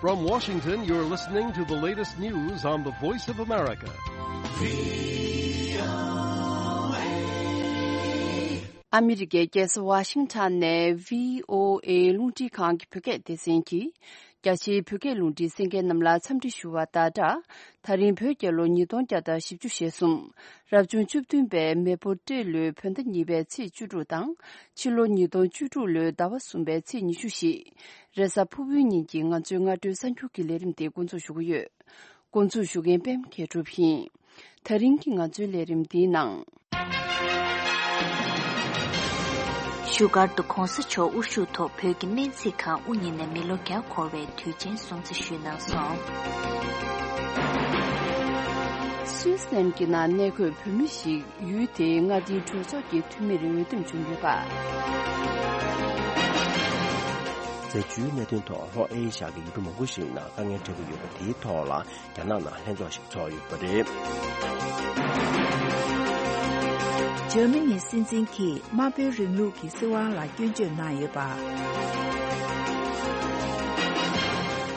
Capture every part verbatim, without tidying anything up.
From Washington, you're listening to the latest news on the Voice of America. ཨ་མི་རི་ཀའི་རྒྱལ་ས་ཝ་ཤིང་ཊོན་ནས་བྷི་ཨོ་ཨེ་རླུང་འཕྲིན་ཁང་གི་བོད་སྐད་སྡེ་ཚན་གྱིས། རྒྱ་ཆེའི་བོད་སྐད་རླུང་འཕྲིན་གསན་མཁན་རྣམས་ལ་འཚམས་འདྲི་ཞུ་བ་དང་སྦྲགས། ད་རིང་བོད་རྒྱལ་ལོ་ཉིས་སྟོང་བརྒྱ་དང་བཞི་བཅུ་ཞེ་གསུམ། རབ་བྱུང་བཅུ་བདུན་པའི་མེ་ཕོ་སྤྲེལ་ལོའི་བོད་ཟླ་གཉིས་པའི་ཚེས་བཅུ་དྲུག་དང་། ཕྱི་ལོ་ཉིས་སྟོང་བཅུ་དྲུག་ལོའི་ཟླ་བ་གསུམ་པའི་ཚེས་ཉི་ཤུ་བཞི། རེས་གཟའ་ཕུར་བུའི་ཉིན་གྱི་ང་ཚོའི་སྔ་དྲོའི་གསར་འགྱུར་གྱི་ལས་རིམ་དེ་འགོ་འཛུགས་ཞུ་གི་ཡོད། འགོ་འཛུགས་ཞུ་མཁན་པད་མ་མཁས་གྲུབ་ཡིན། ད་རིང་གི་ང་ཚོའི་ལས་རིམ་འདིའི་ནང་། བཞུགས་སྒར་དུ་གོང་ས་མཆོག་དབུ་བཞུགས་ཐོག་བོད་ཀྱི་སྨན་རྩིས་ཁང་དབུ་བརྙེས་ནས་མི་ལོ་བརྒྱ་འཁོར་བའི་དུས་ཆེན་སྲུང་བརྩི་ཞུས་གནང་སོང་། སུད་སི་ལན་གྱི་ནང་གནས་འཁོད་བོད་མི་ཞིག་ཡུལ་དེའི་མངའ་སྡེའི་གྲོས་ཚོགས་ཀྱི་འཐུས་མིར་འོས་འདེམས་བྱུང་ཡོད་པ། རྫས་འགྱུར་གནད་དོན་ཐོག་ལྷོ་ཨེ་ཤ་ཡ་གི་ཡུལ་གྲུ་མང་པོ་ཞིག་ནང་དཀའ་ངལ་འཕྲད་ཀྱི་ཡོད་པ་དེའི་ཐོག་ལ། རྒྱ་ནག་ནང་ལྷན་ཚོགས་ཤིག་ཚོགས་ཡོད་པ་རེད། འཇར་མ་ནིའི་སྲིད་འཛིན་གྱིས་དམར་པོའི་རིང་ལུགས་ཀྱི་སྲིད་དབང་ལ་སྐྱོན་བརྗོད་གནང་ཡོད་པ།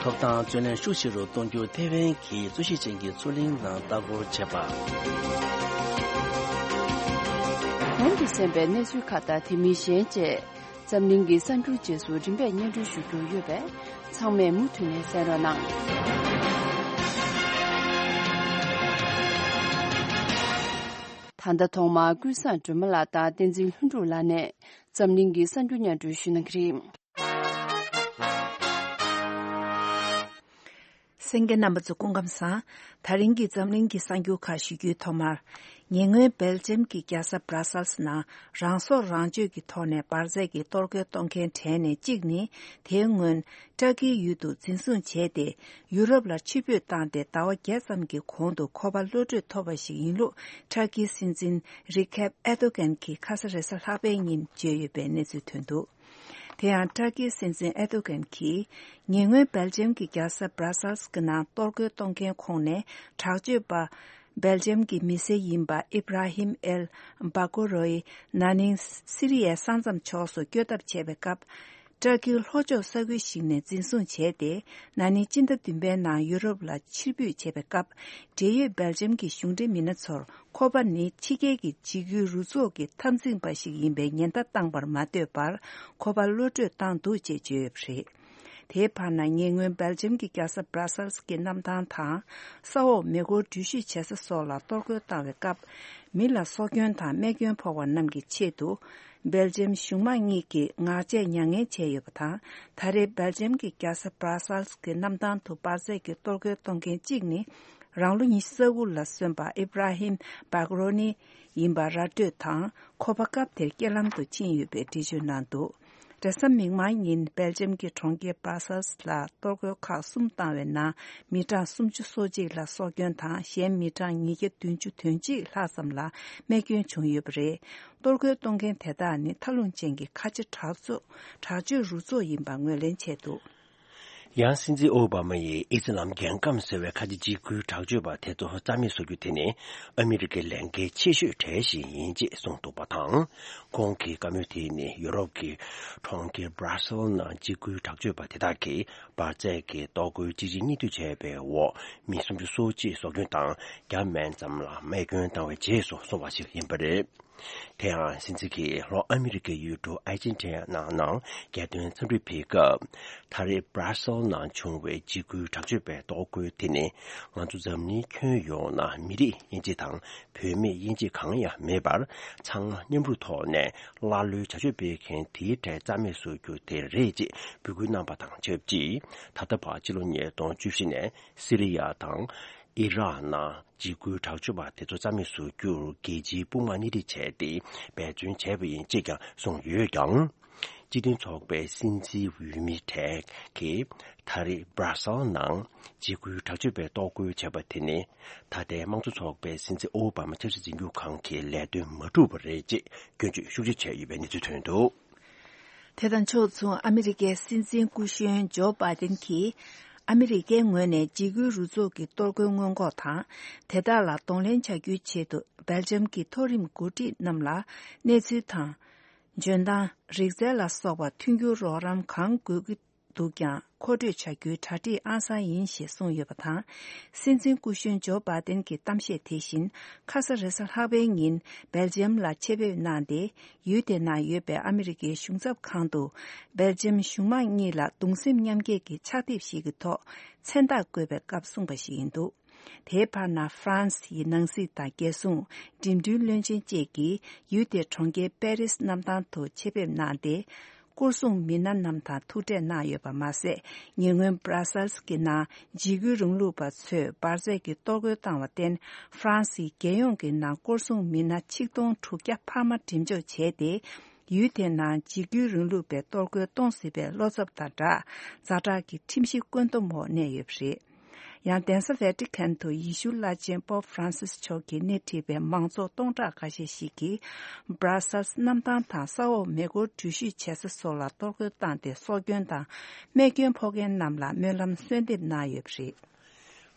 ཐོབ་ཐང་རྩོད་ལེན་ཤུགས་ཆེ་རུ་གཏོང་རྒྱུར་ཐེ་ཝན་གྱིས་རྩོད་གཞི་ཅན་གྱི་མཚོ་གླིང་ནང་ལྟ་སྐོར་བྱས་པ། གོང་དུ་གསན་པའི་གནས་ཚུལ་ཁག་དང་དེ་མིན་གཞན་བཅས། འཛམ་གླིང་གི་གསར་འགྱུར་རྗེས་སུ་རིམ་པས་སྙན་སྒྲོན་ཞུ་རྒྱུ་ཡོད་པས། ཚང་མས་མུ་མཐུད་ནས་གསན་རོགས་གནང་། ད་ལྟ་ཐོག་མར་ཀུན་བཟང་སྒྲོལ་མ་ལགས་དང་བསྟན་འཛིན་ལྷུན་གྲུབ་ལགས་ནས་འཛམ་གླིང་གི་གསར་འགྱུར་སྙན་སྒྲོན་ཞུ་གནང་གི་རེད། གསན་མཁན་རྣམ་པ་ཚོ་སྐུ་ཁམས་བཟང་། ད་རིང་གི་འཛམ་གླིང་གི་གསར་འགྱུར་ཁག་ཞུ་རྒྱུའི་ཐོག་མར། ཉེ་སྔོན་སྦེལ་ཇམ་གྱི་རྒྱལ་ས་སྦྲ་སལ་སི་ནང་རང་སྲོག་རང་གཅོད་ཀྱི་ཐོག་ནས་འབར་རྫས་ཀྱི་གཏོར་རྒོལ་གཏོང་མཁན་གྲས་ནས་གཅིག་ནི། དེའི་སྔོན་ཏྲ་ཀིའི་ཡུལ་དུ་འཛིན་བཟུང་བྱས་ཏེ། ཡུ་རོབ་ལ་ཕྱིར་འབུད་བཏང་སྟེ་ཟླ་བ་བརྒྱད་ཙམ་གྱི་གོང་དུ་ཁོ་པ་གློད་གྲོལ་ཐོབ་པ་ཞིག་ཡིན་ལུགས་ཏྲ་ཀིའི་སྲིད་འཛིན་རི་ཁེབ་ཨེ་རྡོ་གན་གྱིས་ཁ་ས་རེས་གཟའ་ལྷག་པའི་ཉིན་བརྗོད་ཡོད་པའི་གནས་ཚུལ་ཐོན་འདུག། དེ་ཡང་ཏྲ་ཀིའི་སྲིད་འཛིན་ཨེ་རྡོ་གན་གྱིས། ཉེ་སྔོན་སྦེལ་ཇམ་གྱི་རྒྱལ་ས་སྦྲ་སལ་སི་གི་ནང་གཏོར་རྒོལ་གཏོང་མཁན་ཁོངས་ནས་དྲག་སྤྱོད་པ། སྦེལ་ཇམ་གྱི་མི་སེར་ཡིན་པ་ཨི་བྷ་ར་ཧིམ་ཨེལ་བྷ་གོ་རོ་ཡི་ན་ནིང་སི་རི་ཡའི་ས་མཚམས་ཕྱོགས་སུ་བསྐྱོད་ཐབས་བྱས་པའི་སྐབས། ཏྲ་ཀིའི་ལྷོ་ཕྱོགས་ས་ཁུལ་ཞིག་ནས་འཛིན་བཟུང་བྱས་ཏེ། ན་ནིང་སྤྱི་ཟླ་བདུན་པའི་ནང་ཡུ་རོབ་ལ་ཕྱིར་འབུད་བྱས་པའི་སྐབས། འབྲེལ་ཡོད་སྦེལ་ཇམ་གྱི་གཞུང་འབྲེལ་མི་སྣ་ཚོར། ཁོ་པ་ནི་ཕྱི་རྒྱལ་གྱི་འཇིགས་སྐུལ་རུ་ཚོགས་ཀྱི་འཐབ་འཛིང་པ་ཞིག་ཡིན་པའི་ཉེན་བརྡ་བཏང་པར་མ་ལྟོས་པར་ཁོ་པ་གློད་བཀྲོལ་བཏང་འདུག་ཅེས་བརྗོད་ཡོད་པ་རེད། དེའི་བར་ན་ཉེ་སྔོན་སྦེལ་ཇམ་གྱི་རྒྱལ་ས་སྦྲ་སལ་སི་གི་གནམ་ཐང་དང་ས་འོག་མེ་འཁོར་འགྲུལ་བཞུད་བྱེད་ས་སོགས་ལ་གཏོར་རྒོལ་བཏང་བའི་སྐབས། མི་ལ་སྲོག་སྐྱོན་དང་རྨས་སྐྱོན་ཕོག་པ་རྣམས་ཀྱི་ཆེད་དུ། སྦེལ་ཇམ་གཞུང་དམངས་གཉིས་ཀྱིས་ངག་བཅད་མྱ་ངན་བྱས་ཡོད་པ་དང་། ད་རེས་སྦེལ་ཇམ་གྱི་རྒྱལ་ས་སྦྲ་སལ་སི་གི་གནམ་ཐང་དུ་འབར་རྫས་ཀྱི་གཏོར་རྒོལ་གཏོང་མཁན་གཅིག་ནི། རང་ལོ་ཉི་ཤུ་རྩ་དགུ་ལ་སོན་པ་ཨི་བྷ་ར་ཧིམ་བྷག་རོ་ནི་ཡིན་པ་ར་སྤྲོད་དང་། ཁོ་པ་སྐབས་དེར་རྐྱེན་ལམ་དུ་ཕྱིན་ཡོད་པའི་འགྲེལ་བརྗོད་གནང་འདུག། རེས་གཟའ་མིག་དམར་ཉིན་སྦེལ་ཇམ་གྱི་གྲོང་ཁྱེར་སྦྲ་སལ་སི་ལ་གཏོར་རྒོལ་ཁག་གསུམ་བཏང་བའི་ནང་མི་གྲངས་སུམ་ཅུ་སོ་གཅིག་ལ་སྲོག་སྐྱོན་དང་གཞན་མི་གྲངས་ཉིས་བརྒྱ་བདུན་ཅུ་དོན་གཅིག་ལྷག་ཙམ་ལ་རྨས་སྐྱོན་བྱུང་ཡོད་པ་རེད། གཏོར་རྒོལ་གཏོང་མཁན་དེ་དག་ནི་མཐའ་ལྷུང་ཅན་གྱི་ཁ་ཆེ་དྲག་ཚོགས་དྲག་སྤྱོད་རུ་ཚོགས་ཡིན་པ་ངོས་ལེན་བྱས་འདུག། ཡང་སྲིད་འཛིན་ཨོ་བྷ་མ་ཡིས་ཨི་སི་ལམ་རྒྱལ་ཁམས་ཟེར་བའི་ཁ་ཆེ་འཇིགས་སྐུལ་དྲག་སྤྱོད་པ་དེ་ཚོ་རྩ་མེད་བཟོ་རྒྱུ་དེ་ནི་ཨ་མི་རི་ཀའི་ལས་འགན་ཆེ་ཤོས་གྲས་ཤིག་ཡིན་ཅེས་གསུངས་འདུག་པ་དང་། ཁོང་གི་བཀའ་མོལ་དེ་ནི་ཡུ་རོབ་ཀྱི་གྲོང་ཁྱེར་སྦྲ་སེལ་ནང་འཇིགས་སྐུལ་དྲག་སྤྱོད་པ་དེ་དག་གིས་འབར་རྫས་ཀྱི་གཏོར་རྒོལ་གཅིག་རྗེས་གཉིས་མཐུད་བྱས་པའི་འོག་མི་སུམ་ཅུ་སོ་གཅིག་སྲོག་སྐྱོན་དང་བརྒྱ་མན་ཙམ་ལ་རྨས་སྐྱོན་བཏང་བའི་རྗེས་སུ་སོང་བ་ཞིག་ཡིན་པ་རེད། དེ་ཡང་སྲིད་འཛིན་གྱིས་ལྷོ་ཨ་མི་རི་ཀའི་ཡུལ་གྲུ་ཨར་ཇེན་ཊི་ན་ནང་རྒྱལ་དོན་འཚམས་འདྲི་ཕེབས་སྐབས། ད་རེས་སྦྲ་སེལ་ནང་བྱུང་བའི་འཇིགས་སྐུལ་དྲག་སྤྱོད་པའི་གཏོར་རྒོལ་དེ་ནི་ང་ཚོ་འཛམ་གླིང་ཁྱོན་ཡོངས་ན་མི་རིགས་དབྱེ་འབྱེད་དང་བུད་མེད་དབྱེ་འབྱེད་གང་ཡང་མེད་པར་ཚང་མ་མཉམ་རུབ་ཐོག་ནས་ཀླ་ཀློའི་བྱ་སྤྱོད་སྤེལ་མཁན་དེའི་གྲས་རྩ་མེད་བཟོ་རྒྱུ་དེ་རེད་ཅེས་འབོད་སྐུལ་གནང་པ་དང་ཆབས་ཅིག། ད་ལྟ་བར་ཕྱི་ལོ་ཉིས་སྟོང་བཅུ་བཞི་ནས་སི་རི་ཡ་དང་ཨི་རག་ནང་འཇིགས་སྐུལ་དྲག་སྤྱོད་པ་དེ་ཚོ་རྩ་མེད་བཟོ་རྒྱུར་རྒྱལ་སྤྱིའི་དཔུང་དམག་སྣེ་ཁྲིད་བྱས་ཏེ་འབད་བརྩོན་བྱས་པ་ཡིན་ཅེས་ཀྱང་གསུངས་ཡོད་ཀྱང་། སྤྱི་མཐུན་ཚོགས་པའི་སྲིད་འཛིན་འོས་མི་གྲས་ཀྱིས་ད་རེས་སྦྲ་སེལ་ནང་འཇིགས་སྐུལ་དྲག་སྤྱོད་པའི་གཏོར་རྒོལ་བྱས་པ་དེ་ནི་ད་ལྟའི་དམངས་གཙོ་ཚོགས་པའི་སྲིད་འཛིན་ཨོ་བྷ་མ་ཆབ་སྲིད་འཛིན་སྐྱོང་ཁང་གི་ལས་དོན་མ་འགྲུབ་པ་རེད་ཅེས་སྐྱོན་བརྗོད་ཤུགས་ཆེ་བྱས་ཡོད་པའི་གནས་ཚུལ་ཐོན་འདུག། དེ་དང་ཕྱོགས་མཚུངས་ཨ་མི་རི་ཀའི་སྲིད་འཛིན་སྐུ་གཞོན་ཇོ་བྷའི་ཏིན་གྱིས་ཨ་མི་རི་ཀའི་ངོས་ནས་འཇིགས་སྐུལ་རུ་ཚོགས་ཀྱི་གཏོར་རྒོལ་སྔོན་འགོག་དང་དེ་དག་ལ་གདོང་ལེན་བྱ་རྒྱུའི་ཆེད་དུ་སྦེལ་ཇམ་གྱི་མཐོ་རིམ་འགོ་ཁྲིད་རྣམས་ལ་གནས་ཚུལ་དང་། འཇོན་ཐང་། རིག་རྩལ་ལ་སོགས་པ་མཐུན་འགྱུར་རོགས་རམ་གང་དགོས་ཀྱི་ འདུག་ཀྱང་མཁོ་སྤྲོད་བྱ་རྒྱུའི་གྲ་སྒྲིག་ཨང་གསར་ཡིན་ཞེས་གསུངས་ཡོད་པ་དང་། སྲིད་འཛིན་སྐུ་གཞོན་ཇོ་བྷ་དན་གྱི་གཏམ་བཤད་དེ་བཞིན་ཁ་ས་རེས་གཟའ་ལྷག་པའི་ཉིན་སྦེལ་ཇམ་ལ་ཆེད་ཕེབས་གནང་སྟེ། ཡུལ་དེ་ན་ཡོད་པའི་ཨ་མི་རི་ཀའི་གཞུང་ཚབ་ཁང་དུ་སྦེལ་ཇམ་གཞུང་མང་གཉིས་ལ་གདུང་སེམས་མཉམ་སྐྱེད་ཀྱི་ཕྱག་དེབ་ཞིག་གི་ཐོག་མཚན་རྟགས་བཀོད་པའི་སྐབས་གསུངས་པ་ཞིག་ཡིན་འདུག་དེའི་བར་ན་ཧྥ་རན་སི་ཡི་ནང་སྲིད་དང་རྒྱལ་སྲུང་། འགྲིམ་འགྲུལ་བློན་ཆེན་བཅས་ཀྱིས་ཡུལ་དེའི་གྲོང་ཁྱེར་པེ་རིས་གནམ་ཐང་དུ་ཆེད་ཕེབས་གནང་སྟེ། སྐོར་སྲུང་མི་སྣ་རྣམས་དང་ཐུག་འཕྲད་གནང་ཡོད་པ་མ་ཟད། ཉེ་སྔོན་སྦྲ་སལ་གྱི་ནང་འཇིགས་སྐུལ་རིང་ལུགས་པ་ཚོས་འབར་རྫས་ཀྱི་གཏོར་རྒོལ་བཏང་བར་བརྟེན། ཧྥ་རན་སིའི་རྒྱལ་ཡོངས་ཀྱི་ནང་སྐོར་སྲུང་མི་སྣ་ཆིག་སྟོང་དྲུག་བརྒྱ་འཕར་མ་འགྲེམས་འཇོག་བྱས་ཏེ། ཡུལ་དེའི་ནང་འཇིགས་སྐུལ་རིང་ལུགས་པའི་གཏོར་རྒོལ་གཏོང་སྲིད་པའི་བློ་འཚབ་དང་སྦྲགས། ཛ་དྲག་གི་ཁྲིམས་གཞི་བཀོད་འདོམས་འོག་གནས་ཡོད་པ་རེད། ཡང་གདན་ས་ཝེ་ཏི་ཁན་དུ་ཡེ་ཤུ་བླ་ཆེན་པོབ་ཧྥ་རན་སིས་མཆོག་གིས་སྣེ་ཁྲིད་པའི་མང་ཚོགས་སྟོང་ཕྲག་ཁ་ཤས་ཤིག་གིས་སྦྲ་སལ་གནམ་ཐང་དང་ས་འོག་མེ་འཁོར་འགྲུལ་བཞུད་བྱེད་ས་སོགས་ལ་གཏོར་རྒོལ་བཏང་སྟེ་སྲོག་སྐྱོན་དང་རྨས་སྐྱོན་ཕོག་མཁན་རྣམས་ལ་སྨོན་ལམ་གསོལ་འདེབས་གནང་ཡོད་པ་རེད།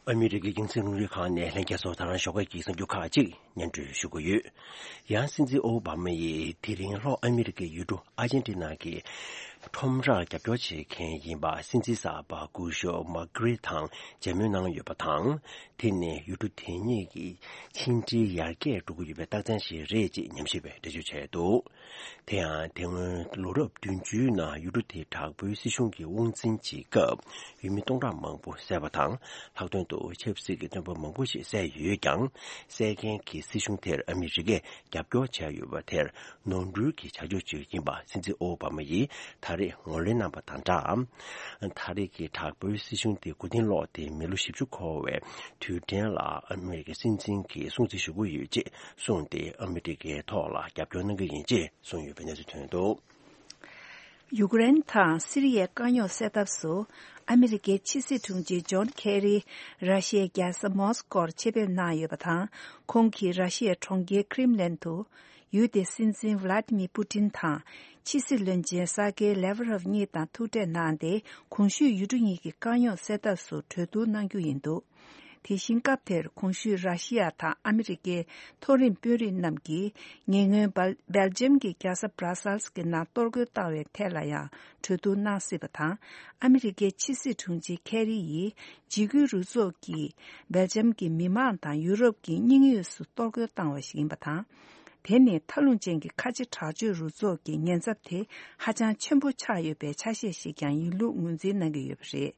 ཨ་མི་རི་ཀའི་རྒྱང་སྲིང་རླུང་འཕྲིན་ཁང་ནས་ལྷན་རྒྱས་ཚོར་ད་རང་ཞོགས་ཀས་ཀྱི་གསར་འགྱུར་ཁག་ཅིག་སྙན་སྒྲོན་ཞུ་གི་ཡོད། ཡང་སྲིད་འཛིན་ཨོ་བྷ་མ་ཡིས་དེ་རིང་ལྷོ་ཨ་མི་རི་ཀའི་ཡུལ་གྲུ་ཨར་ཇན་ཏི་ན་གི་ཁྲོམ་རར་རྒྱབ་སྐྱོར་བྱེད་མཁན་ཡིན་པ་སྲིད་འཛིན་གསར་པ་སྐུ་ཞབས་མ་ཀི་རི་དང་མཇལ་མོལ་གནང་ཡོད་པ་དང་། དེ་ནི་ཡུལ་གྲུ་དེ་གཉིས་ཀྱི་ཕྱི་འབྲེལ་ཡར་རྒྱས་འགྲོ་གི་ཡོད་པའི་རྟགས་མཚན་ཞིག་རེད་ཅེས་ཉམས་ཞིབ་པས་འགྲེལ་བརྗོད་བྱས་འདུག་དེ་ཡང་དེ་སྔོན་ལོ་རབས་བདུན་ཅུའི་ནང་ཡུལ་གྲུ་དེའི་དྲག་པོའི་སྲིད་གཞུང་གི་དབང་འཛིན་གྱི་སྐབས་ཡུལ་མི་སྟོང་ཕྲག་མང་པོ་བསད་པ་དང་། ལྷག་དོན་དུ་ཆབ་སྲིད་ཀྱི་བཙོན་པ་མང་པོ་ཞིག་བསད་ཡོད་ཀྱང་། བསད་མཁན་གྱི་སྲིད་གཞུང་དེར་ཨ་མི་རི་ཀས་རྒྱབ་སྐྱོར་བྱས་ཡོད་པ་དེར་ནོར་འཁྲུལ་གྱི་བྱ་སྤྱོད་ཅིག་ཡིན་པ་སྲིད་འཛིན་ཨོ་བྷ་མ་ཡིས་ད་རེས་ངོས་ལེན་གནང་པ་དང་སྦྲགས། ད་རེས་ཀྱི་དྲག་པོའི་སྲིད་གཞུང་དེ་མགོ་རྟིང་སློག་སྟེ་མི་ལོ་བཞི་བཅུ་འཁོར་བའི་དུས་དྲན་ལ་ཨ་མི་རི་ཀའི་སྲིད་འཛིན་གྱིས་སྲུང་བརྩི་ཞུ་གི་ཡོད་ཅེས་གསུངས་ཏེ། ཨ་མི་རི་ཀའི་ཐོག་ལ་རྒྱབ་སྐྱོར་གནང་གི་ཡིན་ཅེས་གསུངས་ཡོད་པའི་གནས་ཚུལ་ཐོན་འདུག་ཡུཀ་རེན་དང་སི་རི་ཡའི་དཀའ་རྙོག་སེལ་ཐབས་སུ། ཨ་མི་རི་ཀའི་ཕྱི་སྲིད་དྲུང་ཆེ་ཇོན་ཁེ་རི་ར་ཤི་ཡའི་རྒྱལ་ས་མོ་སི་ཀོར་ཆེད་ཕེབས་གནང་ཡོད་པ་དང་། ཁོང་གིས་ར་ཤི་ཡའི་གྲོང་ཁྱེར་ཁྲིམ་ལན་དུ། ཡུལ་དེའི་སྲིད་འཛིན་ཝ་ལ་ཏི་མི་པུ་ཏིན་དང་། ཕྱི་སྲིད་བློན་ཆེན་ས་ཀེ་ལེ་ཝ་རོབ་གཉིས་དང་ཐུག་འཕྲད་གནང་སྟེ། གོང་ཞུས་ཡུལ་གྲུ་གཉིས་ཀྱི་དཀའ་རྙོག་སེལ་ཐབས་སུ་གྲོས་བསྡུར་གནང་རྒྱུ་ཡིན་འདུག་དེ་བཞིན་སྐབས་དེར་གོང་ཞུས་ར་ཤི་ཡ་དང་ཨ་མི་རི་ཀའི་མཐོ་རིམ་དཔོན་རིགས་རྣམས་ཀྱིས་ཉེ་སྔོན་སྦལ་སྦེལ་ཇམ་གྱི་རྒྱལ་ས་སྦྲ་སལ་གྱི་ནང་གཏོར་རྒོལ་བཏང་བའི་ཐད་ལ་ཡང་གྲོས་བསྡུར་གནང་སྲིད་པ་དང་། ཨ་མི་རི་ཀའི་ཕྱི་སྲིད་དྲུང་ཆེ་ཁེ་རི་ཡིས་འཇིགས་སྐུལ་རུ་ཚོགས་ཀྱིས་སྦེལ་ཇམ་གྱི་མི་མང་དང་ཡུ་རོབ་ཀྱི་དམིགས་ཡུལ་སུ་གཏོར་རྒོལ་བཏང་བ་ཞིག་ཡིན་པ་དང་། དེ་ནི་མཐའ་ལྷུང་ཅན་གྱི་ཁ་ཆེ་དྲག་སྤྱོད་རུ་ཚོགས་ཀྱི་ཉེན་ཚབས་དེ་ཧ་ཅང་ཆེན་པོ་ཆགས་ཡོད་པའི་ཆ་ཤས་ཤིག་ཀྱང་ཡིན་ལུགས་ངོས་འཛིན་གནང་གི་ཡོད་པ་རེད།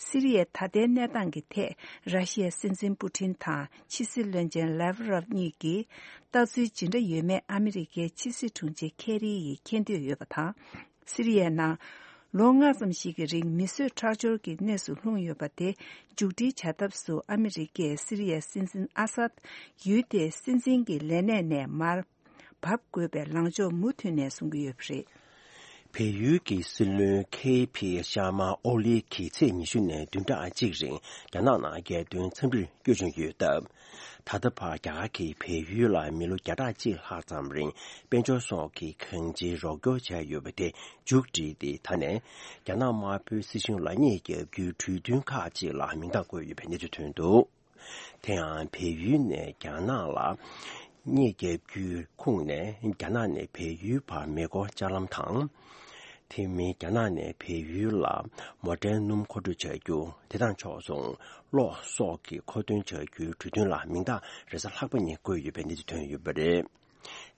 སི་རི་ཡའི་ད་ལྟའི་གནས་སྟངས་ཀྱི་ཐད་ར་ཤི་ཡའི་སྲིད་འཛིན་པུ་ཏིན་དང་ཕྱི་སྲིད་བློན་ཆེན་ལེ་ཝ་རོབ་གཉིས་ཀྱིས་ལྟ་ཚུལ་ཇི་འདྲ་ཡོད་མེད་ཨ་མི་རི་ཀའི་ཕྱི་སྲིད་དྲུང་ཆེ་ཁེ་རི་ཡིས་མཁྱེན་འདོད་ཡོད་པ་དང་། སི་རི་ཡའི་ནང་ལོ་ལྔ་ཙམ་ཞིག་གི་རིང་མི་གསོད་ཁྲག་སྦྱོར་གྱི་གནས་སུ་ལྷུང་ཡོད་པ་དེ་མཇུག་སྒྲིལ་བྱ་ཐབས་སུ་ཨ་མི་རི་ཀས་སི་རི་ཡའི་སྲིད་འཛིན་ཨ་སཱད་ཡུལ་དེའི་སྲིད་འཛིན་གྱི་ལས་གནས་ནས་མར་བབས་དགོས་པའི་ལངས་ཕྱོགས་མུ་མཐུད་ནས་བཟུང་གི་ཡོད་པ་རེད། བལ་ཡུལ་གྱི་སྲིད་བློན་ཁེ་ཕི་ཤར་མ་ཨོ་ལི་གིས་ཚེས་ཉི་ཤུ་ནས་བདུན་ཕྲག་གཅིག་རིང་རྒྱ་ནག་ནང་རྒྱལ་དོན་འཚམས་འདྲིར་བསྐྱོད་བྱུང་ཡོད་སྟབས། ད་ལྟ་བར་རྒྱ་གར་གྱིས་བལ་ཡུལ་ལ་མི་ལོ་བརྒྱ་ཕྲག་གཅིག་ལྷག་ཙམ་རིང་དཔལ་འབྱོར་སོགས་ཀྱི་གང་ཅིའི་རོགས་སྐྱོར་བྱས་ཡོད་པ་དེ་མཇུག་བསྒྲིལ་ཏེ། ད་ནས་རྒྱ་ནག་དམར་པོའི་སྲིད་གཞུང་ལ་གཉེར་རྒྱག་རྒྱུའི་གྲོས་མཐུན་ཁག་ཅིག་ལ་མིང་རྟགས་བཀོད་ཡོད་པའི་གནས་ཚུལ་ཐོན་འདུག་དེ་ཡང་བལ་ཡུལ་ནས་རྒྱ་ནག་ལ་གཉེར་རྒྱག་རྒྱུའི་ཁུངས་ནས་རྒྱ་ནག་ནས་བལ་ཡུལ་བར་མེ་འཁོར་ལྕགས་ལམ་དང་། དེ་མིན་རྒྱ་ནག་ནས་བལ་ཡུལ་ལ་མོ་ཊའི་སྣུམ་མཁོ་སྤྲོད་བྱ་རྒྱུ། དེ་དང་ཕྱོགས་མཚུངས་གློག་སོགས་ཀྱི་མཁོ་འདོན་བྱ་རྒྱུའི་གྲོས་མཐུན་ལ་མིང་རྟགས་རེས་གཟའ་ལྷག་པ་ཉིན་བཀོད་ཡོད་པའི་གནས་ཚུལ་ཐོན་ཡོད་པ་རེད།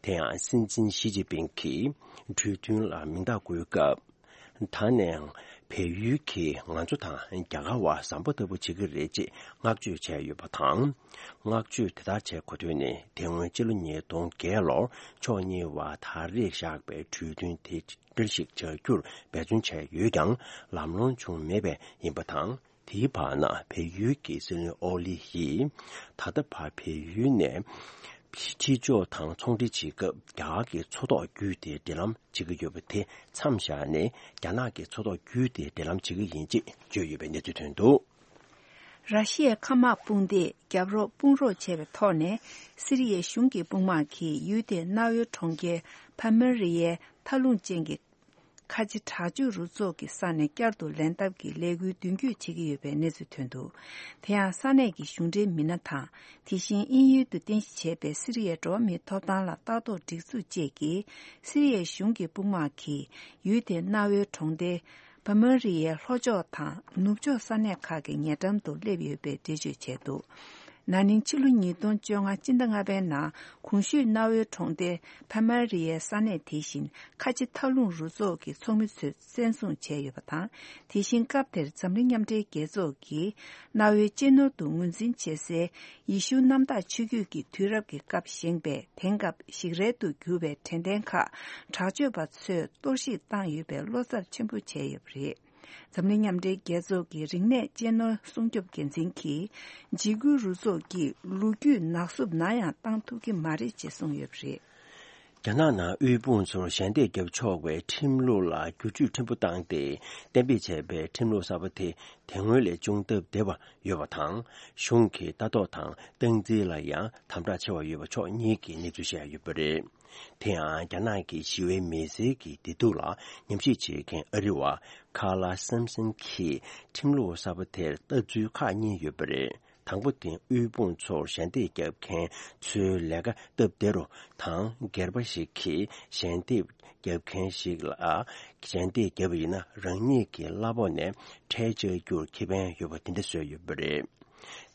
དེ་ཡང་སྲིད་འཛིན་ཞི་ཅིན་ཕིང་གིས་གྲོས་མཐུན་ལ་མིང་རྟགས་བཀོད་སྐབས། ད་ནས་བལ་ཡུལ་གྱིས་ང་ཚོ་དང་རྒྱ་གར་བ་བཟང་པོ་ལྟ་བུ་བྱེད་ཀྱི་རེད་ཅེས་བསྔགས་བརྗོད་བྱས་ཡོད་པ་དང་། བསྔགས་བརྗོད་དེ་ལྟར་བྱས་གོ་དོན་ནི། དེ་སྔོན་སྤྱི་ལོ་ཉིས་སྟོང་བརྒྱད་ལོར་ཕྱོགས་གཉིས་བར་ད་རེས་བཞག་པའི་གྲོས་མཐུན་དེ་འགྲེལ་བཤད་བྱ་རྒྱུར་འབད་བརྩོན་བྱས་ཡོད་ཀྱང་ལམ་ལྷོང་བྱུང་མེད་པས་ཡིན་པ་དང་། དེའི་བར་ན་བལ་ཡུལ་གྱི་སྲིད་བློན་ཨོ་ལི་ཡིས་ད་ལྟ་བར་བལ་ཡུལ་ནས་ཕྱི་ཕྱི་ཕྱོགས་དང་ཚོང་འབྲེལ་བྱེད་སྐབས་རྒྱ་གར་གྱི་མཚོ་ཐོག་བརྒྱུད་དེ་འབྲེལ་ལམ་བྱེད་ཀྱི་ཡོད་པ་དེ་མཚམས་བཞག་ནས། རྒྱ་ནག་གི་མཚོ་ཐོག་བརྒྱུད་དེ་འབྲེལ་ལམ་བྱེད་ཀྱི་ཡིན་ཅེས་བརྗོད་ཡོད་པའི་གནས་ཚུལ་ཐོན་འདུག་ར་ཤི་ཡའི་མཁའ་དམག་དཔུང་སྡེས་རྒྱབ་རོགས་དཔུང་རོགས་བྱས་པའི་ཐོག་ནས། སི་རི་ཡའི་གཞུང་གི་དཔུང་དམག་གིས་ཡུལ་དེའི་གནའ་བོའི་གྲོང་ཁྱེར་ཕ་མེ་རི་ཡའི་མཐའ་ལྷུང་ཅན་གྱི་ཁ་ཆེ་དྲག་སྤྱོད་རུ་ཚོགས་ཀྱི་ས་ནས་བསྐྱར་དུ་ལེན་ཐབས་ཀྱི་ལས་འགུལ་མདུན་སྐྱོད་བྱེད་ཀྱི་ཡོད་པའི་གནས་ཚུལ་ཐོན་འདུག་དེ་ཡང་ས་གནས་ཀྱི་གཞུང་འབྲེལ་མི་སྣ་དང་། དེ་བཞིན་དབྱིན་ཡུལ་དུ་རྟེན་གཞི་བྱས་པའི་སི་རི་ཡའི་འགྲོ་བ་མིའི་ཐོབ་ཐང་ལ་ལྟ་རྟོག་སྒྲིག་འཛུགས་བཅས་ཀྱིས། སི་རི་ཡའི་གཞུང་གི་དཔུང་དམག་གིས་ཡུལ་དེའི་གནའ་བོའི་གྲོང་སྡེ་ ཕ་མ་རི་ཡའི་ལྷོ་ཕྱོགས་དང་ནུབ་ཕྱོགས་ས་གནས་ཁག་གི་ཉེ་འགྲམ་དུ་སླེབས་ཡོད་པའི་འགྲེལ་བརྗོད་བྱས་འདུག། ན་ནིང་ཕྱི་ལོ་ཉིས་སྟོང་བཅོ་ལྔ་སྤྱི་ཟླ་ལྔ་པའི་ནང་གོང་ཞུས་གནའ་བོའི་གྲོང་སྡེ་ཕ་མ་རི་ཡའི་ས་གནས་དེ་བཞིན་ཁ་ཆེ་མཐའ་ལྷུང་རུ་ཚོགས་ཀྱི་ཚོགས་མི་ཚོས་བཙན་བཟུང་བྱས་ཡོད་པ་དང་། དེ་བཞིན་སྐབས་དེར་འཛམ་གླིང་མཉམ་འབྲེལ་རྒྱལ་ཚོགས་ཀྱིས་གནའ་བོའི་གཅེས་ནོར་དུ་ངོས་འཛིན་བྱེད་སའི་ཡེ་ཤུ་གནམ་བདག་ཆོས་བརྒྱུད་ཀྱི་དུས་རབས་ཀྱི་སྐབས་བཞེངས་པའི་དེང་སྐབས་ཞིག་རལ་དུ་གྱུར་པའི་དྲན་རྟེན་ཁག་དྲག་སྤྱོད་པ་ཚོས་གཏོར་བཤིག་བཏང་ཡོད་པའི་བློ་འཚབ་ཆེན་པོ་བྱས་ཡོད་པ་རེད། འཛམ་གླིང་མཉམ་འབྲེལ་རྒྱལ་ཚོགས་ཀྱི་རིག་གནས་གཅེས་ནོར་སྲུང་སྐྱོབ་འགན་འཛིན་གྱིས་འཇིགས་སྐུལ་རུ་ཚོགས་ཀྱིས་ལོ་རྒྱུས་ནག་བསུབ་ནམ་ཡང་བཏང་ཐུབ་ཀྱི་མ་རེད་ཅེས་གསུངས་ཡོད་པ་རེད། རྒྱ་ནག་ནང་དབུལ་ཕོངས་ཚོར་ཞལ་འདེབས་བརྒྱབ་ཆོག་པའི་ཁྲིམས་ལུགས་ལ་བསྒྱུར་བཅོས་ཕྲན་བུ་བཏང་སྟེ་གཏན་འབེབས་བྱས་པའི་ཁྲིམས་ལུགས་གསར་པ་དེ་དེ་སྔོན་ལས་ཅུང་སྟབས་བདེ་བ་ཡོད་པ་དང་། གཞུང་གི་ལྟ་རྟོག་དང་སྟངས་འཛིན་ལ་ཡང་དམ་དྲག་ཆེ་བ་ཡོད་པ་ཕྱོགས་གཉིས་ཀྱིས་གནས་ཚུལ་བཤད་ཡོད་པ་རེད། དེ་ཡང་རྒྱ་ནག་གི་ཞི་བའི་མི་སེར་གྱི་བདེ་སྡུག་ལ་ཉམས་ཞིབ་བྱེད་མཁན་ཨ་རི་བ་ཁ་ལ་སམ་སན་གྱིས་ཁྲིམས་ལུགས་གསར་པ་དེར་ལྟ་ཚུལ་ཁག་གཉིས་ཡོད་པ་རེད། དང་པོ་དེ་དབུལ་ཕོངས་ཚོར་ཞལ་འདེབས་བརྒྱབ་མཁན་ཚོའི་ལས་ཀ་སྟབས་བདེ་རུ་དང་། སྒེར་པ་ཞིག་གིས་ཞལ་འདེབས་བརྒྱབ་མཁན་ཞིག་ལ་ཞལ་འདེབས་བརྒྱབ་པ་ཡིན་ན་རང་ཉིད་ཀྱི་གླ་ཕོགས་ནས་ཁྲལ་བཅག་རྒྱུར་ཁེ་ཕན་ཡོད་པ་དེ་འདྲ་བཟོས་ཡོད་པ་རེད།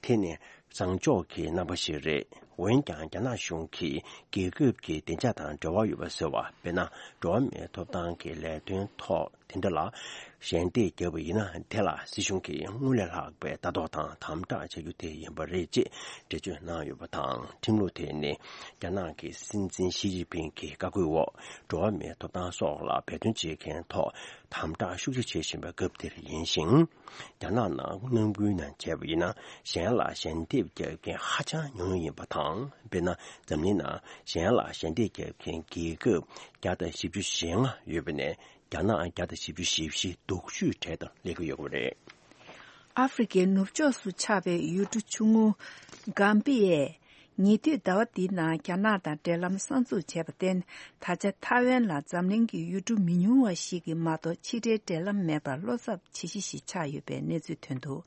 དེ་ནི་བཟང་ཕྱོགས་ཀྱི་རྣམ་པ་ཞིག་རེད། འོན་ཀྱང་རྒྱ་ནག་གཞུང་གིས་རྒྱལ་ཁབ་ཀྱི་བདེ་འཇགས་དང་འབྲེལ་བ་ཡོད་པ་ཟེར་བ། དཔེར་ན། འགྲོ་བ་མིའི་ཐོབ་ཐང་གི་ལས་དོན་ཐོག་དེ་འདྲ་ལ་ཞལ་འདེབས་བརྒྱབ་པ་ཡིན་ན། དེ་ལ་སྲིད་གཞུང་གིས་སྔར་ལས་ལྷག་པའི་ལྟ་རྟོག་དང་དམ་དྲག་བྱ་རྒྱུ་དེ་ཡིན་པ་རེད་ཅེས་འགྲེལ་བརྗོད་གནང་ཡོད་པ་དང་། ཁྲིམས་ལུགས་དེ་ནི་རྒྱ་ནག་གི་སྲིད་འཛིན་ཞི་ཅིན་ཕིང་གི་བཀའ་བཀོད་འོག་འགྲོ་བ་མིའི་ཐོབ་ཐང་སོགས་ལ་འབད་བརྩོན་བྱེད་མཁན་ཐོག་དམ་དྲག་ཤུགས་ཆེ་བྱེད་བཞིན་པའི་སྐབས་འདིར་ཡིན་ཞིང་། རྒྱ་ནག་ནང་ནང་ཁུལ་ནང་བྱས་པ་ཡིན་ན། གཞན་ལ་ཞལ་འདེབས་རྒྱག་མཁན་ཧ་ཅང་ཉུང་ཉུང་ཡིན་པ་དང་། དཔེར་ན། འཛམ་གླིང་ནང་གཞན་ལ་ཞལ་འདེབས་རྒྱག་མཁན་རྒྱལ་ཁབ་བརྒྱ་དང་བཞི་བཅུ་ཞེ་ལྔ་ཡོད་པ་ནས། རྒྱ་ནག་བརྒྱ་དང་བཞི་བཅུ་ཞེ་བཞི་སྡུག་ཤོས་གྲས་དང་སླེབས་ཀྱི་ཡོད་པ་རེད། ཨ་ཧྥེ་རི་ཁའི་ནུབ་ཕྱོགས་སུ་ཆགས་པའི་ཡུལ་གྲུ་ཆུང་ངུ་གམ་པི་ཡས། ཉེ་དུས་ཟླ་བ་འདིའི་ནང་རྒྱ་ནག་དང་འབྲེལ་ལམ་གསར་འཛུགས་བྱས་པར་བརྟེན། ད་ཆ་ཐའེ་ཝན་ལ་འཛམ་གླིང་གི་ཡུལ་གྲུ་མི་ཉུང་བ་ཞིག་གིས་མ་གཏོགས་ཕྱི་འབྲེལ་འབྲེལ་ལམ་མེད་པར་བློ་འཚབ་ཇེ་ཆེ་ཞིག་ཆགས་ཡོད་པའི་གནས་ཚུལ་ཐོན་འདུག།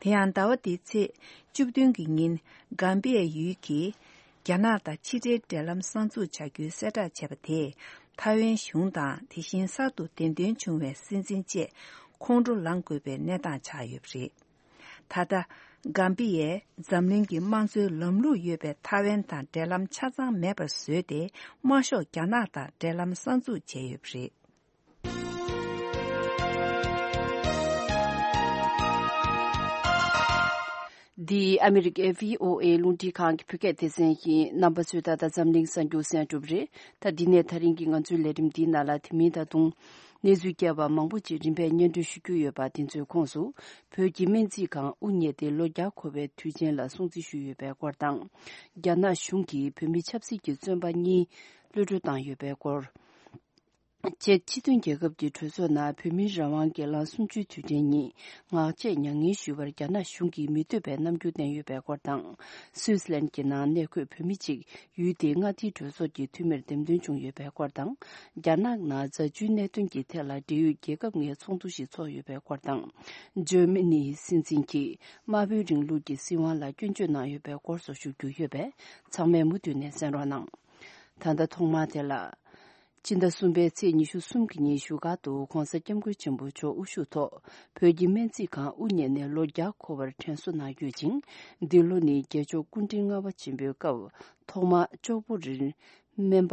དེ་ཡང་ཟླ་བ་འདིའི་ཚེས་བཅུ་བདུན་གྱི་ཉིན་གམ་པི་ཡ་ཡུལ་གྱིས་རྒྱ་ནག་དང་ཕྱི་འབྲེལ་འབྲེལ་ལམ་གསར་འཛུགས་བྱ་རྒྱུའི་གསལ་བསྒྲགས་བྱས་པ་དེས། ཐའེ་ཝན་གཞུང་དང་དེ་བཞིན་གསར་དུ་གདན་འདྲེན་བྱུང་བའི་སྲིད་འཛིན་བཅས་ཁོང་ཁྲོ་ལངས་དགོས་པའི་གནས་སྟངས་ཆགས་ཡོད་པ་རེད། ད་ལྟ། གམ་པི་ཡས་འཛམ་གླིང་གི་དམངས་གཙོའི་ལམ་ལུགས་ཡོད་པའི་ཐའེ་ཝན་དང་འབྲེལ་ལམ་ཆ་ཚང་མེད་པར་བཟོས་ཏེ། དམར་ཤོག་རྒྱ་ནག་དང་འབྲེལ་ལམ་གསར་འཛུགས་བྱས་ཡོད་པ་རེད། འདི་ཨ་མི་རི་ཀའི་བྷི་ཨོ་ཨེ་རླུང་འཕྲིན་ཁང་གི་བོད་སྐད་སྡེ་ཚན་ཡིན། རྣམ་པ་ཚོས་ད་ལྟ་འཛམ་གླིང་གསར་འགྱུར་གསན་གྲུབ་རེད། ད་འདི་ནས་ད་རིང་གི་ང་ཚོའི་ལས་རིམ་འདིའི་ནང་ལ་དེ་མིན་ད་དུང་གནས་ཚུལ་རྒྱས་པ་མང་པོ་ཅིག་རིམ་པས་སྙན་སྒྲོན་ཞུ་རྒྱུ་ཡོད་པ། དེ་ཚོའི་ཁོངས་སུ། བོད་ཀྱི་སྨན་རྩིས་ཁང་དབུ་བརྙེས་ཏེ་ལོ་བརྒྱ་འཁོར་བའི་དུས་ཆེན་ལ་སྲུང་བརྩི་ཞུས་ཡོད་པའི་སྐོར་དང་། རྒྱ་ནག་གཞུང་གིས་བོད་མི་ཆབ་སྲིད་ཀྱི་བཙོན་པ་གཉིས་གློད་གྲོལ་བཏང་ཡོད་པའི་སྐོར། བཅས། སྤྱི་མཐུན་རྒྱལ་ཁབ་ཀྱི་གྲོས་ཚོགས་ནང་བོད་མིའི་རང་དབང་སྒེར་ལངས་གསུམ་བཅུའི་དུས་དྲན་ཉིན་ངག་བཅད་མྱ་ངན་ཞུ་བར་རྒྱ་ནག་གཞུང་གིས་མི་འདོད་པའི་རྣམ་འགྱུར་བསྟན་ཡོད་པའི་སྐོར་དང་། སུད་སི་ལན་གྱི་ནང་གནས་འཁོད་བོད་མི་གཅིག་ཡུལ་དེའི་མངའ་སྡེའི་གྲོས་ཚོགས་ཀྱི་འཐུས་མིར་འདེམས་ཐོན་བྱུང་ཡོད་པའི་སྐོར་དང་། རྒྱ་ནག་ནང་རྫ་ཆུའི་གནད་དོན་གྱི་ཐད་ལ་འབྲེལ་ཡོད་རྒྱལ་ཁབ་ལྔའི་ཚོགས་འདུ་ཞིག་ཚོགས་ཡོད་པའི་སྐོར་དང་། འཇར་མ་ནིའི་སྲིད་འཛིན་གྱིས་དམར་པོའི་རིང་ལུགས་ཀྱི་སྲིད་དབང་ལ་སྐྱོན་བརྗོད་གནང་ཡོད་པའི་སྐོར་སོགས་ཞུ་རྒྱུ་ཡོད་པས། ཚང་མས་མུ་མཐུད་ནས་གསན་རོགས་གནང་། ད་ལྟ་ཐོག་མར་དེ་ལ། སྤྱི་ཟླ་གསུམ་པའི་ཚེས་ཉི་ཤུ་གསུམ་གྱི་ཉིན་བཞུགས་སྒར་དུ་༧གོང་ས་༧སྐྱབས་མགོན་ཆེན་པོ་མཆོག་དབུ་བཞུགས་ཐོག་བོད་ཀྱི་སྨན་རྩིས་ཁང་དབུ་བརྙེས་ནས་ལོ་བརྒྱ་འཁོར་བར་དྲན་གསོ་གནང་ཡོད་ཅིང་། འདི་ལོ་ནི་རྒྱལ་མཆོག་སྐུ་ཕྲེང་ལྔ་པ་ཆེན་པོའི་སྐབས་ཐོག་མར་ལྕོག་པོ་རིར་སྨན་པ་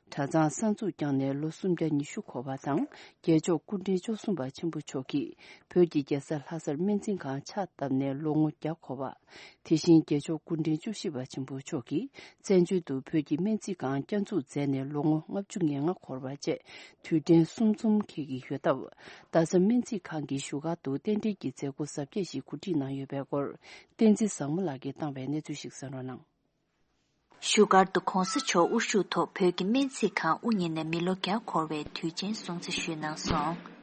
གྲྭ་ཚང་གསར་འཛུགས་བསྐྱངས་ནས་ལོ་སུམ་བརྒྱ་ཉི་ཤུ་འཁོར་བ་དང་། རྒྱལ་མཆོག་སྐུ་ཕྲེང་བཅུ་གསུམ་པ་ཆེན་པོ་མཆོག་གིས་བོད་ཀྱི་རྒྱལ་ས་ལྷ་སར་སྨན་རྩིས་ཁང་ཕྱག་བཏབ་ནས་ལོ་ངོ་བརྒྱ་འཁོར་བ། དེ་བཞིན་རྒྱལ་མཆོག་སྐུ་ཕྲེང་བཅུ་བཞི་པ་ཆེན་པོ་མཆོག་གིས་བཙན་བྱོལ་དུ་བོད་ཀྱི་སྨན་རྩིས་ཁང་བསྐྱར་འཛུགས་མཛད་ནས་ལོ་ངོ་ལྔ་བཅུ་ང་ལྔ་འཁོར་བ་བཅས་དུས་དྲན་གསུམ་འཛོམས་འཁེལ་གྱི་ཡོད་སྟབས། རྡ་ས་སྨན་རྩིས་ཁང་གི་བཞུགས་སྒར་དུ་རྟེན་འབྲེལ་གྱི་མཛད་སྒོ་གཟབ་རྒྱས་ཤིག་གོ་སྒྲིག་གནང་ཡོད་པའི་སྐོར། བསྟན་འཛིན་བཟང་མོ་ལགས་ཀྱིས་བཏང་བའི་གནས་ཚུལ་ཞིག་གསན་རོགས་གནང་། བཞུགས་སྒར་དུ་༧གོང་ས་མཆོག་དབུ་བཞུགས་ཐོག་བོད་ཀྱི་སྨན་རྩིས་ཁང་དབུ་བརྙེས་ནས་མི་ལོ་བརྒྱ་འཁོར་བའི་དུས་ཆེན་སྲུང་བརྩི་ཞུས་གནང་སོང་།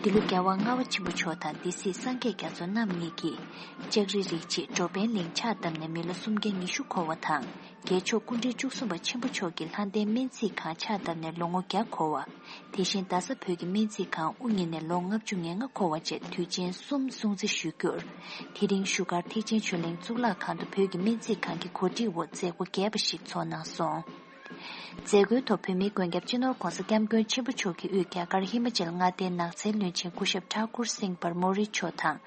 འདི་ལོ་རྒྱལ་བ་ལྔ་པ་ཆེན་པོ་མཆོག་དང་སྡེ་སྲིད་སངས་རྒྱས་རྒྱ་མཚོ་རྣམ་གཉིས་ཀྱིས་ལྕགས་རི་རིགས་གཅིག་འགྲོ་ཕན་གླིང་ཕྱག་བཏབ་ནས་མི་ལོ་སུམ་བརྒྱ་ཉི་ཤུ་འཁོར་བ་དང་། རྒྱལ་མཆོག་སྐུ་ཕྲེང་བཅུ་གསུམ་པ་ཆེན་པོ་མཆོག་གིས་ལྷ་ལྡན་སྨན་རྩིས་ཁང་ཕྱག་བཏབ་ནས་ལོ་ངོ་བརྒྱ་འཁོར་བ། དེ་བཞིན་རྡ་ས་བོད་ཀྱི་སྨན་རྩིས་ཁང་དབུ་བརྙེས་ནས་ལོ་ལྔ་བཅུ་ང་ལྔ་འཁོར་བ་བཅས་དུས་ཆེན་གསུམ་སྲུང་བརྩི་ཞུ་རྒྱུར། དེ་རིང་བཞུགས་སྒར་ཐེག་ཆེན་ཆོས་གླིང་གཙུག་ལག་ཁང་དུ་བོད་ཀྱི་སྨན་རྩིས་ཁང་གི་གོ་སྒྲིག་འོག་མཛད་སྒོ་རྒྱས་པ་ཞིག་ཚོགས་གནང་སོང་། མཛད་སྒོའི་ཐོག་བོད་མིའི་མགོན་སྐྱབས་སྤྱི་ནོར་༧གོང་ས་༧སྐྱབས་མགོན་ཆེན་པོ་མཆོག་གིས་དབུས་རྒྱ་གར་ཧི་མ་ཅལ་མངའ་སྡེའི་ནགས་ཚལ་བློན་ཆེན་སྐུ་ཞབས་ཐཱ་ཀུར་སིང་བར་མོ་རི་མཆོག་དང་།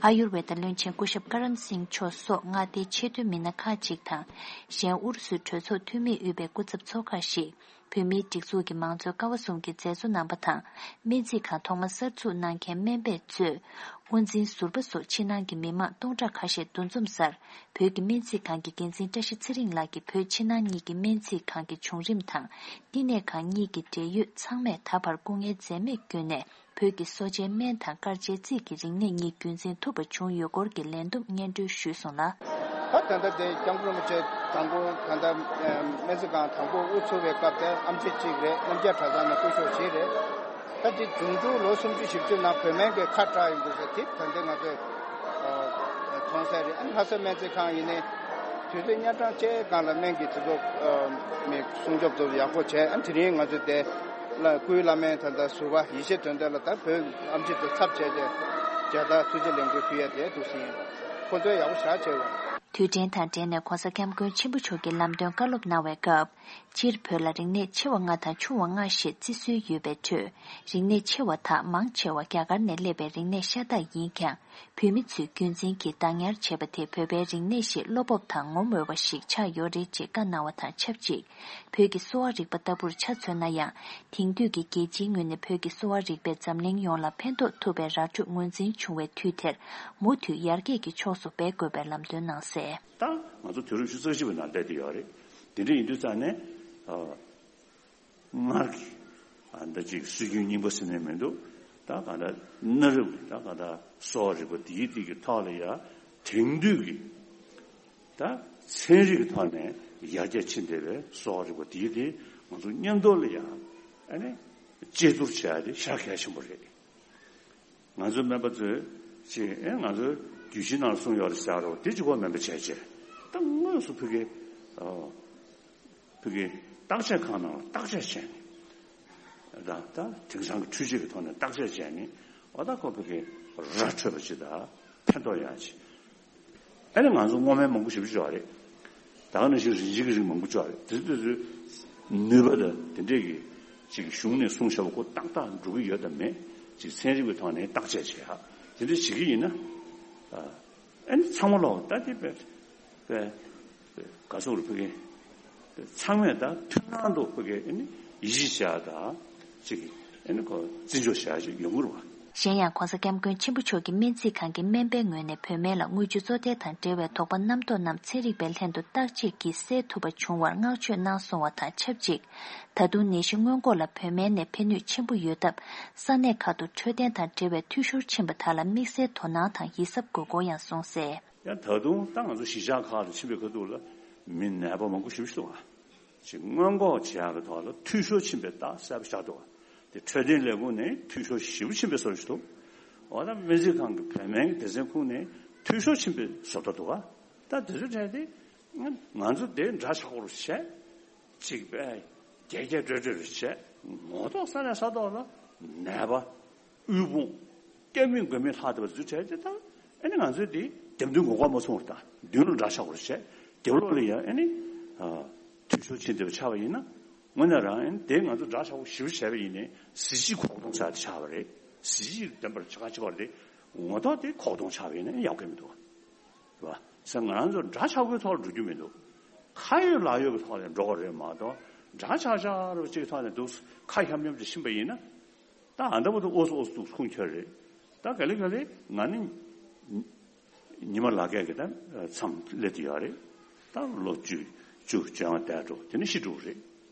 ཨ་ཡུར་ཝེ་ད་བློན་ཆེན་སྐུ་ཞབས་ཀ་རན་སིང་མཆོག་སོགས་མངའ་སྡེའི་ཆེས་མཐོའི་མི་སྣ་ཁག་ཅིག་དང་། གཞན་ཨུ་རུ་སུའི་གྲོས་ཚོགས་འཐུས་མིས་དབུས་པའི་སྐུ་ཚབ་ཚོགས་ཁག་ཞིག་བོད་མིའི་སྒྲིག་འཛུགས་ཀྱི་མང་གཙོའི་ཀ་བ་གསུམ་གྱི་མཛད་གཙོ་རྣམ་པ་དང་། སྨན་རྩིས་ཁང་ཐོག་མ་གསར་འཛུགས་གནང་མཁན་སྨན་པས་གཙོས། དབུ་འཛིན་ཟུར་པ་སོགས་ཕྱི་ནང་གི་མི་མང་སྟོང་ཕྲག་ཁ་ཤས་འདུ་འཛོམས་སར། བོད་ཀྱི་སྨན་རྩིས་ཁང་གི་འགན་འཛིན་བཀྲ་ཤིས་ཚེ་རིང་ལགས་ཀྱིས་བོད་ཕྱི་ནང་གཉིས་ཀྱི་སྨན་རྩིས་ཁང་གི་བྱུང་རིམ་དང་། བསྟི་གནས་ཁང་གཉིས་ཀྱི་འབྲེལ་ཡོད་ཚང་མས་ད་བར་སྐུ་ངལ་འཛེམས་མེད་བསྐྱོན་ནས། བོད་ཀྱི་གསོ་བྱའི་སྨན་དང་དཀར་ཆའི་རྩིས་ཀྱི་རིག་གནས་གཉིས་རྒྱུན་འཛིན་ཐུབ་པ་བྱུང་ཡོད་སྐོར་གྱི་ལན་བསྡོམས་སྙན་སྒྲོན་ཞུས་སོང་ལ། ད་ད་ལྟ་དེ་སྐྱབས་མགོན་རིན་པོ་ཆེ་དང་པོ་ད་ལྟ་སྨན་རྩིས་ཁང་དང་པོ་དབུ་ཚུགས་པའི་སྐབས་དེ་ཨེམ་ཆི་གཅིག་རེད། རྣམ་རྒྱལ་གྲྭ་ཚང་ནས་སྐུ་ཞབས་བཞི་རེད། ད་དེ་འབྱུང་འགྲུལ་ལོ་སུམ་ཅུ་བཞི་བཅུ་ནང་བོད་སྨན་གྱི་ཁ་གྲག་ཡོང་དུས་ཚེ་དེ་ད་ལྟ་ང་ཚོས་མཐོང་གསལ་རེད། ཨ་ནི་ལྷ་ས་སྨན་རྩིས་ཁང་ཡིན་ནའི་དུས་ཚོད་གཉའ་གྲངས་བཅུའི་སྒང་ལ་སྨན་གྱི་དུས་ཚོད་མི་སྲུང་སྐྱོབ་ཚོ་ཡག་པོ་བྱས། ཨ་ནི་དེ་རིང་ང་ཚོས་དེ་ལ་སྐུའི་བླ་སྨན་ད་ལྟ་ཟུར་པ་ཡེ་ཤེས་དོན་གྲུབ་ལ་ད་བོད་ཨེམ་ཆི་དང་ཚབ་བྱས་ཏེ་མཇལ་དར་ཐུགས་རྗེ་ལེགས་འབུལ་ཕུལ་ཡ་དེ་འདུག་ཟིན། ཁོ་ཚོས་ཡག་པོ་ཞེ་དྲག་བྱས་ཡོད། དུས་དྲན་དང་འབྲེལ་ནས་༧གོང་ས་༧སྐྱབས་མགོན་ཆེན་པོ་མཆོག་གིས་ལམ་སྟོན་བཀའ་སློབ་གནང་བའི་སྐབས། སྤྱིར་བོད་ལ་རིག་གནས་ཆེ་བ་ལྔ་དང་ཆུང་བ་ལྔ་ཞེས་བརྩི་སྲོལ་ཡོད་པའི་ཁྲོད། རིག་གནས་ཆེ་བ་དག་མང་ཆེ་བ་རྒྱ་གར་ནས་སླེབས་པའི་རིག་གནས་ཤ་སྟག་ཡིན་ཀྱང་། བོད་མི་ཚོས་རྒྱུན་འཛིན་གྱིས་བདག་ཉར་བྱས་པ་དེ་བོད་པའི་རིག་གནས་ཤིག་བློ་སྤོབས་དང་ངོམས་འོས་པ་ཞིག་ཆགས་ཡོད་རེད་ཅེས་བཀའ་གནང་བ་དང་ཆབས་ཅིག་བོད་ཀྱི་གསོ་བ་རིག་པ་ལྟ་བུར་ཆ་མཚོན་ན་ཡང་། དེང་དུས་ཀྱི་རྒྱལ་སྤྱིའི་ངོས་ནས་བོད་ཀྱི་གསོ་བ་རིག་པས་འཛམ་གླིང་ཡོངས་ལ་ཕན་ཐོགས་ཐུབ་པའི་ར་འཕྲོད་ངོས་འཛིན་བྱུང་བའི་དུས་དེར། མུ་མཐུད་ཡར་རྒྱས་ཀྱི་ཕྱོགས་སུ་འབད་དགོས་པའི་ལམ་སྟོན་གནང་གསལ། ད་ང་ཚོ་དུས་རབས་ཉི་ཤུ་རྩ་གཅིག་པའི་ནང་སླེབས་བསྡད་ཡོད་རེད། དེ་འདྲ་ཡིན་དུས་ཙང་ནས། ཨ། སྔར་གྱི། ཨ། འདི་ཅིག་སྲོལ་རྒྱུན་རྙིང་པ་ཟེར་ནས་མི་འདུག་ད་གང་ལྟར་གནའ་རབས་ཀྱི་ད་གང་ལྟར་གསོ་བ་རིག་པ་འདིའི་སྟེང་གི་ཐོག་ལ་ཡ་དེང་དུས་ཀྱི་ད་ཚན་རིག་གི་ཐོག་ནས་ཡར་རྒྱས་ཕྱིན་བསྡད་པའི་གསོ་བ་རིག་པ་འདིའི་སྟེང་ང་ཚོ་མཉམ་དུ་ལ་ཡ་ཨ་ནི་དཔྱད་བསྡུར་བྱེད་ཡ་དེ་ཞེ་དྲག་གལ་ཆེན་པོ་རེད། ང་ཚོའི་སྨན་པ་ཚོས་ཅིག་ཨེ་ང་ཚོའི་རྒྱུད་བཞི་ནང་གསུངས་ཡོད་རེད་ཟེར་རོ། དེ་གཅིག་པོ་སྨན་པ་བྱས་བྱས་ད་དངོས་སུ་ཕ་གི་ཨ། ཕ་གི་བརྟག་དཔྱད་ཁང་ནང་ལ་བརྟག་དཔྱད་བྱས་ནས། ད་ད་དེང་སང་གི་འཕྲུལ་ཆས་ཀྱི་ཐོག་ནས་བརྟག་དཔྱད་བྱས་ནས། འོ་ད་ཁོ་ཕ་གི་ར་འཕྲོད་པ་ཅིག་དང་ཕན་ཐོགས་ཡག་ཅིག་ཨ་ནི་ང་ཚོ་སྔོ་སྨན་མང་པོ་ཞེ་པོ་ཅིག་ཡོད་རེད། ད་ག་ནང་བཞིན་རིན་ཆེན་གྱི་རིགས་མང་པོ་ཅིག་ཡོད་རེད། དེ་ཚོ་དེ་ཚོའི་ནུས་པ་དང་དེ་འདྲས་ཀྱི་ཅིག་གཞུང་ནས་གསུངས་བཞག་པ་ཁོ་ཏག་ཏག་འགྲོ་གི་ཡོད་དམ་མེད་ཅིག་ཚན་རིག་པའི་ཐོག་ནས་བརྟག་དཔྱད་བྱེད་ཡག་དེ་འདྲས་བྱེད་ཀྱི་ཡིན་ན། ཨ་ནི་ཚང་མ་ལོག་ད་དེ་བས་བས་ག་སོག་རུ་ཕ་གི་ཚང་མས་ད་མཐུན་སྣང་དུ་ཕ་གི་ཨ་ནི་ཡིད་ཆེས་བྱ་ད་ཅིག་ཨ་ནི་ཁོ་བརྩི་འཇོག་བྱ་ཅིག་ཡོང་གི་རེད་བ། གཞན་ཡང་༧གོང་ས་༧སྐྱབས་མགོན་ཆེན་པོ་མཆོག་གིས་སྨན་རྩིས་ཁང་གི་སྨན་པའི་ངོས་ནས་བོད་སྨན་ལ་དངུལ་ཆུ་བཙོ་ཐལ་དང་འབྲེལ་བའི་དོགས་པ་རྣམ་རྟོག་རྣམས་ཚན་རིག་པའི་ལྷན་དུ་བརྟག་དཔྱད་ཀྱིས་སེལ་ཐུབ་པ་བྱུང་བར་བསྔགས་བརྗོད་གནང་སོང་བ་དང་ཆབས་ཅིག་ད་དུང་ནད་གཞི་སྔོན་འགོག་ལ་བོད་སྨན་ནས་ཕན་ནུས་ཆེན་པོ་ཡོད་སྟབས། ས་གནས་ཁག་ཏུ་འཕྲོད་བསྟེན་དང་འབྲེལ་བའི་འཐུས་ཤོར་ཕྱིན་པ་དག་ལ་དམིགས་བསལ་དོ་སྣང་དང་ཡིད་གཟབ་དགོས་སྐོར་ཡང་གསུངས་གསལ། ཡང་ད་དུང་ད་ང་ཚོ་གཞིས་ཆགས་ཁག་ལ་ཕྱིན་པའི་ཁ་ཐུག་ལ་མི་ནད་པ་མང་པོ་ཞེ་པོ་ཞིག་འདུག་ག་ཅིག་སྔོན་འགོག་བྱེད་ཡག་གི་ཐོག་ལ་འཐུས་ཤོར་ཕྱིན་པའི་རྟགས་གསལ་པོ་ཤར་འདུག་ག་དེ་འཕྲོད་བསྟེན་ལས་ཁུངས་ནས་འཐུས་ཤོར་ཞེ་པོ་ཕྱིན་པའི་བཟོ་འདྲ་ཞིག་འདུག་འོ་ད་སྨན་རྩིས་ཁང་གི་བོད་སྨན་གྱི་སྡེ་ཚན་ཁུངས་ནས་འཐུས་ཤོར་ཕྱིན་པའི་བཟོ་ལྟ་འདུག་ག་ད་དེ་ཚོའི་གྲས་དེ་ང་ཚོ་དེ་འདྲ་ཆགས་པོ་བྱས། གཅིག་པས་རྒྱས་རྒྱས་སྤྲོས་སྤྲོས་རེ་བྱས། ངོ་ཐོག་ས་ནས་ས་ཐོག་ལ་ནད་པ་དབུལ་ཕོངས་སྐྱོན་མེད་མགོན་མེད་ལྷག་བསྡད་པ་ཚོའི་གྲས་དེ་དང་ཨ་ནི་ང་ཚོས་དེ་འདེམས་ཐོན་ངོ་ལྐོག་མ་སོང་བར་དང་མདུན་ལ་འདྲ་ཆགས་པོ་རེ་བྱས། དེ་ལོག་ལ་ཡང་ཨ་ནི་འཐུས་ཤོར་ཕྱིན་བསྡད་པ་ཆགས་པ་ཡིན་ན་དངོས་གནས་རང་ཨ་ནི་དེ་ང་ཚོ་འདྲ་ཆགས་པོ་ཞེ་པོ་བྱས་པ་ཡིན་ནའི་གཟི་བརྗིད་ཁོག་སྟོང་ཟེར་དེ་ཆགས་པ་རེད། གཟི་བརྗིད་ལྡན་པར་བྱ་ག་བྱེད་པ་རེད། ངོ་ཐོག་དེ་ཁོག་སྟོང་ཆགས་པ་ཡིན་ན་ཡག་གི་མི་འདུག་རེད་བ། ཟེར་ང་རང་ཚོ་འདྲ་ཆགས་པོའི་ཐོག་ལ་འགྲོ་རྒྱུ་མི་འདུག་ཁ་ཡོད་ལག་ཡོད་ཀྱི་ཐོག་ལ་འགྲོ་དགོས་རེད་མ་གཏོགས་འདྲ་ཆགས་ཆགས་རུ་གཅིག་ཐོག་ནས་འདུག་ཁ་ཤམ་ཤམ་ཅིག་ཕྱིན་པ་ཡིན་ན། ད་ཨ་འདྲ་པོ་འདུག་ཨོ་སོ་ཨོ་སོ་འདུག་ཁུངས་འཁྱོལ་རེད། ད་ག་ལེ་ག་ལེ་ང་ནི་ཉི་མ་ལ་རྒས་ཀྱི་ད་མཚམས་སླེབས་ཏེ་ཡོད་རེད། ད་ལོ་བཅུ་བཅུ་བཅོ་ལྔ་འདས་འགྲོ་དེ་ནི་ཤི་འགྲོ་གི་རེད།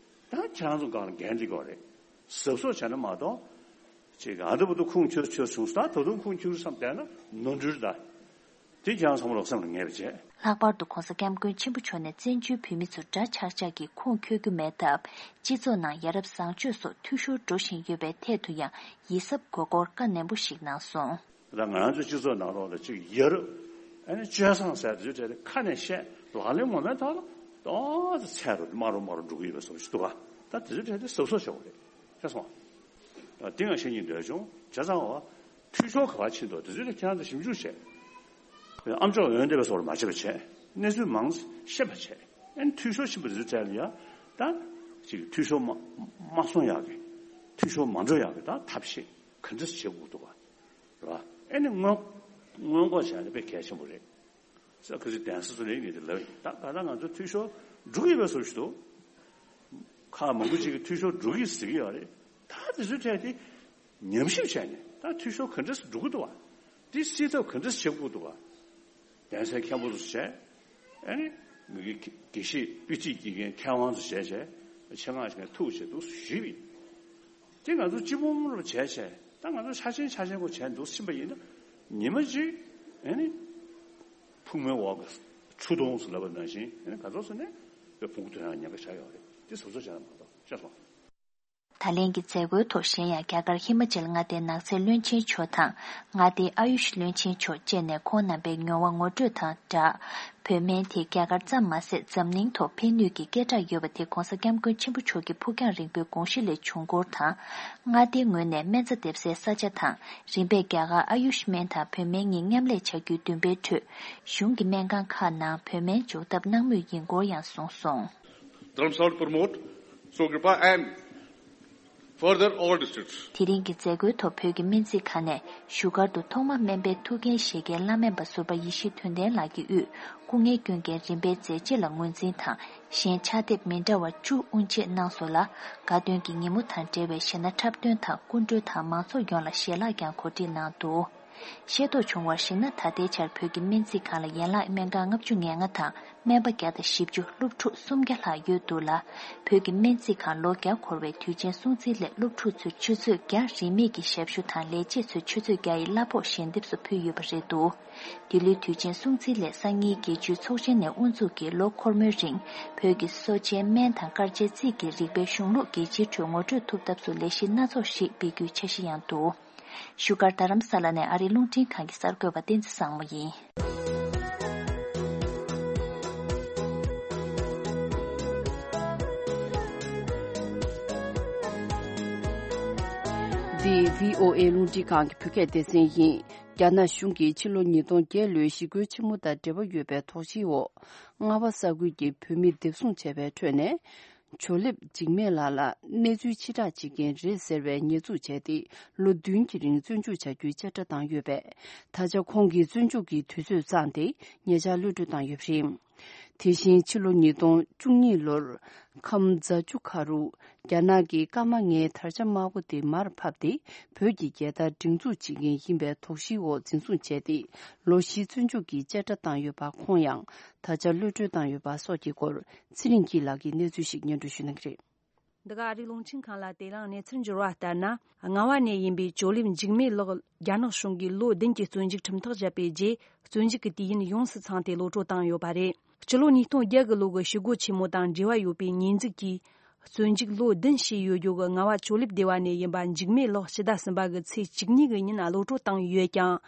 ད་ཁྱེད་རང་ཚོ་སྒང་ལ་འགན་འདི་དགོས་རེད། གཟབ་གཟབ་བྱས་ན་མ་གཏོགས་ཅིག་ཨ་འདྲ་པོ་འདུག་ཁུངས་འཁྱོལ་འཁྱོལ་བྱུང་ད་ད་དུང་ཁུངས་འཁྱོལ་བསམ་བསྡད་ན་ནོར་འཁྲུལ་ད། དེ་ཁྱེད་རང་ཚང་མ་ལོག་སེམས་ལ་ངེས་པ་བྱས། ལྷག་པར་དུ་༧གོང་ས་༧སྐྱབས་མགོན་ཆེན་པོ་མཆོག་ནས་བཙན་བྱོལ་བོད་མི་ཚོར་འདྲ་ཆགས་ཆགས་ཀྱིས་ཁུངས་འཁྱོལ་རྒྱུ་མེད་སྟབས། སྤྱི་ཚོགས་ནང་ཡ་རབས་བཟང་སྤྱོད་སོགས་འཐུས་ཤོར་འགྲོ་བཞིན་ཡོད་པའི་ཐད་དུ་ཡང་ཡིད་གཟབ་དགོས་སྐོར་བཀའ་ནན་པོ་ཞིག་གནང་སོང་། ད་ང་རང་ཚོའི་སྤྱི་ཚོགས་ནང་ལོགས་ལ་ཅིག་ཡ་རབས་ཨ་ནི་སྤྱོད་བཟང་ཟེར་དེ་ཚོའི་གྲས་དེ་ཁ་ནས་བཤད་ལག་ལེན་ངོ་མའི་ཐོག་ལ་ཏོག་ཙམ་ཚད་རུ་དམའ་རུ་དམའ་རུ་འགྲོ་གི་ཡོད་པའི་བཟོ་ཞིག་འདུག་ག་ད་དེ་ཚོའི་གྲས་དེ་གཟབ་གཟབ་བྱེད་དགོས་རེད། ཤེས་སོང་། ད་དེ་ང་བཤད་སྙིང་འདོད་བྱུང་བྱས་ཙང་བ། འཐུས་ཤོར་ག་པར་ཕྱིན་འདུག་དེ་ཚོའི་ཐད་ཁྱེད་རང་ཚོ་ཞིབ་འཇུག་བྱས། ཨམ་ཅོག་འོན་བསྡད་པའི་བཟོ་འདྲ་མ་བྱེད་པ་བྱས། གནས་ཚུལ་མང་ཤེས་པ་བྱས། ཨན་འཐུས་ཤོར་ཕྱིན་པ་དེ་ཚོའི་གྲས་ལ་ཡ། ད་ ཅིག་འཐུས་ཤོར་མ་མ་སོང་ཡག་གི། འཐུས་ཤོར་མ་འགྲོ་ཡག་གི་ད་ཐབས་ཤེས་ག་འདྲས་བྱེད་དགོས་འདུག་བ། རེད་བ། ཨེ་ནི་སྔོན་སྔོན་འགོག་བྱས་ན་དཔེ་གལ་ཆེན་པོ་རེད། ས་ཁ་ཚིག་གདན་ས་ཚོ་ལས་ངེས་དེ་ལབ་ཡིན། ད་ད་ལྟ་ང་ཚོ་འཐུས་ཤོར་འགྲོ་གི་ཡོད་པའི་བཟོ་ཞིག་འདུག་ཁག་མང་པོ་ཅིག་གིས་འཐུས་ཤོར་འགྲོ་གི་ཟེར་གི་ཡོད་རེད། ད་དེ་ཚོའི་གྲས་དེ་ཉམས་ཞིབ་བྱས་ནས་ད་འཐུས་ཤོར་ག་འདྲས་འགྲོ་གི་འདུག་བ། དེ་སེལ་ཐབས་ག་འདྲས་བྱེད་དགོས་འདུག་བ། གདན་སའི་མཁན་པོ་ཚོ་བྱས། ཨ་ནི་མི་གི་དགེ་བཤེས་དཔེ་ཁྲིད་དགེ་རྒན་མཁས་དབང་ཚོ་བྱས་བྱས་ཆེད་མངགས་ཤིག་ཐུག་བྱས་འདུག་ཞུས་པ་ཡིན། དེ་ང་ཚོ་སྤྱི་འབངས་རུ་བྱས་བྱས་ད་ང་ཚོ་ཆ་ཆེན་ཆ་ཆེན་པོ་བྱས་འདུག་ཕྱིན་པ་ཡིན་ན་ཉི་མ་གཅིག་ཨ་ནི་ཕུང་མོའི་འོག་གི་ཆུ་དོང་ཟེར་ལབ་པ་ནང་བཞིན་ཨ་ནི་ག་ཚོད་ཟེར་ནས་དཔེ་ཕུང་དོན་ཡང་ཉེན་ཁ་ཆགས་ཡོད་རེད། དེ་བཟོ་བཟོ་བྱས་ན་མ་གཏོགས་ཤེས་སོང་། ད་ལན་གྱི་མཛད་སྒོའི་ཐོག་གཞན་ཡང་རྒྱ་གར་ཧི་མ་ཅལ་མངའ་སྡེའི་ནགས་ཚལ་བློན་ཆེན་མཆོག་དང་མངའ་སྡེའི་ཨ་ཡུཤ་བློན་ཆེན་མཆོག་བཅས་ནས་ཁོང་རྣམ་པའི་མྱོང་བ་ངོ་སྤྲོད་དང་སྦྲགས། བོད་སྨན་དེ་རྒྱ་གར་ཙམ་མ་ཟད་འཛམ་གླིང་ཐོག་ཕན་ནུས་ཀྱི་སྐད་གྲགས་ཡོད་པ་དེ་༧གོང་ས་༧སྐྱབས་མགོན་ཆེན་པོ་མཆོག་གི་ཕུགས་རྒྱང་རིང་པོའི་དགོངས་གཞི་ལས་བྱུང་སྐོར་དང་། མངའ་སྡེའི་ངོས་ནས་སྨན་རྩྭ་འདེབས་སའི་ས་ཆ་དང་རིམ་པས་རྒྱ་གར་ཨ་ཡུཤ་སྨན་དང་བོད་སྨན་གཉིས་མཉམ་ལས་བྱ་རྒྱུའི་འདུན་པའི་ཁྲོད། གཞུང་གི་སྨན་ཁང་ཁག་ནང་བོད་སྨན་འཇོག་ཐབས་གནང་མུས་ཡིན་སྐོར་ཡང་གསུངས་སོང་། Dharamsala to Parmot, Sokripa and further all districts. དེ་རིང་གི་མཛད་སྒོའི་ཐོག་བོད་ཀྱི་སྨན་རྩིས་ཁང་ནས་བཞུགས་སྒར་དུ་ཐོག་མ་སྨན་པའི་ཐུགས་འགན་བཞེས་མཁན་བླ་སྨན་པ་ཟུར་པ་ཡེ་ཤེས་དོན་ལྡན་ལགས་ཀྱི་དབུས་སྐུ་ངལ་བསྐྱོན་མཁན་རིམ་པའི་མཛད་རྗེས་ལ་ངོས་འཛིན་དང་གཞན་ཕྱག་དེབ་མི་འདྲ་བ་བཅུ་དབུ་འབྱེད་གནང་སོང་ལ། དགའ་སྟོན་གྱི་ཉིན་མོ་དང་འབྲེལ་བའི་གཞས་སྣ་འཁྲབ་སྟོན་དང་སྐུ་མགྲོན་དང་མང་ཚོགས་ཡོངས་ལ་ཞལ་ལག་ཀྱང་གོ་སྒྲིག་གནང་འདུག་ཤེས་རྟོགས་བྱུང་བར་གཞིགས་ན་ད་ལྟའི་ཆར་བོད་ཀྱི་སྨན་རྩིས་ཁང་ལ་ཡན་ལག་སྨན་ཁང་ལྔ་བཅུ་ང་ལྔ་དང་སྨན་པ་བརྒྱ་དང་བཞི་བཅུ་སློབ་ཕྲུག་སུམ་བརྒྱ་ལྷག་ཡོད་འདུག་ལ། བོད་ཀྱི་སྨན་རྩིས་ཁང་ལོ་བརྒྱ་འཁོར་བའི་དུས་ཆེན་སྲུང་བརྩིའི་སླད་སློབ་ཕྲུག་ཚོས་ཆུ་ཚོད་བརྒྱ་རིན་མེད་ཀྱི་ཞབས་ཞུ་དང་ལས་བྱེད་ཚོས་ཆུ་ཚོད་བརྒྱ་ཡི་གླ་ཕོགས་ཞལ་འདེབས་སུ་ཕུལ་ཡོད་པ་རེད་འདུག་འདི་ལོའི་དུས་ཆེན་སྲུང་བརྩིའི་སླད་སང་ཉིན་རྒྱལ་སྤྱིའི་ཚོགས་ཆེན་ནས་དབུ་འཛུགས་ཀྱིས་ལོ་འཁོར་མོའི་རིང་བོད་ཀྱི་གསོ་བྱའི་སྨན་དང་དཀར་ཆའི་རྩིས་ཀྱི་རིག་པའི་གཞུང་ལུགས་རྒྱལ་སྤྱིའི་ཁྲོད་ངོ་སྤྲོད་ཐུབ་ཐབས་སུ་ལས་གཞི་སྣ་ཚོགས་ཤིག་སྤེལ་རྒྱུའི་འཆར་གཞི་ཡང་འདུག་བཞུགས་སྒར་རྡ་རམ་ས་ལ་ནས་ཨ་རིའི་རླུང་འཕྲིན་ཁང་གི་གསར་འགོད་པ་བསྟན་འཛིན་བཟང་མོ་ཡིན། འདི་བྷི་ཨོ་ཨེ་རླུང་འཕྲིན་ཁང་གི་བོད་སྐད་སྡེ་ཚན་ཡིན། རྒྱ་ནག་གཞུང་གིས་ཕྱི་ལོ་ཉིས་སྟོང་བརྒྱད་ལོའི་ཞི་རྒོལ་ཆེན་མོ་དང་འབྲེལ་བ་ཡོད་པའི་དོགས་གཞིའི་འོག་རྔ་བ་ས་ཁུལ་གྱི་བོད་མི་འདེབས་བཟུང་བྱས་པའི་ཁྲོད་ནས། ཇོ་ལེབ་འཇིགས་མེད་ལགས་ལ་གནས་ཚུལ་ཕྱིར་བསྒྲགས་བྱེད་མཁན་རེད་ཟེར་བའི་ཉེས་འཛུགས་བྱས་ཏེ་ལོ་བདུན་གྱི་རིང་བཙོན་འཇུག་བྱ་རྒྱུའི་བཅད་ཁྲ་བཏང་ཡོད་པས། ད་ཆ་ཁོང་གི་བཙོན་འཇུག་གི་དུས་ཚོད་བརྩམས་ཏེ་ཉེ་ཆར་གློད་གྲོལ་བཏང་ཡོད་པ་རེད། དེ་བཞིན་ཕྱི་ལོ་ཉིས་སྟོང་བཅུ་གཉིས་ལོར་ཁམས་རྫ་ཆུ་ཁ་རུ་རྒྱ་ནག་གི་སྐར་མ་ལྔའི་དར་ཆ་དམར་པོ་དེ་མར་ཕབ་སྟེ་བོད་ཀྱི་རྒྱལ་དར་སྒྲེང་འཛུགས་བྱེད་མཁན་ཡིན་པའི་དོགས་གཞིའི་འོག་འཛིན་བཟུང་བྱས་ཏེ་ལོ་བཞི་བཙོན་འཇུག་གི་བཅད་ཁྲ་བཏང་ཡོད་པ་ཁོང་ཡང་ད་ཆ་གློད་གྲོལ་བཏང་ཡོད་པ་སོགས་ཀྱི་སྐོར། ཚེ་རིང་སྐྱིད་ལགས་ཀྱིས་གནས་ཚུལ་ཞིག་སྙན་སྒྲོན་ཞུ་གནང་གི་རེད། འདི་ག་ཨ་རིའི་རླུང་འཕྲིན་ཁང་ལ་དེ་རིང་གནས་ཚུལ་འབྱོར་བ་ལྟར་ན། རྔ་བ་ནས་ཡིན་པའི་ཇོ་ལེབ་འཇིགས་མེད་ལགས་རྒྱ་ནག་གཞུང་གིས་ལོ་བདུན་གྱི་བཙོན་འཇུག་ཁྲིམས་ཐག་བཅད་པའི་རྗེས། བཙོན་འཇུག་གི་དུས་ཡུན་ཡོངས་སུ་ཚང་སྟེ་གློད་གྲོལ་བཏང་ཡོད་པ་རེད། སྤྱི་ལོ་ཉིས་སྟོང་བརྒྱད་གི་ལོ་གི་ཞི་རྒོལ་ཆེན་མོ་དང་འབྲེལ་བ་ཡོད་པའི་ཉེས་འཛུགས་ཀྱིས། བཙོན་འཇུག་ལོ་བདུན་བྱས་ཡོད་རྒྱུ་གི་རྔ་བ་ཇོ་ལེབ་སྡེ་བ་ནས་ཡིན་པ་འཇིགས་མེད་ལགས་ཕྱི་ཟླ་གསུམ་པ་གི་ཚེས་བཅུ་གཉིས་གི་ཉིན་གློད་གྲོལ་བཏང་ཡོད་ཀྱང་།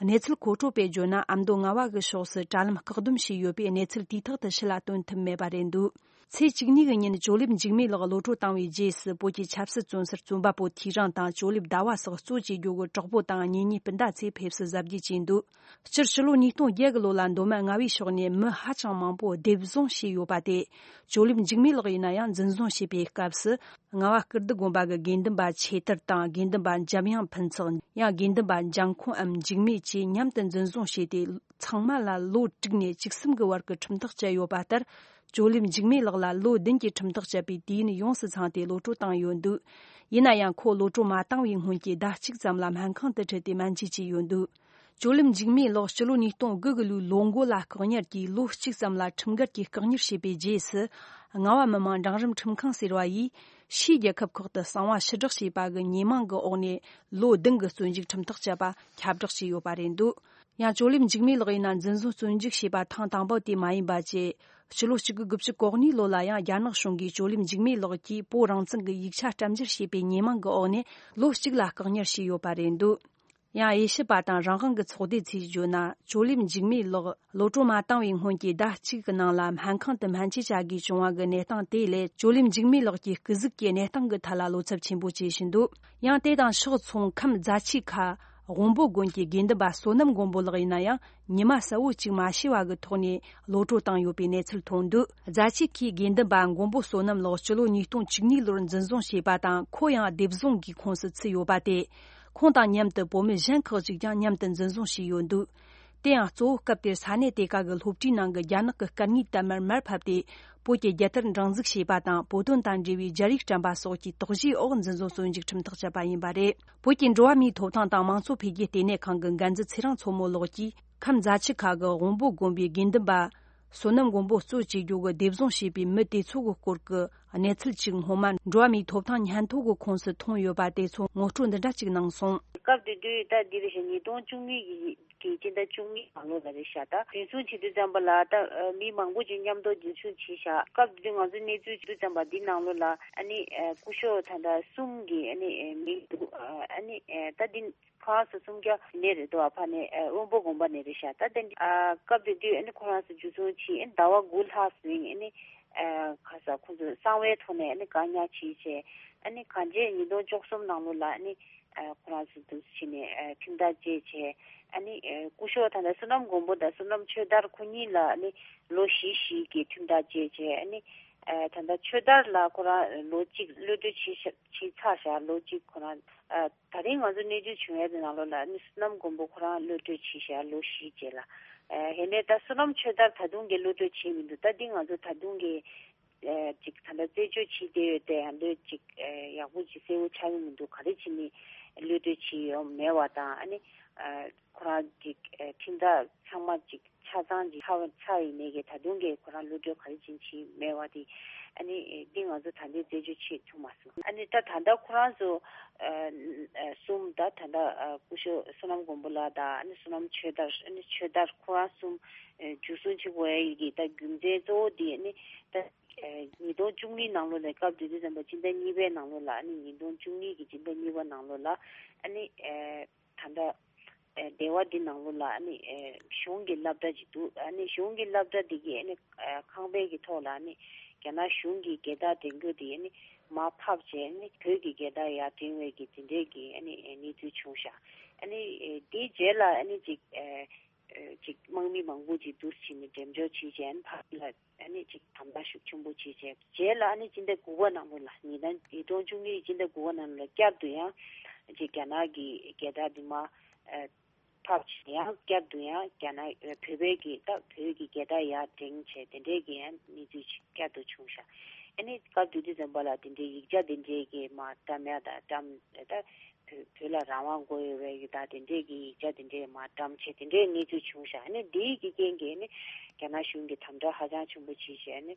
གནས་ཚུལ་མཁོ་སྤྲོད་པས་བརྗོད་ན་ཨ་མདོ་རྔ་བ་གི་ཕྱོགས་སུ་དྲ་ལམ་བཀག་སྡོམ་བྱས་ཡོད་པས་གནས་ཚུལ་དུས་ཐོག་ཏུ་ཕྱི་ལ་སྟོན་ཐུབ་མེད་པ་རེད་འདུག་ཚེས་བཅུ་གཉིས་གི་ཉིན་ཇོ་ལེབ་འཇིགས་མེད་ལགས་གློད་གྲོལ་བཏང་བའི་རྗེས་སུ་བོད་ཀྱི་ཆབ་སྲིད་བཙོན་ཟུར་བཙོན་པ་པོ་ཐེའུ་རང་དང་ཇོ་ལེབ་ཟླ་བ་སོགས་གཙོ་བྱེད་རྒྱུ་གི་གྲོགས་པོ་དང་གཉེན་ཉེ་སྤུན་ཟླ་ཚོས་ཕེབས་བསུ་གཟབ་རྒྱས་བྱས་འདུག་སྤྱིར་ཕྱི་ལོ་ཉིས་སྟོང་བརྒྱད་གི་ལོ་ལ་མདོ་སྨད་རྔ་བའི་ཕྱོགས་ནས་མི་ཧ་ཅང་མང་པོ་སྡེབ་བཟུང་བྱས་ཡོད་པ་སྟེ། ཇོ་ལེབ་འཇིགས་མེད་ལགས་ཡིན་ན་ཡང་འཛིན་བཟུང་བྱས་པའི་སྐབས་སུ་རྔ་བ་སྐུ་བདུད་དགོན་པ་གི་དགེ་འདུན་པ་ཆོས་དར་དང་དགེ་འདུན་པ་འཇམ་དབྱངས་ཕུན་ཚོགས་ཡང་དགེ་འདུན་པ་འཇམ་ཁོང་འམ་འཇིགས་མེད་བཅས་མཉམ་དུ་འཛིན་བཟུང་བྱས་ཏེ་ཚང་མ་ལ་ལོ་དྲུག་ནས་བཅུ་གསུམ་གི་བར་གྱི་ཁྲིམས་ཐག་བཅད་ཡོད་པ་ལྟར། ཇོ་ལེབ་འཇིགས་མེད་ལགས་ལ་ལོ་བདུན་གྱི་ཁྲིམས་ཐག་བཅད་པའི་དུས་ཡུན་ཡོངས་སུ་ཚང་སྟེ་གློད་གྲོལ་བཏང་ཡོད་འདུག་ཡིན་ན་ཡང་ཁོ་གློད་གྲོལ་མ་བཏང་བའི་སྔོན་གྱི་ཟླ་གཅིག་ཙམ་ལ་སྨན་ཁང་དུ་ཁྲིད་དེ་སྨན་བཅོས་བྱས་ཡོད་འདུག་ཇོ་ལེབ་འཇིགས་མེད་ལགས་སྤྱི་ལོ་ཉིས་སྟོང་དགུ་གི་ལོའི་ལོ་མགོ་ལ་བཀག་ཉར་གྱིས་ལོ་གཅིག་ཙམ་ལ་ཁྲིམས་འགལ་གྱིས་བཀག་ཉར་བྱས་པའི་རྗེས་སུ། རྔ་བ་མི་དམངས་འབྲིང་རིམ་ཁྲིམས་ཁང་ཟེར་བ་ཡིས་ཕྱིའི་རྒྱལ་ཁབ་ཁག་ཏུ་གསང་བ་ཕྱིར་བསྒྲགས་བྱས་པ་གི་ཉེས་མིང་གི་འོག་ནས་ལོ་བདུན་གྱི་བཙོན་འཇུག་ཁྲིམས་ཐག་བཅད་པ་ཁྱབ་བསྒྲགས་བྱས་ཡོད་པ་རེད་འདུག་ཡང་ཇོ་ལེབ་འཇིགས་མེད་ལགས་ཡིན་ན་འཛིན་བཟུང་བཙོན་འཇུག་བྱས་པ་ཐེངས་དང་པོ་དེ་མ་ཡིན་པ་བཅས། ཕྱི་ལོ་གཅིག་དགུ་དགུ་བཅུ་གོ་གཉིས་ལོ་ལ་ཡང་རྒྱ་ནག་གཞུང་གིས་ཇོ་ལེབ་འཇིགས་མེད་ལགས་ཀྱིས་བོད་རང་བཙན་གྱི་ཡིག་ཆ་བསྐྱར་འཇུག་བྱས་པའི་ཉེས་མིང་གི་འོག་ནས་ལོ་གཅིག་ལ་བཀག་ཉར་བྱས་ཡོད་པ་རེད་འདུག་ཡང་དབྱེ་ཞིབ་པ་དང་རང་དབང་གི་ཚོགས་སྡེ་ཚོས་བརྗོད་ན་ཇོ་ལེབ་འཇིགས་མེད་ལགས་གློད་གྲོལ་མ་བཏང་བའི་སྔོན་གྱི་ཟླ་གཅིག་གི་ནང་ལ་སྨན་ཁང་དུ་སྨན་བཅོས་བྱ་དགོས་བྱུང་བ་གི་གནས་སྟངས་དེ་ལས་ཇོ་ལེབ་འཇིགས་མེད་ལགས་ཀྱི་སྐུ་གཟུགས་ཀྱི་གནས་སྟངས་ཀྱི་ཐད་ལ་བློ་འཚབ་ཆེན་པོ་བྱེད་བཞིན་འདུག་ཡང་དེ་དང་ཕྱོགས་མཚུངས་ཁམས་རྫ་ཆུ་ཁ་ དབོན་པོ་དགོན་གྱི་དགེ་འདུན་པ་བསོད་ནམས་མགོན་པོ་ལགས་ཡིན་ན་ཡང་། ཉི་མ་གསལ་བོ་གཅིག་མ་ཤེས་པ་གི་ཐོག་ནས་གློད་བཀྲོལ་བཏང་ཡོད་པའི་གནས་ཚུལ་ཐོན་འདུག་རྫ་ཆུ་ཁའི་དགེ་འདུན་པ་མགོན་པོ་བསོད་ནམས་ལགས་སྤྱི་ལོ་ཉིས་སྟོང་བཅུ་གཉིས་ལོར་འཛིན་བཟུང་བྱས་པ་དང་། ཁོ་ཡང་སྡེབ་བཟུང་གི་ཁོངས་སུ་ཚུད་ཡོད་པ་སྟེ། ཁོང་དང་མཉམ་དུ་བོད་མི་གཞན་ཁག་ཅིག་ཀྱང་མཉམ་དུ་འཛིན་བཟུང་བྱས་ཡོད་འདུག་དེ་ཡང་གཙོ་བོ་སྐབས་དེར་ས་གནས་དེ་ག་གི་སློབ་གྲྭའི་ནང་གི་རྒྱ་ནག་གི་སྐད་ངན་དར་དམར་མར་ཕབ་སྟེ། བོད་ཀྱི་རྒྱལ་དར་སྒྲེང་འཛུགས་བྱས་པ་དང་། བོད་དོན་དང་འབྲེལ་བའི་རྒྱ་རིགས་དྲན་པ་སོགས་ཀྱི་དོགས་གཞིའི་འོག་འཛིན་བཟུང་བཙོན་འཇུག་ཁྲིམས་ཐག་བཅད་པ་ཡིན་པ་རེད། བོད་ཀྱི་འགྲོ་བ་མིའི་ཐོབ་ཐང་དང་མང་གཙོ་འཕེལ་རྒྱས་ལྟེ་གནས་ཁང་གི་འགན་འཛིན་ཚེ་རིང་མཚོ་མོ་ལགས་ཀྱིས། ཁམས་རྫ་ཆུ་ཁ་གི་དབོན་པོ་དགོན་པའི་དགེ་འདུན་པ་བསོད་ནམས་མགོན་པོ་གཙོ་བྱས་རྒྱུ་གི་སྡེབ་བཟུང་བྱས་པའི་མི་དེ་ཚོ་གི་སྐོར་གྱི་གནས་ཚུལ་ཅིག་སྔོན་མ་འགྲོ་བ་མིའི་ཐོབ་ཐང་སྙན་ཐོ་གི་ཁོངས་སུ་ཐོན་ཡོད་པ་དེ་ཚོ་ངོ་སྤྲོད་འདི་འདྲ་ཅིག་གནང་སོང་། སྐབས་དེ་དུས་ད་འདི་རེད་ཤག་ཉིས་སྟོང་བཅུ་གཉིས་ཀྱི་ཀྱི་སྤྱི་ཟླ་བཅུ་གཉིས་ནང་ལོགས་ལ་རེད་ཤག་ད་འཛིན་བཟུང་བྱེད་དུས་ཙམ་པ་ལ་ད་མི་མང་པོ་ཅིག་མཉམ་དུ་འཛིན་བཟུང་བྱས་ཤག་སྐབས་དེ་དུས་ང་ཚོའི་གནས་ཚུལ་བྱེད་དུས་ཙམ་པ་འདི་ནང་ལོགས་ལ་ཨ་ནི་སྐུ་ཞབས་ད་ལྟ་གསུམ་གྱི་ཨ་ནི་མིང་འདུག་ཨ་ནི་ད་འདི་ཁོ་རང་ཚོ་གསུམ་ཀ་ནས་རེད་འདུག་ཨ་ཕ་ནས་དབོན་པོ་དགོན་པ་ནས་རེད་ཤག་ད་དེ་འདི་སྐབས་དེ་དུས་ཨ་ནི་ཁོ་རང་ཚོ་འཛིན་བཟུང་བྱས་ཨ་ནི་ཟླ་བ་དགུ་ལྷག་ཟིན་ཨ་ནི་ཁ་ས་ཁོ་ཚོ་གསང་བའི་ཐོག་ནས་ཨ་ནི་བཀག་ཉར་བྱས་བྱས་ཨ་ནི་གང་བྱས་ཉིས་སྟོང་བཅུ་གསུམ་ནང་ལོགས་ལ་ཨ་ནི། ཁོ་རང་ཚོ་འདུག་བྱས་ནས་ཁྲིམས་ཐག་བཅད་བྱས་ཨ་ནི་སྐུ་ཞབས་ད་ལྟ་བསོད་ནམས་མགོན་པོ་དང་བསོད་ནམས་ཆོས་དར་ཁོ་གཉིས་ལ་ཨ་ནི་ལོ་བཞི་བཞི་གི་ཁྲིམས་ཐག་བཅད་བྱས་ཨ་ནི་ད་ལྟ་ཆོས་དར་ལ་ཁོ་རང་ལོ་གཅིག་གློད་གྲོལ་བྱས་བྱས་ཚར་བཞག་ལོ་གཅིག་ཁོ་རང་ད་རིང་ང་ཚོ་གནས་ཚུལ་བྱུང་ཡས་དེ་ནང་ལོགས་ལ་ཨ་ནི་བསོད་ནམས་མགོན་པོ་ཁོ་རང་གློད་གྲོལ་བྱས་བཞག་ལོ་བཞི་རྗེས་ལ་ཨ་ཧེ་ནས་ད་བསོད་ནམས་ཆོས་དར་ད་དུང་གི་གློད་གྲོལ་བྱས་མི་འདུག་ད་འདི་ང་ཚོ་ད་དུང་གི་ཨེ་ཅིག་ད་ལྟ་རྩད་གཅོད་བྱེད་བསྡད་ཡོད་དེ་ཡང་ལོས་ཅིག་ཨེ་ཡག་པོ་ཅིག་གསལ་པོ་ཆགས་ཀྱི་མི་འདུག་ག་རེ་བྱས་ནས་གློད་གྲོལ་བྱས་ཡོད་མེད་པ་དང་ཨ་ནི་ཨེ་ཁོ་རང་ཅིག་ཨེ་ཁྲིམས་ཐག་ཚང་མ་ཅིག་ཆ་ཚང་ཅིག་ཚར་བ་ཚར་ཡིན་ནའི་གི་ད་དུང་གི་ཁོ་རང་གློད་གྲོལ་ག་རེ་བྱས་ནས་བྱས་མེད་པ་དེ་ཨ་ནི་ཨེ་འདི་ང་ཚོ་ད་ལྟའི་རྩད་གཅོད་བྱེད་ཐུབ་མ་སོང་། ཨ་ནི་ད་ད་ལྟ་ཁོ་རང་ཚོ་ཨེ་ཨེ་གསུམ་ད་ད་ལྟ་ཨེ་སྐུ་ཞབས་བསོད་ནམས་མགོན་པོ་ལགས་དང་ཨ་ནི་བསོད་ནམས་ཆོས་དར་ཨ་ནི་ཆོས་དར་ཁོ་རང་གསུམ་ཨེ་འཇུ་བཟུང་བྱེད་དགོས་ཡ་ཡི་གི་ད་རྒྱུ་མཚན་གཙོ་བོ་དེ་ཨ་ནི་ད། ཉིས་སྟོང་བཅུ་གཉིས་ནང་ལོགས་ནས་སྐབས་དེ་དུས་ཙམ་པ་སྤྱི་ཟླ་གཉིས་པའི་ནང་ལོགས་ལ་ཨ་ནི་ཉིས་སྟོང་བཅུ་གཉིས་ཀྱི་སྤྱི་ཟླ་གཉིས་པ་ནང་ལོགས་ལ་ཨ་ནི་ད་ལྟ་སྡེ་བ་འདི་ནང་ལོགས་ལ་ཨ་ནི་གཞུང་གི་སློབ་གྲྭ་ཅིག་འདུག་ཨ་ནི་གཞུང་གི་སློབ་གྲྭ་འདི་གི་ཨ་ནི་ཁང་པའི་གི་ཐོག་ལ་ཨ་ནི་རྒྱ་ནག་གཞུང་གི་རྒྱལ་དར་བསྒྲེངས་རྒྱུ་དེ་ཨ་ནི་མར་ཕབ་བྱས་ཨ་ནི་བོད་ཀྱི་རྒྱལ་དར་ཡར་བསྒྲེངས་པའི་གི་དེ་འདྲའི་གི་ཨ་ནི་གནས་ཚུལ་བྱུང་ཤག་ཨ་ནི་དེའི་རྗེས་ལ་ཨ་ནི་ཅིག་ཅིག་དམག་མི་མང་པོ་ཅིག་བསྡུ་བྱས་ནས་འགྲེམས་འཇོག་བྱས་རྗེས་ཕར་ལ་ཨ་ནི་ཅིག་དམ་དྲག་ཤུགས་ཆེན་པོ་བྱས་རྗེས་རྗེས་ལ་ཨ་ནི་སྤྱི་ཟླ་དགུ་པ་ནང་ལོགས་ལ་ཉིས་སྟོང་ཉིས་སྟོང་བཅུ་གཉིས་སྤྱི་ཟླ་དགུ་པ་ནང་ལོགས་ལ་བསྐྱར་དུ་ཡང་ཅིག་རྒྱ་ནག་གི་རྒྱལ་དར་འདི་མར་ཕབ་བྱས་ཡང་བསྐྱར་དུ་ཡང་རྒྱ་ནག་བོད་པའི་གི་ད་བོད་ཀྱི་རྒྱལ་དར་ཡར་བསྒྲེངས་བྱས་དེ་འདྲའི་གི་ཡང་གནས་ཚུལ་ཅིག་བསྐྱར་དུ་བྱུང་ཤག་ཨ་ནི་སྐབས་དེ་དུས་ཙམ་པ་ལ་དེ་འདྲའི་ཡིག་ཆ་དེ་འདྲའི་གི་མར་བཀྲམ་ཡ་དང་བཀྲམ་ད། བོད་བོད་ལ་རང་དབང་དགོས་ཡོད་པའི་ཡི་ད་དེ་འདྲས་ཀྱི་ཡིག་ཆ་དེ་འདྲས་མར་བཀྲམ་བྱས་དེ་འདྲས་གནས་ཚུལ་བྱུང་ཤག་ཨ་ནི་འདིའི་གི་རྐྱེན་གྱིས་ནི་རྒྱ་ནག་གཞུང་གིས་དམ་དྲག་ཧ་ཅང་ཆེན་པོ་བྱས་བྱས་ནི་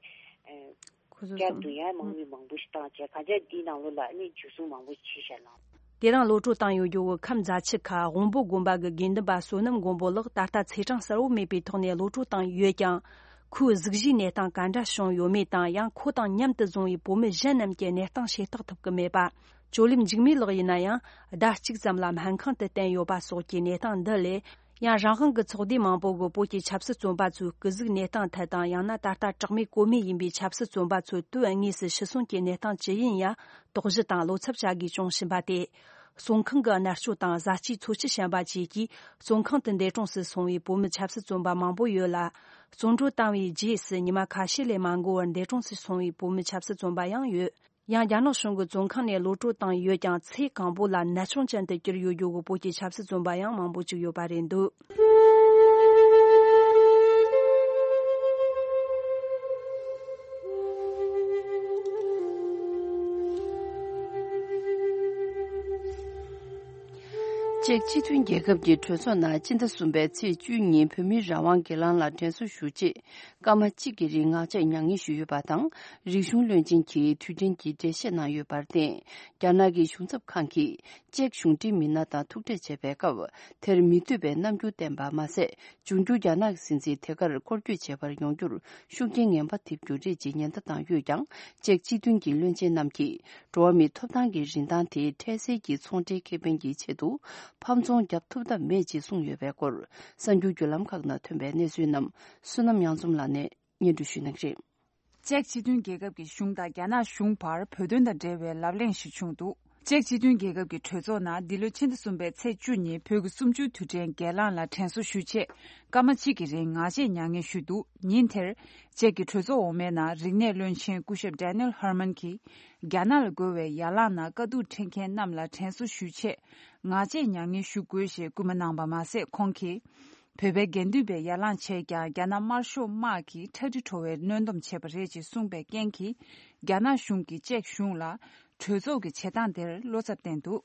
ཁོ་ཚོ་བསྐྱར་དུ་ཡང་དམག་མི་མང་པོ་ཞིག་བཏང་བྱས་གང་ཅི་འདིའི་ནང་ལོགས་ལ་ནི་འཇུ་བཟུང་མང་པོ་ཞིག་བྱས་ཤག་ལགས། དེ་རིང་གློད་བཀྲོལ་བཏང་ཡོད་རྒྱུ་བོ་ཁམས་རྫ་ཆུ་ཁ་དབོན་པོ་དགོན་པ་གི་དགེ་འདུན་པ་བསོད་ནམས་མགོན་པོ་ལགས་ད་ལྟ་ཚེས་གྲངས་གསལ་བོ་མེད་པའི་ཐོག་ནས་གློད་བཀྲོལ་བཏང་ཡོད་ཀྱང་། ཁོའི་གཟུགས་གཞིའི་གནས་སྟངས་ག་འདྲ་བྱུང་ཡོད་མེད་དང་ཡང་ཁོ་དང་མཉམ་དུ་བཟུང་བའི་བོད་མི་གཞན་རྣམས་ཀྱི་གནས་སྟངས་ཤེས་རྟོགས་ཐུབ་ཀྱི་མེད་པ། ཇོ་ལེབ་འཇིགས་མེད་ལགས་ཡིན་ན་ཡང་ཟླ་གཅིག་ཙམ་ལ་སྨན་ཁང་དུ་བསྟེན་ཡོད་པ་སོགས་ཀྱི་གནས་སྟངས་འདི་ལས། ཡང་རང་དབང་གི་ཚོགས་སྡེ་མང་པོ་གིས་བོད་ཀྱི་ཆབ་སྲིད་བཙོན་པ་ཚོའི་སྐུ་གཟུགས་གནས་སྟངས་ཐད་དང་ཡང་ན་ད་ལྟ་གྲོགས་མེད་ཀོ་མེད་ཡིན་པའི་ཆབ་སྲིད་བཙོན་པ་ཚོ་དུས་དངོས་སུ་ཤི་གསོན་གྱི་གནས་སྟངས་ཇི་ཡིན་ཡང་དོགས་གཞི་དང་བློ་འཚབ་བྱ་དགོས་བྱུང་བཞིན་པ་སྟེ། བཙོན་ཁང་གི་མནར་གཅོད་དང་ཟ་བཅོས་འཚོ་བཅུད་ཞན་པ་བཅས་ཀྱིས་བཙོན་ཁང་དུ་འདས་གྲོངས་སུ་སོང་བའི་བོད་མི་ཆབ་སྲིད་བཙོན་པ་མང་པོ་ཡོད་ལ། བཙོན་གྲོལ་བཏང་བའི་རྗེས་སུ་ཉི་མ་ཁ་ཤས་ལས་མ་འགོར་བར་འདས་གྲོངས་སུ་སོང་བའི་བོད་མི་ཆབ་སྲིད་བཙོན་པ་ཡང་ཡོད། ཡང་རྒྱ་ནག་གཞུང་གིས་བཙོན་ཁང་ནས་གློད་བཀྲོལ་བཏང་ཡོད་ཀྱང་ཚེ་གང་པོ་ལ་ནད་མཆོང་ཅན་དུ་གྱུར་ཡོད་རྒྱུ་བོ་བོད་ཀྱི་ཆབ་སྲིད་བཙོན་པ་ཡང་མང་པོ་ཅིག་ཡོད་པ་རེད་འདུག་ཅེཀ་སྤྱི་མཐུན་རྒྱལ་ཁབ་ཀྱི་གྲོས་ཚོགས་ནང་སྤྱི་ཟླ་གསུམ་པའི་ཚེས་བཅུ་ཉིན་བོད་མིའི་རང་དབང་སྒེར་ལངས་ལ་དྲན་གསོ་ཞུ་ཆེད་སྐར་མ་གཅིག་གི་རིང་ངག་བཅད་མྱ་ངན་ཞུས་ཡོད་པ་དང་། རིག་གཞུང་བློན་ཆེན་གྱིས་དུས་དྲན་གྱི་འགྲེལ་བཤད་གནང་ཡོད་པར་བརྟེན། རྒྱ་ནག་གི་གཞུང་ཚབ་ཁང་གིས་ཅེཀ་གཞུང་འབྲེལ་མི་སྣ་དང་ཐུག་འཕྲད་བྱས་པའི་སྐབས། དེར་མི་འདོད་པའི་རྣམ་འགྱུར་བསྟན་པ་མ་ཟད། འབྱུང་འགྱུར་རྒྱ་ནག་གི་སྲིད་འཛིན་དེ་གར་སྐོར་སྐྱོད་བྱེད་པར་ཡོང་རྒྱུར་ཤུགས་རྐྱེན་ངན་པ་ཐེབས་རྒྱུ་རེད་ཅེས་ཉེན་བརྡ་བཏང་ཡོད་ཀྱང་། ཅེཀ་སྤྱི་མཐུན་གྱི་བློན་ཆེན་རྣམས་ཀྱིས། འགྲོ་བ་མིའི་ཐོབ་ཐང་གི་རིན་ཐང་དེ་འཕྲལ་སེལ་གྱི་ཚོང་འབྲེལ་ཁེ་ཕན་གྱི་ཆེད་དུ་ཕམ་ཚོང་བརྒྱབ་ཐུབ་ཐབས་མེད་ཅེས་གསུངས་ཡོད་པའི་སྐོར། གསར་འགྱུར་བརྒྱུད་ལམ་ཁག་ནང་ཐོན་པའི་གནས་ཚུལ་རྣམས་བསོད་ནམས་གཡང་འཛོམས་ལགས་ནས་སྙན་སྒྲོན་ཞུ་གནང་གི་རེད། ཅེཀ་སྤྱི་མཐུན་རྒྱལ་ཁབ་ཀྱི་གཞུང་དང་རྒྱ་ནག་གཞུང་བར་བོད་དོན་དང་འབྲེལ་བའི་ལབ་གླེང་ཞིག་བྱུང་འདུག་ཅེཀ་སྤྱི་མཐུན་རྒྱལ་ཁབ་ཀྱི་གྲོས་ཚོགས་ནང་འདི་ལོའི་ཕྱི་ཟླ་གསུམ་པའི་ཚེས་བཅུ་ཉིན་བོད་ཀྱི་གསུམ་བཅུའི་དུས་དྲན་སྒེར་ལངས་ལ་དྲན་གསོ་ཞུ་ཆེད་སྐར་མ་གཅིག་གི་རིང་ངག་བཅད་མྱ་ངན་ཞུས་འདུག་ཉིན་དེར་ཅེཀ་གི་གྲོས་ཚོགས་འོག་མའི་ནང་རིག་གནས་བློན་ཆེན་སྐུ་ཞབས་Daniel Herman གྱིས་རྒྱ་ནག་ལ་རྒོལ་བའི་ཡར་ལངས་ནང་དཀའ་སྡུག་འཕྲད་མཁན་རྣམས་ལ་དྲན་གསོ་ཞུ་ཆེད་ངག་བཅད་མྱ་ངན་ཞུ་དགོས་ཞེས་སྐུལ་མ་གནང་པ་མ་ཟད། ཁོང་གིས། བོད་པའི་དགེ་འདུན་པས་ཡར་ལངས་བྱས་ཀྱང་རྒྱ་ནག་དམར་ཤོག་དམག་གིས་ཁྲ་ཁྲི་བྲོ་བའི་གནོན་སྡོམ་བྱས་པ་རེད་ཅེས་གསུངས་པའི་རྐྱེན་གྱིས། རྒྱ་ནག་གཞུང་གིས་ཅེཀ་གཞུང་ལ། གྲོས་ཚོགས་ཀྱི་བྱེད་སྟངས་དེར་བློ་འཚབ་བསྟན་འདུག་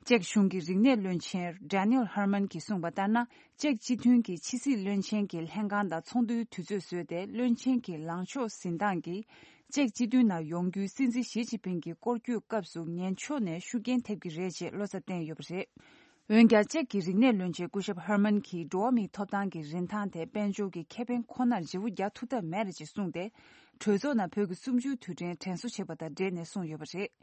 ཅེཀ་གཞུང་གི་རིག་གནས་བློན་ཆེན་Daniel Herman གྱིས་གསུངས་པ་ལྟར་ན། ཅེཀ་སྤྱི་མཐུན་གྱིས་ཕྱི་སྲིད་བློན་ཆེན་གྱི་ལྷན་ཁང་དང་ཚོགས་འདུའི་དུས་ཚོད་བཟོས་ཏེ། བློན་ཆེན་གྱི་ལངས་ཕྱོགས་འཛིན་སྟངས་ཀྱིས། ཅེཀ་སྤྱི་མཐུན་ནང་ཡོང་རྒྱུའི་སྲིད་འཛིན་ཞི་ཅིན་ཕིང་གི་སྐོར་སྐྱོད་སྐབས་སུ་ངན་ཕྱོགས་ནས་ཤུགས་རྐྱེན་ཐེབས་ཀྱི་རེད་ཅེས་བློ་འཚབ་བསྟན་ཡོད་པ་རེད། འོན་ཀྱང་། ཅེཀ་གི་རིག་གནས་བློན་ཆེན་སྐུ་ཞབས་Herman གྱིས་འགྲོ་བ་མིའི་ཐོབ་ཐང་གི་རིན་ཐང་དེ་དཔལ་འབྱོར་གྱི་ཁེ་ཕན་ཁོ་ནར་བརྗེ་པོ་རྒྱག་ཐུབ་ཐབས་མེད་རེད་ཅེས་གསུངས་ཏེ། གྲོས་ཚོགས་ནང་བོད་ཀྱི་གསུམ་བཅུའི་དུས་དྲན་དྲན་གསོ་བྱས་པ་དང་འབྲེལ་ནས་གསུངས་ཡོད་པ་རེད།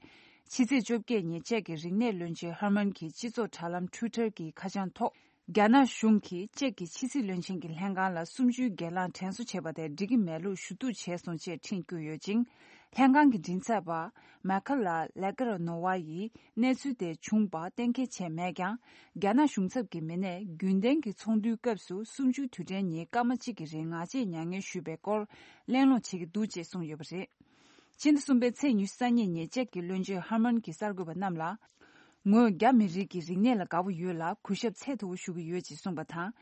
ཕྱི་ཚེས་བཅོ་བརྒྱད་ཉིན་ཅེཀ་གི་རིག་གནས་བློན་ཆེན་Herman གྱིས་སྤྱི་ཚོགས་དྲ་ལམ་Twitter གྱི་ཁ་བྱང་ཐོག་རྒྱ་ནག་གཞུང་གིས་ཅེཀ་གི་ཕྱི་སྲིད་བློན་ཆེན་གྱི་ལྷན་ཁང་ལ་གསུམ་བཅུའི་སྒེར་ལངས་དྲན་གསོ་བྱས་པ་དེ་འགྲིག་གི་མེད་ལུགས་ཞུ་གཏུག་བྱས་སོང་ཅེས་འཕྲིན་བསྐྱོན་ཡོད་ཅིང་། ལྷན་ཁང་གི་མགྲིན་ཚབ་པ་མ་ཁ་ལ་ལེ་ཀར་ནོ་ཝ་ཡིས་གནས་ཚུལ་དེ་བྱུང་བ་གཏན་འཁེལ་བྱས་མེད་ཀྱང་། རྒྱ་ནག་གཞུང་ཚབ་ཀྱི་མི་སྣས་རྒྱུན་ལྡན་གྱི་ཚོགས་འདུའི་སྐབས་སུ་གསུམ་བཅུའི་དུས་དྲན་ཉིན་སྐར་མ་གཅིག་གི་རིང་ངག་བཅད་མྱ་ངན་ཞུས་པའི་སྐོར་གླེང་སློང་བྱེད་ཀྱི་འདུག་ཅེས་གསུངས་ཡོད་པ་རེད། ཕྱི་ཟླ་གསུམ་པའི་ཚེས་ཉི་ཤུ་རྩ་གཉིས་ཉིན་ཅེཀ་གི་བློན་ཆེན་ཧར་མན་གྱིས་གསར་འགོད་པ་རྣམས་ལ། ངོས་རྒྱ་མི་རིགས་ཀྱི་རིག་གནས་ལ་དགའ་པོ་ཡོད་ལ་གུས་ཞབས་ཚད་མཐོ་པོ་ཞུ་གི་ཡོད་ཅེས་གསུངས་པ་དང་།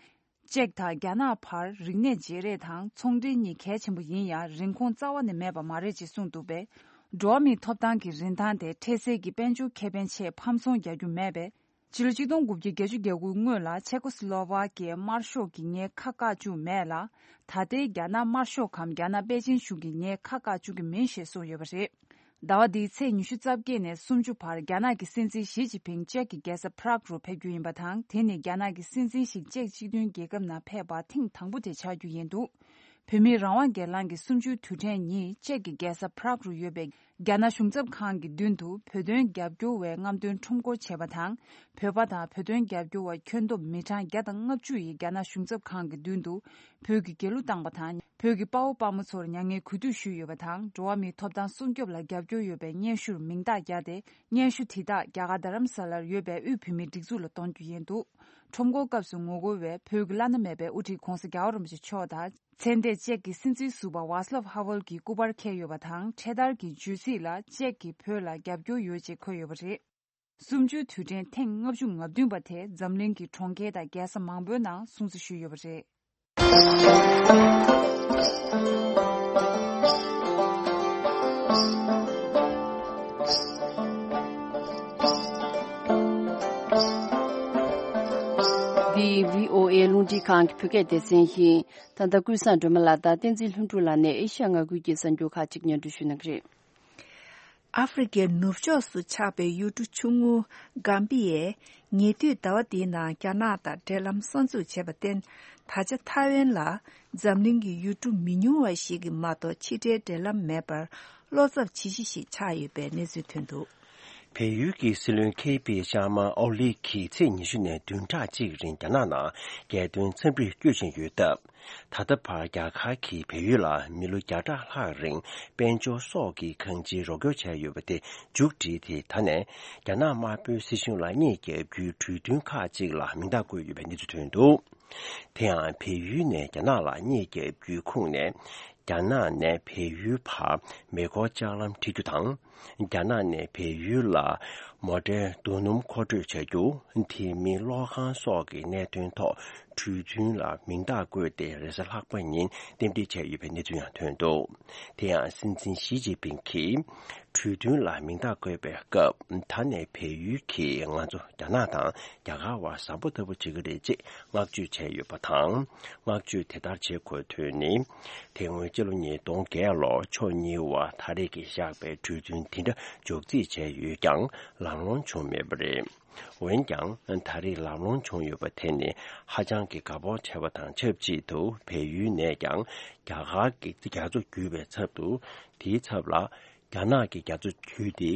ཅེཀ་དང་རྒྱ་ནག་བར་རིག་གནས་བརྗེ་རེས་དང་ཚོང་འབྲེལ་གཉིས་གལ་ཆེན་པོ་ཡིན་ཡང་རིན་གོང་རྩ་བ་ནས་མེད་པ་མ་རེད་ཅེས་གསུངས་འདུག་པས། འགྲོ་བ་མིའི་ཐོབ་ཐང་གི་རིན་ཐང་དེ་འཕྲལ་སེལ་གྱི་དཔལ་འབྱོར་ཁེ་ཕན་ཆེད་ཕམ་ཚོང་རྒྱག་རྒྱུ་མེད་པས། ཕྱི་ལོ་ཆིག་སྟོང་དགུ་བརྒྱ་བརྒྱད་ཅུ་གྱ་དགུ་སྔོན་ལ་ཆེ་ཀོ་སི་ལོ་ཝ་ཀྱའི་དམར་ཤོག་གིས་ངའི་ཁ་བཀག་བཅུག་མེད་ལ། ད་ལྟའི་རྒྱ་ནག་དམར་ཤོག་གམ་རྒྱ་ནག་པེ་ཅིན་གཞུང་གིས་ངའི་ཁ་བཀག་བཅུག་གི་མིན་ཞེས་གསུངས་ཡོད་པ་རེད། ཟླ་བ་འདིའི་ཚེས་ཉི་ཤུ་རྩ་བརྒྱད་ནས་སུམ་ཅུ་བར་རྒྱ་ནག་གི་སྲིད་འཛིན་ཞི་ཅིན་ཕིང་ཅེཀ་གི་རྒྱལ་ས་པ་རག་རུ་ཕེབས་རྒྱུ་ཡིན་པ་དང་། དེ་ནི་རྒྱ་ནག་གི་སྲིད་འཛིན་ཞིག་ཅེཀ་སྤྱི་མཐུན་རྒྱལ་ཁབ་ནང་ཕེབས་པ་ཐེངས་དང་པོ་དེ་ཆགས་རྒྱུ་ཡིན་འདུག་བོད་མིའི་རང་དབང་སྒེར་ལངས་ཀྱི་གསུམ་བཅུའི་དུས་དྲན་ཉིན་ཅེཀ་གི་རྒྱལ་ས་པ་རག་རུ་ཡོད་པའི་རྒྱ་ནག་གཞུང་ཚབ་ཁང་གི་མདུན་དུ་བོད་དོན་རྒྱབ་སྐྱོར་བའི་རྔམ་སྟོན་ཁྲོམ་སྐོར་བྱས་པ་དང་། བོད་པ་དང་བོད་དོན་རྒྱབ་སྐྱོར་བ་ཁྱོན་བསྡོམས་མི་གྲངས་བརྒྱ་དང་ལྔ་བཅུ་ཡིས་རྒྱ་ནག་གཞུང་ཚབ་ཁང་གི་མདུན་དུ་བོད་ཀྱི་རྒྱལ་གླུ་བཏང་བ་དང་། བོད་ཀྱི་དཔའ་བོ་དཔའ་མོ་ཚོར་མྱ་ངན་གུས་འདུད་ཞུས་ཡོད་པ་དང་། འགྲོ་བ་མིའི་ཐོབ་ཐང་སྲུང་སྐྱོབ་ལ་རྒྱབ་སྐྱོར་ཡོད་པའི་སྙན་ཞུར་མིང་རྟགས་བརྒྱབ་སྟེ། སྙན་ཞུ་དེ་དག་རྒྱ་གར་རྡ་རམ་ས་ལར་ཡོད་པའི་དབུས་བོད་མིའི་སྒྲིག་འཛུགས་ལ་གཏོང་རྒྱུ་ཡིན་འདུག་ཁྲོམ་སྐོར་སྐབས་སུ་ངོ་རྒོལ་བས་བོད་ཀྱི་བླ་ན་མེད་པའི་དབུ་ཁྲིད་༧གོང་ས་༧རྒྱལ་བ་རིན་པོ་ཆེ་མཆོག་དང་། ཚེ་འདས་ཅེཀ་གི་སྲིད་འཛིན་ཟུར་པ་ཝཱ་སི་ལབ་ཧ་ཝེལ་གྱི་སྐུ་པར་འཁྱེར་ཡོད་པ་དང་། འཕྲེད་དར་གྱི་བརྗོད་ཚིག་ལ་ཅེཀ་གིས་བོད་ལ་རྒྱབ་སྐྱོར་ཡོད་ཅེས་འཁོད་ཡོད་པ་རེད། གསུམ་བཅུའི་དུས་དྲན་ཐེངས་ལྔ་བཅུ་ང་བདུན་པ་དེ་འཛམ་གླིང་གི་གྲོང་ཁྱེར་དང་རྒྱལ་ས་མང་པོའི་ནང་སྲུང་བརྩི་ཞུས་ཡོད་པ་རེད། འདི་བྷི་ཨོ་ཨེ་རླུང་འཕྲིན་ཁང་གི་བོད་སྐད་སྡེ་ཚན་ཡིན། ད་ལྟ་ཀུན་བཟང་སྒྲོལ་མ་ལགས་དང་བསྟན་འཛིན་ལྷུན་གྲུབ་ལགས་ནས་ཨེ་ཤ་ཡ་མངའ་ཁུལ་གྱི་གསར་འགྱུར་ཁག་ཅིག་སྙན་སྒྲོན་ཞུ་གནང་གི་རེད། ཨ་ཧྥེ་རི་ཁའི་ནུབ་ཕྱོགས་སུ་ཆགས་པའི་ཡུལ་གྲུ་ཆུང་ངུ་གམ་བི་ཡས་ཉེ་དུས་ཟླ་བ་འདིའི་ནང་རྒྱ་ནག་དང་འབྲེལ་ལམ་གསར་འཛུགས་བྱས་པར་བརྟེན། ད་ཆ་ཐའེ་ཝན་ལ་འཛམ་གླིང་གི་ཡུལ་གྲུ་མི་ཉུང་བ་ཞིག་གི་མ་གཏོགས་ཕྱི་འབྲེལ་འབྲེལ་ལམ་མེད་པར་བློ་འཚབ་ཇི་ཞིག་ཞིག་ཆགས་ཡོད་པའི་གནས་ཚུལ་ཐོན་འདུག་བལ་ཡུལ་གྱི་སྲིད་བློན་ཁེ་པི་ཤར་མ་ཨོ་ལི་གིས་ཚེས་ཉི་ཤུ་ནས་བདུན་ཕྲག་གཅིག་རིང་རྒྱ་ནག་ནང་རྒྱལ་དོན་འཚམས་འདྲིར་བསྐྱོད་བཞིན་ཡོད་སྟབས། ད་ལྟ་བར་རྒྱ་གར་གྱིས་བལ་ཡུལ་ལ་མི་ལོ་བརྒྱ་ཕྲག་ལྷག་རིང་དཔལ་འབྱོར་སོགས་ཀྱི་གང་ཅིའི་རོགས་སྐྱོར་བྱས་ཡོད་པ་དེ་མཇུག་བསྒྲིལ་ཏེ། ད་ནས་རྒྱ་ནག་དམར་པོའི་སྲིད་གཞུང་ལ་རྙེད་རྒྱབ་རྒྱུའི་གྲོས་མཐུན་ཁག་ཅིག་ལ་མིང་རྟགས་བཀོད་ཡོད་པའི་གནས་ཚུལ་ཐོན་འདུག་དེ་ཡང་བལ་ཡུལ་ནས་རྒྱ་ནག་ལ་རྙེད་རྒྱབ་རྒྱུའི་ཁུངས་ནས། རྒྱ་ནག་ནས་བལ་ཡུལ་བར་མེ་འཁོར་ལྕགས་ལམ་འཁྲིད་རྒྱུ་དང་། རྒྱ་ནག་ནས་བལ་ཡུལ་ལ་མོ་ཊའི་རྡོ་སྣུམ་མཁོ་སྤྲོད་བྱ་རྒྱུ། དེ་མིན་གློག་ཁང་སོགས་ཀྱི་གནད་དོན་ཐོག་གྲོས་མཐུན་ལ་མིང་རྟགས་བཀོད་དེ་རེས་གཟའ་ལྷག་པ་ཉིན་རྟེན་འབྲེལ་བྱས་ཡོད་པའི་གནས་ཚུལ་ཡང་ཐོན་འདུག་དེ་ཡང་སྲིད་འཛིན་ཞི་ཅིན་ཕིང་གིས་གྲོས་མཐུན་ལ་མིང་རྟགས་བཀོད་པའི་སྐབས། ད་ནས་བལ་ཡུལ་གྱིས་ང་ཚོ་རྒྱ་ནག་དང་རྒྱ་གར་བར་གཟའ་པོ་ལྟ་བུ་བྱེད་ཀྱི་རེད་ཅེས་བསྔགས་བརྗོད་བྱས་ཡོད་པ་དང་། བསྔགས་བརྗོད་དེ་ལྟར་བྱེད་དགོས་དོན་ནི། དེ་སྔོན་སྤྱི་ལོ་ཉིས་སྟོང་བརྒྱད་ལོར་ཕྱོགས་གཉིས་བར་ད་རེས་ཀྱི་བཞག་པའི་གྲོས་མཐུན་དེ་འདྲ་འཇོག་རྩིས་བྱས་ཡོད་ཀྱང་ལམ་ལྷོང་བྱུང་མེད་པ་རེད། འོན་ཀྱང་ད་རེས་ལམ་ལྷོང་བྱུང་ཡོད་པ་དེ་ནི་ཧ་ཅང་གི་དགའ་སྤོབས་བྱས་པ་དང་ཆབས་ཅིག་ཏུ། བལ་ཡུལ་ནས་ཀྱང་རྒྱ་གར་གྱི་རྒྱ་མཚོ་བརྒྱུད་པའི་ཚབ་ཏུ། དེའི་ཚབ་ལ་རྒྱ་ནག་གི་རྒྱ་མཚོ་བརྒྱུད་དེ་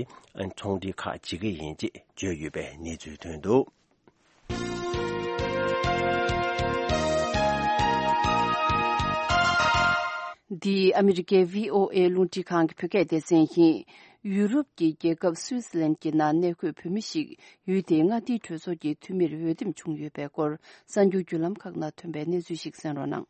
ཚོང་འབྲེལ་ཁག་བྱེད་ཀྱི་ཡིན་ཅེས་བརྗོད་ཡོད་པའི་གནས་ཚུལ་ཐོན་འདུག་འདི་ཨ་མི་རི་ཀའི་བྷི་ཨོ་ཨེ་རླུང་འཕྲིན་ཁང་གི་བོད་སྐད་སྡེ་ཚན་ཡིན། ཡུ་རོབ་ཀྱི་རྒྱལ་ཁབ་སུའི་ཙི་ལན་གྱི་ནང་གནས་འཁོད་བོད་མི་ཞིག་ཡུལ་དེའི་མངའ་སྡེའི་གྲོས་ཚོགས་ཀྱི་འཐུས་མིར་འོས་འདེམས་བྱུང་ཡོད་པའི་སྐོར། གསར་འགྱུར་བརྒྱུད་ལམ་ཁག་ནང་ཐོན་པའི་གནས་ཚུལ་ཞིག་གསན་རོགས་གནང་།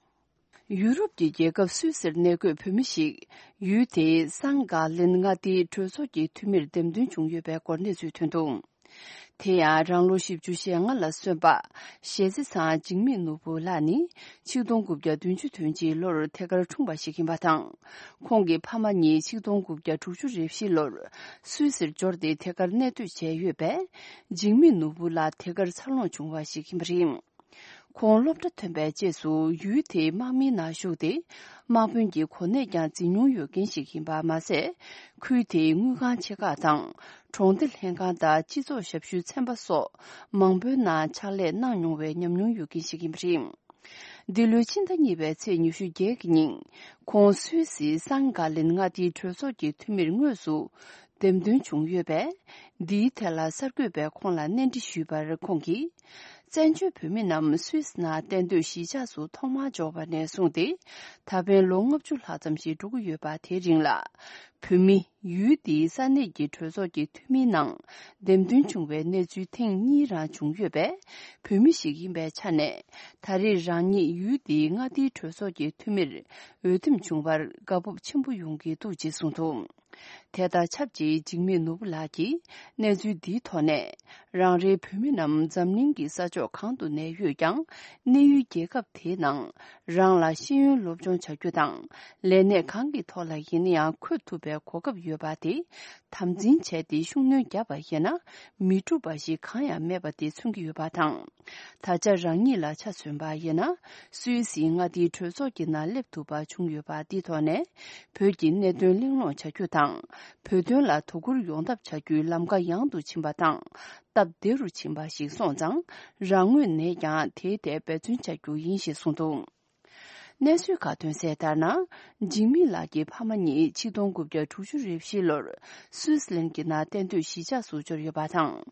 ཡུ་རོབ་ཀྱི་རྒྱལ་ཁབ་སུད་སིར་གནས་འཁོད་བོད་མི་ཞིག་ཡུལ་དེའི་སང་ག་ལིན་མངའ་སྡེའི་གྲོས་ཚོགས་ཀྱི་འཐུས་མིར་འདེམས་ཐོན་བྱུང་ཡོད་པའི་སྐོར་གནས་ཚུལ་ཐོན་འདུག། དེ་ཡང་རང་ལོ་བཞི་བཅུ་ཞེ་ལྔ་ལ་སོན་པ་ཞེ་ཚེ་ཚང་འཇིགས་མེད་ནོར་བུ་ལགས་ནི་ཆིག་སྟོང་དགུ་བརྒྱ་བདུན་ཅུ་དོན་གཅིག་ལོར་ཐད་ཀར་འཁྲུངས་པ་ཞིག་ཡིན་པ་དང་། ཁོང་གི་ཕ་མ་གཉིས་ཆིག་སྟོང་དགུ་བརྒྱ་དྲུག་ཅུ་རེ་བཞི་ལོར་སུད་སིར་འབྱོར་ཏེ་ཐད་ཀར་གནས་སྡོད་བྱས་ཡོད་པས། འཇིགས་མེད་ནོར་བུ་ལགས་ཐད་ཀར་འཚར་ལོངས་བྱུང་བ་ཞིག་ཡིན་པ་རེད། ཁོང་སློབ་གྲྭ་ཐོན་པའི་རྗེས་སུ་ཡུལ་དེའི་དམག་མིའི་ནང་ཞུགས་ཏེ། དམག་དཔོན་གྱི་གོ་གནས་ཀྱང་འཛིན་མྱོང་ཡོད་མཁན་ཞིག་ཡིན་པ་མ་ཟད། ཁུལ་དེའི་དངུལ་ཁང་ཆེ་ཁག་དང་། གྲོང་སྡེ་ལྷན་ཁང་དང་སྤྱི་ཚོགས་ཞབས་ཞུའི་ཚན་པ་སོགས་མང་པོའི་ནང་ཕྱག་ལས་གནང་མྱོང་བའི་ཉམས་མྱོང་ཡོད་མཁན་ཞིག་ཡིན་པ་རེད། འདི་ལོའི་ཕྱི་ཟླ་གཉིས་པའི་ཚེས་ཉི་ཤུ་བརྒྱད་ཀྱི་ཉིན། ཁོང་སུད་སིའི་སང་ག་ལིན་མངའ་སྡེའི་གྲོས་ཚོགས་ཀྱི་འཐུས་མིར་དངོས་སུ་འདེམས་ཐོན་བྱུང་ཡོད་པས། འདིའི་ཐད་ལ་གསར་འགོད་པས་ཁོང་ལ་གནས་འདྲི་ཞུས་པར། ཁོང་གིས། བཙན་བྱོལ་བོད་མི་རྣམས་སུད་སི་ནང་གཏན་སྡོད་གཞིས་ཆགས་སུ་ཐོག་མར་འབྱོར་བ་ནས་བཟུང་སྟེ། ད་ཕན་ལོ་ལྔ་བཅུ་ལྷག་ཙམ་ཞིག་འགྲོ་གི་ཡོད་པ། དེའི་རིང་ལ་བོད་མི་ཡུལ་འདིའི་ས་གནས་ཀྱི་གྲོས་ཚོགས་ཀྱི་འཐུས་མིའི་ནང་འདེམས་ཐོན་བྱུང་བའི་གནས་ཚུལ་ཐེངས་གཉིས་རང་བྱུང་ཡོད་པས། བོད་མི་ཞིག་ཡིན་པའི་ཆ་ནས། ད་རེས་རང་ཉིད་ཡུལ་འདིའི་མངའ་སྡེའི་གྲོས་ཚོགས་ཀྱི་འཐུས་མིར་འོས་འདེམས་བྱུང་བར་དགའ་སྤོབས་ཆེན་པོ་ཡོང་གི་འདུག་ཅེས་གསུངས་འདུག། དེ་དང་ཆབས་ཅིག་འཇིགས་མེད་ནོར་བུ་ལགས་ཀྱིས་གནས་ཚུལ་འདིའི་ཐོག་ནས། རང་རེའི་བོད་མི་རྣམས་འཛམ་གླིང་གི་ས་ཕྱོགས་གང་དུ་གནས་ཡོད་ཀྱང་། གནས་ཡུལ་རྒྱལ་ཁབ་དེའི་ནང་རང་ལ་ཤེས་ཡོན་སློབ་སྦྱོང་བྱ་རྒྱུ་དང་། ལས་གནས་གང་གི་ཐོག་ལ་ཡིན་ན་ཡང་འཁོད་ཐུབ་པའི་གོ་སྐབས་ཡོད་པ་དེ་དམ་འཛིན་བྱས་ཏེ་ཤུགས་སྣོན་བརྒྱབ་པ་ཡིན་ན། མི་འགྲུབ་པ་ཞིག་གང་ཡང་མེད་པ་དེ་མཚོན་གྱི་ཡོད་པ་དང་། ད་ཆ་རང་ཉིད་ལ་ཆ་མཚོན་པ་ཡིན་ན། སུད་སིའི་མངའ་སྡེའི་གྲོས་ཚོགས་ཀྱི་ནང་སླེབས་ཐུབ་པ་བྱུང་ཡོད་པ་འདིའི་ཐོག་ནས། བོད་ཀྱི་གནད་དོན་གླེང་སློང་བྱ་རྒྱུ་དང་། བོད་དོན་ལ་དོ་ཁུར་ཡོང་ཐབས་བྱ་རྒྱུའི་ལམ་ཁ་ཡང་དུ་ཕྱིན་པ་དང་། སྟབས་བདེ་རུ་ཕྱིན་པ་ཞིག་སོང་ཙང་། རང་ངོས་ནས་ཀྱང་དེའི་ཐད་འབད་བརྩོན་བྱ་རྒྱུ་ཡིན་ཞེས་གསུངས་འདུག། གནས་ཚུལ་ཁག་ཐོན་གསལ་ལྟར་ན། འཇིགས་མེད་ལགས་ཀྱི་ཕ་མ་གཉིས་ཆིག་སྟོང་དགུ་བརྒྱ་དྲུག་ཅུ་རེ་བཞི་ལོར་སུད་སི་ལན་གྱི་ནང་གཏན་སྡོད་གཞིས་ཆགས་སུ་འབྱོར་ཡོད་པ་དང་།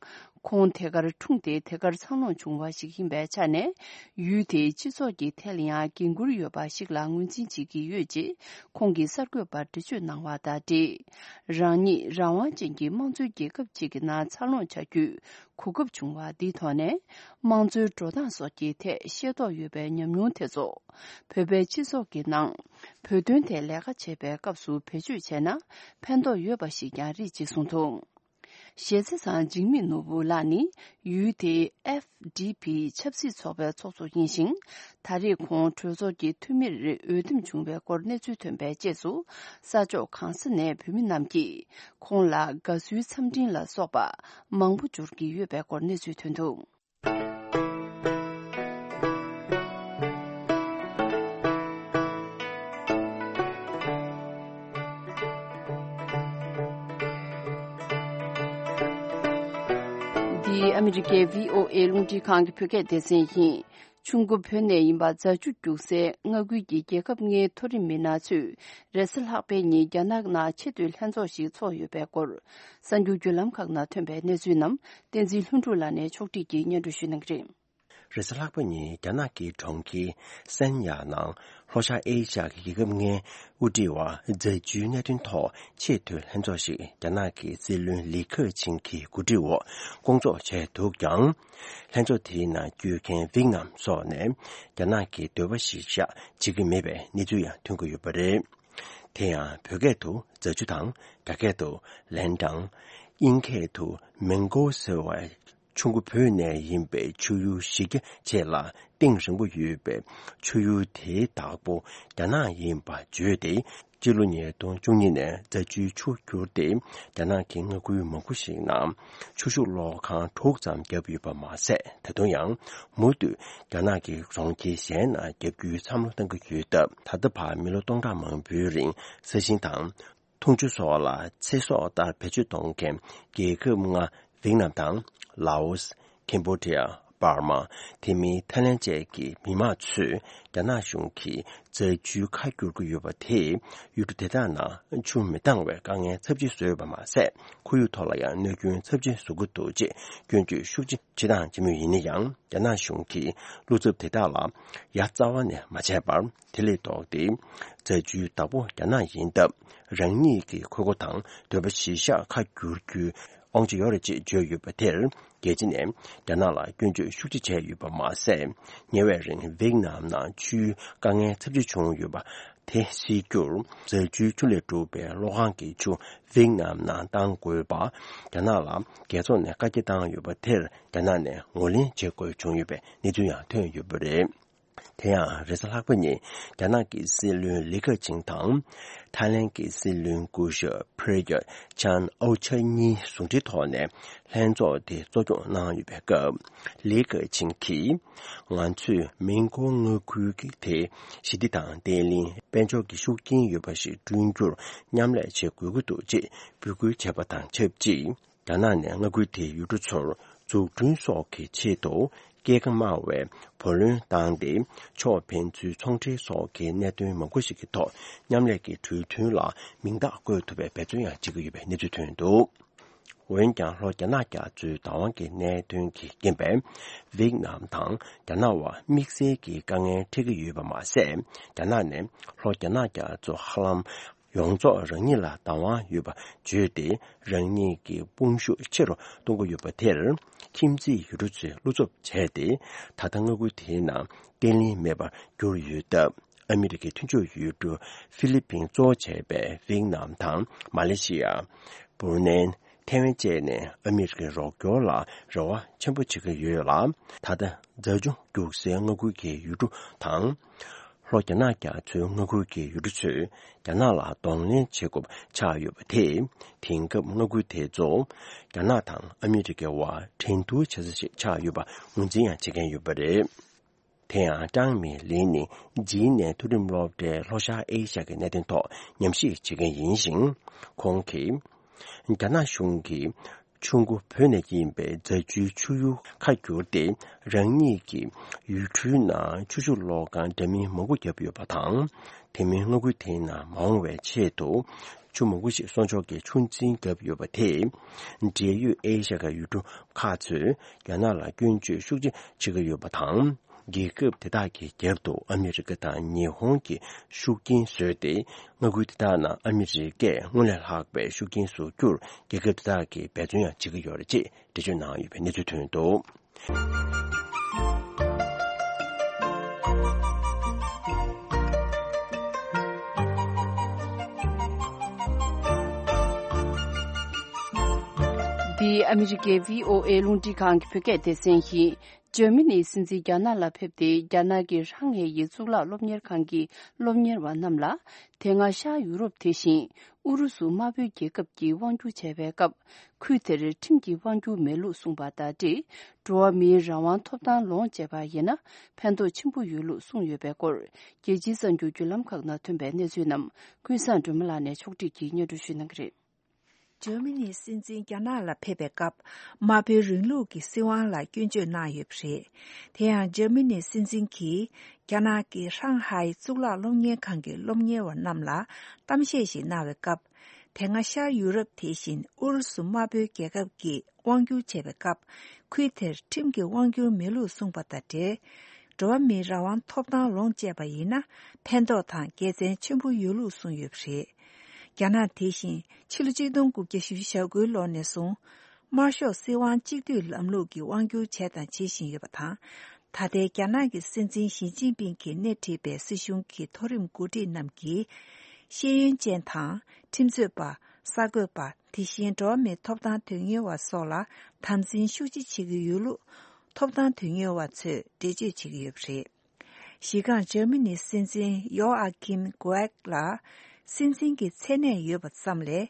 ཁོང་ཐད་ཀར་འཁྲུངས་ཏེ་ཐད་ཀར་འཚར་ལོངས་བྱུང་བ་ཞིག་ཡིན་པའི་ཆ་ནས། ཡུལ་དེའི་སྤྱི་ཚོགས་ཀྱི་ཐད་ལ་ཡང་འགན་འཁུར་ཡོད་པ་ཞིག་ལ་ངོས་འཛིན་བྱེད་ཀྱི་ཡོད་ཅེས་ཁོང་གིས་གསར་འགོད་པར་འགྲེལ་བརྗོད་གནང་བ་དང་འབྲེལ། རང་ཉིད་རང་དབང་ཅན་གྱི་དམངས་གཙོའི་རྒྱལ་ཁབ་ཅིག་གི་ནང་འཚར་ལོངས་བྱ་རྒྱུའི་གོ་སྐབས་བྱུང་བ་འདིའི་ཐོག་ནས། དམངས་གཙོའི་འགྲོ་སྟངས་སོགས་ཀྱི་ཐད་ཤེས་རྟོགས་ཡོད་པའི་ཉམས་མྱོང་དེ་ཚོ། བོད་པའི་སྤྱི་ཚོགས་ཀྱི་ནང་བོད་དོན་ཐད་ལས་ཀ་བྱེད་པའི་སྐབས་སུ་བེད་སྤྱོད་བྱས་ན་ཕན་ཐོགས་ཡོད་པ་ཞིག་ཀྱང་རེད་ཅེས་གསུངས་འདུག། ཞེ་ཚེ་ཚང་འཇིགས་མེད་ནོར་བུ་ལགས་ནི་ཡུལ་དེའི་ཨེཕ་ཌི་པི་ཆབ་སྲིད་ཚོགས་པའི་ཚོགས་གཙོ་ཡིན་ཞིང་། ད་རེས་ཁོང་གྲོས་ཚོགས་ཀྱི་འཐུས་མིར་འོས་འདེམས་བྱུང་བའི་སྐོར་གནས་ཚུལ་ཐོན་པའི་རྗེས་སུ། ས་ཕྱོགས་གང་ས་ནས་བོད་མི་རྣམས་ཀྱིས་ཁོང་ལ་དགའ་བསུའི་འཚམས་འཕྲིན་ལ་སོགས་པ་མང་པོ་འབྱོར་གྱི་ཡོད་པའི་སྐོར་གནས་ཚུལ་ཐོན་འདུག། འདི་ཨ་མི་རི་ཀའི་བྷི་ཨོ་ཨེ་རླུང་འཕྲིན་ཁང་གི་བོད་སྐད་སྡེ་ཚན་ཡིན། ཆུ་འགོ་བོད་ནས་ཡིན་པ་རྫ་ཆུ་རྒྱུག་སའི་མངའ་ཁུལ་གྱི་རྒྱལ་ཁབ་ལྔའི་མཐོ་རིམ་མི་སྣ་ཚོས་རེས་གཟའ་ལྷག་པའི་ཉིན་རྒྱ་ནག་ནང་ཆེས་མཐོའི་ལྷན་ཚོགས་ཤིག་ཚོགས་ཡོད་པའི་སྐོར། གསར་འགྱུར་བརྒྱུད་ལམ་ཁག་ནང་ཐོན་པའི་གནས་ཚུལ་རྣམས་བསྟན་འཛིན་ལྷུན་གྲུབ་ལགས་ནས་ཕྱོགས་སྒྲིག་གིས་སྙན་སྒྲོན་ཞུ་གནང་གི་རེད། རེས་གཟའ་ལྷག་པ་ཉིན་རྒྱ་ནག་གི་གྲོང་ཁྱེར་སན་ཡ་ནང་ལྷོ་ཤར་ཨེ་ཤ་ཡ་གི་རྒྱལ་ཁབ་ལྔའི་དབུ་ཁྲིད་བར་རྫ་ཆུའི་གནད་དོན་ཐོག་ཆེས་མཐོའི་ལྷན་ཚོགས་ཤིག་རྒྱ་ནག་གི་སྲིད་བློན་ལི་ཁེ་ཆིང་གི་གོ་སྒྲིག་འོག་བསྐོང་ཚོགས་བྱས་འདུག་ཀྱང་། ལྷན་ཚོགས་དེའི་ནང་བསྐྱོད་མཁན་ཝིག་ནམ་སོགས་ནས་རྒྱ་ནག་གི་འདོད་པ་གཞིར་བཞག་བྱེད་ཀྱི་མེད་པའི་གནས་ཚུལ་ཡང་ཐོན་གྱི་ཡོད་པ་རེད། དེ་ཡང་བོད་སྐད་དུ་རྫ་ཆུ་དང་། རྒྱ་སྐད་དུ་ལན་ཀྲང་། དབྱིན་སྐད་དུ་མེང་གོ་ཟེར་བ། ཆུ་འགོ་བོད་ནས་ཡིན་པའི་ཆུ་ཡུར་གཞི་རྒྱ་ཆེ་ལ་གཏིང་རིང་པོ་ཡོད་པའི་ཆུ་ཡུར་དེའི་བདག་པོ་རྒྱ་ནག་ཡིན་པ་བརྗོད་དེ། སྤྱི་ལོ་ཉིས་སྟོང་བཅུ་གཉིས་ནས་རྫ་ཆུའི་ཆུ་བསྒྱུར་ཏེ་རྒྱ་ནག་གི་མངའ་ཁུལ་མང་པོ་ཞིག་ནང་ཆུ་ཤུགས་གློག་ཁང་དྲུག་ཙམ་བརྒྱབ་ཡོད་པ་མ་ཟད། ད་དུང་ཡང་མུ་མཐུད་རྒྱ་ནག་གི་གྲོང་ཁྱེར་གཞན་ནང་བརྒྱབ་རྒྱུའི་བསམ་བློ་གཏང་གི་ཡོད་སྟབས། ད་ལྟ་བར་མི་ལོ་སྟོང་ཕྲག་མང་པོའི་རིང་ས་ཞིང་དང་། འཐུང་ཆུ་སོགས་ལ་ཚེ་སྲོག་ལྟར་བེད་སྤྱོད་གཏོང་མཁན་རྒྱལ་ཁབ་ལྔ་ཝིག་ནམ་དང་། ལའོ་སི། ཁེམ་བྷོ་ཌི་ཡ། འབར་མ། དེ་མིན་ཐའི་ལན་བཅས་ཀྱི་མི་དམངས་ཚོས་རྒྱ་ནག་གཞུང་གིས་རྫ་ཆུའི་ཁ་བསྒྱུར་གྱི་ཡོད་པ་དེས་ཡུལ་གྲུ་དེ་དག་ནང་ཆུ་མི་འདང་བའི་དཀའ་ངལ་ཚབས་ཆེ་བཟོས་ཡོད་པ་མ་ཟད། ཁོར་ཡུག་ཐོག་ལ་ཡང་གནོད་སྐྱོན་ཚབས་ཆེ་བཟོ་གི་འདུག་ཅེས་སྐྱོན་བརྗོད་ཤུགས་ཆེ་བྱེད་སྟངས་ཇི་མོ་ཡིན་ན་ཡང་། རྒྱ་ནག་གཞུང་གིས་བློ་འཚབ་དེ་དག་ལ་ཡ་རྩ་བ་ནས་མ་བྱས་པར། དེ་ལས་ལྡོག་སྟེ། རྫ་ཆུའི་བདག་པོ་རྒྱ་ནག་ཡིན་སྟབས། རང་ཉིད་ཀྱི་ཁུར་པོ་དང་འདོད་པ་གཞིར་བཞག་ཁ་བསྒྱུར་རྒྱུའི་དབང་ཆ་ཡོད་རེད་ཅེས་བརྗོད་ཡོད་པ་དེར། རྒྱལ་སྤྱི་ནས་རྒྱ་ནག་ལ་སྐྱོན་བརྗོད་ཤུགས་ཆེ་བྱས་ཡོད་པ་མ་ཟད། ཉེ་བའི་རིང་ཝེད་ནམ་ནང་ཆུའི་དཀའ་ངལ་ཚབས་ཆེ་བྱུང་ཡོད་པ་དེ་སེལ་རྒྱུར། རྫ་ཆུའི་ཆུ་ལས་གྲུབ་པའི་གློག་ཁང་གི་ཆུ་ཝེད་ནམ་ནང་གཏང་དགོས་པ། རྒྱ་ནག་ལ་རྒྱལ་ཚོགས་ནས་བཀའ་རྒྱ་བཏང་ཡོད་པ་དེར། རྒྱ་ནག་ནས་ངོས་ལེན་བྱེད་དགོས་བྱུང་ཡོད་པའི་གནས་ཚུལ་ཡང་ཐོན་ཡོད་པ་རེད། དེ་ཡང་རེས་གཟའ་ལྷག་པ་ཉིན་རྒྱ་ནག་གི་སྲིད་བློན་ལི་ཁེ་ཆིང་དང་། ཐའི་ལན་གྱི་སྲིད་བློན་སྐུ་ཞབས་པྲེ་ཡོད་ཅཱན་ཨོ་ཆ་གཉིས་ཟུང་འབྲེལ་ཐོག་ནས་ལྷན་ཚོགས་དེ་གཙོ་སྐྱོང་གནང་ཡོད་པའི་སྐབས། ལི་ཁེ་ཆིང་གིས། ང་ཚོས་མིན་གོ་མངའ་ཁུལ་གྱི་དེ་ཞི་བདེ་དང་བརྟན་ལྷིང་དཔལ་འབྱོར་གྱི་ཤུགས་རྐྱེན་ཡོད་པ་ཞིག་བསྐྲུན་རྒྱུར་མཉམ་ལས་བྱེད་དགོས་ཀྱི་འདུག་ཅེས་འབོད་སྐུལ་བྱས་པ་དང་ཆབས་ཅིག་རྒྱ་ནག་ནས་མངའ་ཁུལ་དེའི་ཡུལ་གྲུ་ཚོར་འཛུགས་སྐྲུན་སོགས་ཀྱི་ཆེད་དུ་སྐྱེད་ཀ་དམའ་བའི་བུ་ལོན་བཏང་སྟེ། ཕྱོགས་ཕན་ཚུན་ཚོང་འབྲེལ་སོགས་ཀྱི་གནད་དོན་མང་པོ་ཞིག་གི་ཐོག་མཉམ་ལས་ཀྱི་གྲོས་མཐུན་ལ་མིང་རྟགས་བཀོད་ཐུབ་པའི་འབད་བརྩོན་ཡང་བྱེད་ཀྱི་ཡོད་པའི་གནས་ཚུལ་ཐོན་འདུག་འོན་ཀྱང་། ལྷོ་རྒྱ་ནག་རྒྱ་མཚོའི་བདག་དབང་གི་གནད་དོན་གྱི་རྐྱེན་པས། ཝེད་ནམ་དང་རྒྱ་ནག་བར་དམིགས་བསལ་གྱི་དཀའ་ངལ་འཕྲད་ཀྱི་ཡོད་པ་མ་ཟད། རྒྱ་ནག་ནས་ལྷོ་རྒྱ་ནག་རྒྱ་མཚོ་ཧ་ལམ། ཡོངས་རྫོགས་རང་ཉིད་ལ་བདག་དབང་ཡོད་པ་བརྗོད་དེ། རང་ཉིད་ཀྱི་དཔུང་ཤུགས་ཆེ་རུ་གཏོང་གི་ཡོད་པ་དེར། ཁྱིམ་མཚེས་ཡུལ་གྲུ་ཚོས་བློ་འཚབ་བྱས་ཏེ། ད་ལྟ་མངའ་ཁུལ་དེའི་ནང་བརྟན་ལྷིང་མེད་པར་གྱུར་ཡོད་སྟབས། ཨ་མི་རི་ཀའི་མཐུན་ཕྱོགས་ཡུལ་གྲུ་ཧྥི་ལི་ཕིན་གཙོ་བྱས་པའི་ཝེད་ནམ་དང་མ་ལེ་ཤི་ཡ། སྦུ་རུ་ནེ། ཐའེ་ཝན་བཅས་ནས་ཨ་མི་རི་ཀའི་རོགས་སྐྱོར་ལ་རེ་བ་ཆེན་པོ་བྱེད་ཀྱི་ཡོད་ལ། ད་ལྟ་རྫ་ཆུ་རྒྱུག་སའི་མངའ་ཁུལ་གྱི་ཡུལ་གྲུ་དང་། ལྷོ་རྒྱ་ནག་རྒྱ་མཚོའི་མངའ་ཁུལ་གྱི་ཡུལ་གྲུ་ཚོས་རྒྱ་ནག་ལ་གདོང་ལེན་བྱེད་དགོས་པ་ཆགས་ཡོད་པ་དེས། དེང་སྐབས་མངའ་ཁུལ་དེ་ཚོ་རྒྱ་ནག་དང་ཨ་མི་རི་ཀའི་དབར་འགྲན་བསྡུར་བྱེད་ས་ཞིག་ཆགས་ཡོད་པ་ངོས་འཛིན་ཡང་བྱེད་མཁན་ཡོད་པ་རེད། དེ་ཡང་ཀྲང་མི་ལིན་ནི་ཇིན་ནས་མཐོ་རིམ་སློབ་གྲྭའི་ལྷོ་ཤར་ཨེ་ཤ་ཡའི་གནད་དོན་ཐོག་ཉམས་ཞིབ་བྱེད་མཁན་ཡིན་ཞིང་། ཁོང་གིས། རྒྱ་ནག་གཞུང་གིས་ཆུ་མགོ་བོད་ནས་ཡིན་པའི་རྫ་ཆུའི་ཆུ་ཡུར་ཁ་བསྒྱུར་ཏེ། རང་ཉིད་ཀྱི་ཡུལ་གྲུའི་ནང་ཆུ་ཤུགས་གློག་ཁང་འདྲ་མིན་མང་པོ་བརྒྱབ་ཡོད་པ་དང་། དེ་མིན་མངའ་ཁུལ་དེའི་ནང་མ་འོངས་པའི་ཆེད་དུ་ཆུ་མང་པོ་ཞིག་གསོག་འཇོག་གི་ཆུ་འཛིན་བརྒྱབ་ཡོད་པ་དེས། འབྲེལ་ཡོད་ཨེ་ཤ་ཡའི་ཡུལ་གྲུ་ཁག་ཚོས་རྒྱ་ནག་ལ་སྐྱོན་བརྗོད་ཤུགས་ཆེ་བྱེད་ཀྱི་ཡོད་པ་དང་། རྒྱལ་ཁབ་དེ་དག་གི་རྒྱབ་ཏུ་ཨ་མི་རི་ཀ་དང་ཉི་ཧོང་གི་ཤུགས་རྐྱེན་བཟོས་ཏེ། མངའ་ཁུལ་དེ་དག་ནང་ཨ་མི་རི་ཀས་སྔོན་ལས་ལྷག་པའི་ཤུགས་རྐྱེན་བཟོ་རྒྱུར་རྒྱལ་ཁབ་དེ་དག་གིས་འབད་བརྩོན་ཡང་བྱེད་ཀྱི་ཡོད་རེད་ཅེས་འགྲེལ་བརྗོད་གནང་ཡོད་པའི་གནས་ཚུལ་ཐོན་འདུག་འདི་ཨ་མི་རི་ཀའི་བྷི་ཨོ་ཨེ་རླུང་འཕྲིན་ཁང་གི་བོད་སྐད་སྡེ་ཚན་ཡིན། འཇར་མ་ནིའི་སྲིད་འཛིན་རྒྱ་ནག་ལ་ཕེབས་ཏེ། རྒྱ་ནག་གི་ཧྲང་ཧའེ་ཡི་གཙུག་ལག་སློབ་གཉེར་ཁང་གི་སློབ་གཉེར་བ་རྣམས་ལ། དེ་སྔ་ཤར་ཡུ་རོབ་དེ་བཞིན་ཨུ་རུ་སུ་དམར་པོའི་རྒྱལ་ཁབ་ཀྱིས་དབང་སྒྱུར་བྱས་པའི་སྐབས། ཁུལ་དེར་ཁྲིམས་ཀྱི་དབང་སྒྱུར་མེད་ལུགས་གསུངས་པ་དང་འབྲེལ། འགྲོ་བ་མིའི་རང་དབང་ཐོབ་ཐང་ལོངས་སྤྱད་པ་ཡིན་ན། ཕན་ཐོགས་ཆེན་པོ་ཡོད་ལུགས་གསུངས་ཡོད་པའི་སྐོར། རྒྱལ་སྤྱིའི་གསར་འགྱུར་བརྒྱུད་ལམ་ཁག་ནང་ཐོན་པའི་གནས་ཚུལ་རྣམས། ཀུན་བཟང་སྒྲོལ་མ་ལགས་ནས་ཕྱོགས་སྒྲིག་གིས་སྙན་སྒྲོན་ཞུ་གནང་གི་རེད། འཇར་མ་ནིའི་སྲིད་འཛིན་རྒྱ་ནག་ལ་ཕེབས་པའི་སྐབས། དམར་པོའི་རིང་ལུགས་ཀྱི་སྲིད་དབང་ལ་སྐྱོན་བརྗོད་གནང་ཡོད་པ་རེད། དེ་ཡང་འཇར་མ་ནིའི་སྲིད་འཛིན་གྱིས། རྒྱ་ནག་གི་ཧྲང་ཧའེ་གཙུག་ལག་སློབ་གཉེར་ཁང་གི་སློབ་གཉེར་བ་རྣམས་ལ་གཏམ་བཤད་ཞིག་གནང་བའི་སྐབས། དེ་སྔ་ཤར་ཡུ་རོབ་དེ་བཞིན་ཨུ་རུ་སུ་དམར་པོའི་རྒྱལ་ཁབ་ཀྱིས་དབང་བསྒྱུར་བྱས་པའི་སྐབས། ཁུལ་དེར་ཁྲིམས་ཀྱི་དབང་སྒྱུར་མེད་ལུགས་གསུངས་པ་དང་འབྲེལ། འགྲོ་བ་མིའི་རང་དབང་ཐོབ་ཐང་ལོངས་སྤྱད་པ་ཡིན་ན། ཕན་ཐོགས་དང་དགེ་མཚན་ཆེན་པོ་ཡོད་ལུགས་གསུངས་ཡོད་པ་རེད། རྒྱ་ནག་དེ་བཞིན་ཕྱི་ལོ་ཆིག་སྟོང་དགུ་བརྒྱ་ཞེ་དགུའི་ལོ་ནས་བཟུང་། དམར་ཤོག་སྲིད་དབང་གཅིག་སྡུད་ལམ་ལུགས་ཀྱི་དབང་སྒྱུར་བྱས་དང་བྱེད་བཞིན་ཡོད་པ་དང་། ད་ལྟའི་རྒྱ་ནག་གི་སྲིད་འཛིན་ཞི་ཅིན་ཕིང་གིས་སྣེ་ཁྲིད་པའི་སྲིད་གཞུང་གི་མཐོ་རིམ་འགོ་ཁྲིད་རྣམས་ཀྱིས། ཤེས་ཡོན་ཅན་དང་། ཁྲིམས་རྩོད་པ། གསར་འགོད་པ། དེ་བཞིན་འགྲོ་བ་མིའི་ཐོབ་ཐང་དོན་གཉེར་བ་སོགས་ལ་དམ་འཛིན་ཤུགས་ཆེ་བྱེད་ཀྱི་ཡོད་ལུགས། ཐོབ་ཐང་དོན་གཉེར་བ་ཚོས་འགྲེལ་བརྗོད་བྱེད་ཀྱི་ཡོད་པ་རེད། གཞི་རྐང་འཇར་མ་ནིའི་སྲིད་འཛིན་ཡོ་ཨ་ཀིམ་གོ་ཨེག་ལ། སྲིད་འཛིན་གྱི་མཚན་གནས་ཡོད་པ་ཙམ་ལས།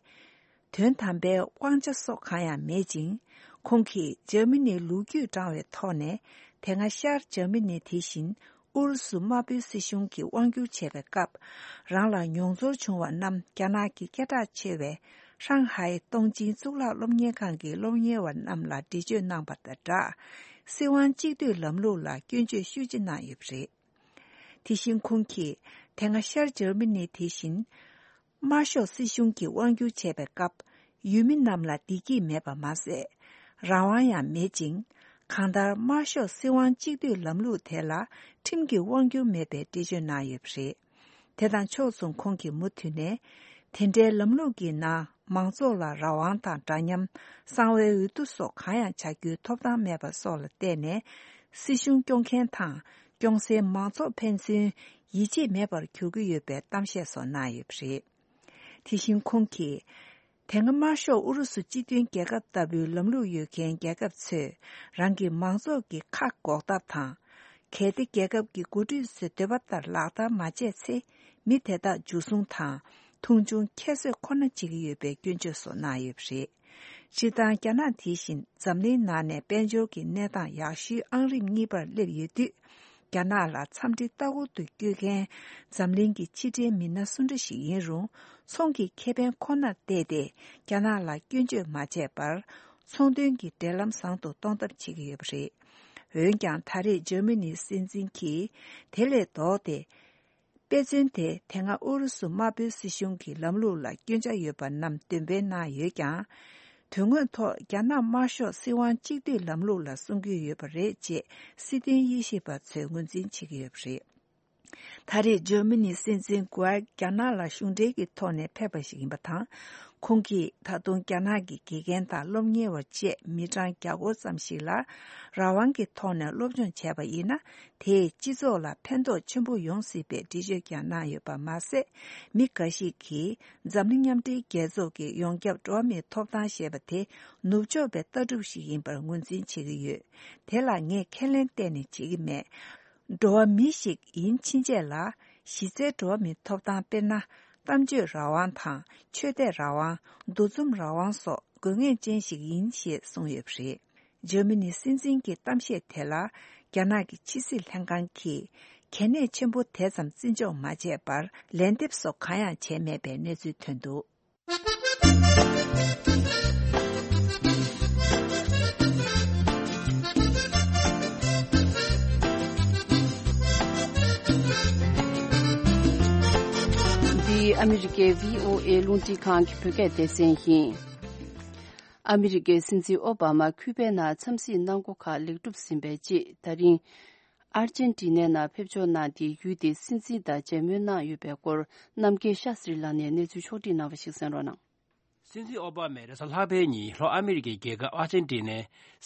དོན་དམ་པའི་དབང་ཆ་སོགས་གང་ཡང་མེད་ཅིང་། ཁོང་གིས་འཇར་མ་ནིའི་ལོ་རྒྱུས་བགྲང་བའི་ཐོག་ནས། དེ་སྔ་ཤར་འཇར་མ་ནི་དེ་བཞིན་ཨུ་རུ་སུ་དམར་པོའི་སྲིད་གཞུང་གིས་དབང་བསྒྱུར་བྱས་པའི་སྐབས། རང་ལ་མྱོང་ཚོར་བྱུང་བ་རྣམས་རྒྱ་ནག་གི་སྐད་གྲགས་ཆེ་བའི་ཧྲང་ཧའེ་སྟོང་ཆེན་གཙུག་ལག་སློབ་གཉེར་ཁང་གི་སློབ་གཉེར་བ་རྣམས་ལ་འགྲེལ་བརྗོད་གནང་བ་དང་སྦྲགས། སྲིད་དབང་གཅིག་སྡུད་ལམ་ལུགས་ལ་སྐྱོན་བརྗོད་ཤུགས་ཆེ་གནང་ཡོད་པ་རེད། དེ་བཞིན་ཁོང་གིས་དེ་སྔ་ཤར་འཇར་མ་ནི་དེ་བཞིན། དམར་ཤོག་སྲིད་གཞུང་གིས་དབང་བསྒྱུར་བྱས་པའི་སྐབས། ཡུལ་མི་རྣམས་ལ་བདེ་སྐྱིད་མེད་པ་མ་ཟད། རང་དབང་ཡང་མེད་ཅིང་། གང་ལྟར་དམར་ཤོག་སྲིད་དབང་གཅིག་སྡུད་ལམ་ལུགས་དེ་ལ་ཁྲིམས་ཀྱི་དབང་སྒྱུར་མེད་པའི་འགྲེལ་བརྗོད་གནང་ཡོད་པ་རེད། དེ་དང་ཕྱོགས་མཚུངས་ཁོང་གིས་མུ་མཐུད་ནས། དེ་འདྲའི་ལམ་ལུགས་ཀྱི་ནང་མང་ཚོགས་ལ་རང་དབང་དང་འདྲ་མཉམ། གསང་བའི་འོས་བསྡུ་སོགས་གང་ཡང་བྱ་རྒྱུའི་ཐོབ་ཐང་མེད་པ་སོགས་ལ་བརྟེན་ནས། སྲིད་གཞུང་སྐྱོང་མཁན་དང་སྐྱོང་སའི་མང་ཚོགས་ཕན་ཚུན་ཡིད་ཆེས་མེད་པར་གྱུར་གྱི་ཡོད་པའི་གཏམ་བཤད་སོགས་གནང་ཡོད་པ་རེད། དེ་བཞིན་ཁོང་གིས། དེ་སྔ་དམར་ཤོག་ཨུ་རུ་སུ་སྤྱི་མཐུན་རྒྱལ་ཁབ་ལྟ་བུའི་ལམ་ལུགས་ཡོད་མཁན་རྒྱལ་ཁབ་ཚོས་རང་གི་མང་ཚོགས་ཀྱི་ཁ་འགོག་ཐབས་དང་། གལ་ཏེ་རྒྱལ་ཁབ་ཀྱི་འགོ་ཁྲིད་ཚོས་འདོད་པ་ལྟར་ལག་བསྟར་མ་བྱས་ཚེ། མི་དེ་དག་འཇུ་བཟུང་དང་མཐོང་ཆུང་ཁྱད་གསོད་ཁོ་ན་བྱེད་ཀྱི་ཡོད་པའི་སྐྱོན་བརྗོད་སོགས་གནང་ཡོད་པ་རེད། སྤྱིར་བཏང་རྒྱ་ནག་དེ་བཞིན་འཛམ་གླིང་ནང་ནས་དཔལ་འབྱོར་གྱི་གནས་སྟངས་ཡག་ཤོས་ཨང་རིམ་གཉིས་པར་སླེབས་ཡོད་དུས། རྒྱ་ནག་ལ་འཚམས་འདྲི་ལྟ་སྐོར་དུ་བསྐྱོད་མཁན་འཛམ་གླིང་གི་ཕྱི་འབྲེལ་མི་སྣ་སུ་འདྲ་ཞིག་ཡིན་རུང་། ཚོང་གི་ཁེ་ཕན་ཁོ་ནར་བལྟས་ཏེ། རྒྱ་ནག་ལ་སྐྱོན་བརྗོད་མ་བྱས་པར། ཚོང་དོན་གྱི་འབྲེལ་ལམ་བཟང་དུ་གཏོང་ཐབས་བྱེད་ཀྱི་ཡོད་པ་རེད། འོན་ཀྱང་། ད་རེས་འཇར་མ་ནིའི་སྲིད་འཛིན་གྱིས་དེ་ལས་ལྡོག་སྟེ། དཔེ་མཚོན་དེ། དེ་སྔ་ཨུ་རུ་སུ་དམར་པོའི་སྲིད་གཞུང་གི་ལམ་ལུགས་ལ་སྐྱོན་ཆ་ཡོད་པ་རྣམས་འདོན་སྤེལ་གནང་ཡོད་ཀྱང་། དོན་དངོས་ཐོག་རྒྱ་ནག་དམར་ཤོག་སྲིད་དབང་གཅིག་སྡུད་ལམ་ལུགས་ལ་སྲུང་གི་ཡོད་པ་རེད་ཅེས་སྲིད་དོན་དབྱེ་ཞིབ་པ་ཚོས་ངོས་འཛིན་བྱེད་ཀྱི་ཡོད་པ་རེད། ད་རེས་འཇར་མ་ནིའི་སྲིད་འཛིན་གུ་ཨར་རྒྱ་ནག་ལ་གཞུང་འབྲེལ་གྱི་ཐོག་ནས་ཕེབས་པ་ཞིག་ཡིན་པ་དང་། ཁོང་གིས་ད་དུང་རྒྱ་ནག་གི་དགེ་རྒན་དང་སློབ་གཉེར་བ་བཅས་མི་གྲངས་བརྒྱ་སྐོར་ཙམ་ཞིག་ལ་རང་དབང་གི་ཐོག་ནས་སློབ་སྦྱོང་བྱས་པ་ཡིན་ན། དེས་སྤྱི་ཚོགས་ལ་ཕན་ཐོགས་ཆེན་པོ་ཡོང་སྲིད་པའི་འགྲེལ་བརྗོད་ཀྱང་གནང་ཡོད་པ་མ་ཟད། མི་འགའ་ཞིག་གིས་འཛམ་གླིང་མཉམ་འབྲེལ་རྒྱལ་ཚོགས་ཀྱི་ཡོངས་ཁྱབ་འགྲོ་བ་མིའི་ཐོབ་ཐང་ཞེས་པ་དེ་ནུབ་ཕྱོགས་པའི་ལྟ་གྲུབ་ཞིག་ཡིན་པར་ངོས་འཛིན་བྱེད་ཀྱི་ཡོད། དེ་ལ་ངས་ཁས་ལེན་གཏན་ནས་བྱེད་ཀྱི་མེད། འགྲོ་བ་མི་ཞིག་ཡིན་ཕྱིན་ཆད་ལ་གཞི་རྩའི་འགྲོ་བ་མིའི་ཐོབ་ཐང་དཔེར་ན། གཏམ་བརྗོད་རང་དབང་དང་ཆོས་དད་རང་དབང་། འདུ་འཛོམས་རང་དབང་སོགས་དགོས་ངེས་ཅན་ཞིག་ཡིན་ཞེས་གསུངས་ཡོད་པ་རེད། འཇར་མ་ནིའི་སྲིད་འཛིན་གྱི་གཏམ་བཤད་དེ་ལ་རྒྱ་ནག་གི་ཕྱི་སྲིད་ལྷན་ཁང་གིས་གལ་གནད་ཆེན་པོ་དེ་ཙམ་བརྩི་འཇོག་མ་བྱས་པར་ལན་འདེབས་སོགས་གང་ཡང་བྱས་མེད་པའི་གནས་ཚུལ་ཐོན་འདུག། འདི་ཨ་མི་རི་ཀའི་བྷི་ཨོ་ཨེ་རླུང་འཕྲིན་ཁང་གི་བོད་སྐད་སྡེ་ཚན་ཡིན། ཨ་མི་རི་ཀའི་སྲིད་འཛིན་ཨོ་བྷ་མ་ཁུ་པའི་ནང་འཚམས་གཟིགས་གནང་སྒོ་ཁག་ལེགས་གྲུབ་ཟིན་པའི་རྗེས། ད་རིང་ཨར་ཇན་ཏི་ནའི་ནང་ཕེབས་འབྱོར་གནང་སྟེ། ཡུལ་དེའི་སྲིད་འཛིན་དང་མཇལ་མོལ་གནང་ཡོད་པའི་སྐོར། རྣམ་རྒྱལ་ཤཱ་སྲི་ལགས་ནས་གནས་ཚུལ་ཕྱོགས་བསྒྲིགས་གནང་བ་ཞིག་གསན་རོགས་གནང་། སྲིད་འཛིན་ཨོ་བྷ་མས་རེས་གཟའ་ལྷག་པའི་ཉིན་ལྷོ་ཨ་མི་རི་ཀའི་རྒྱལ་ཁབ་ཨར་ཇན་ཏི་ནའི་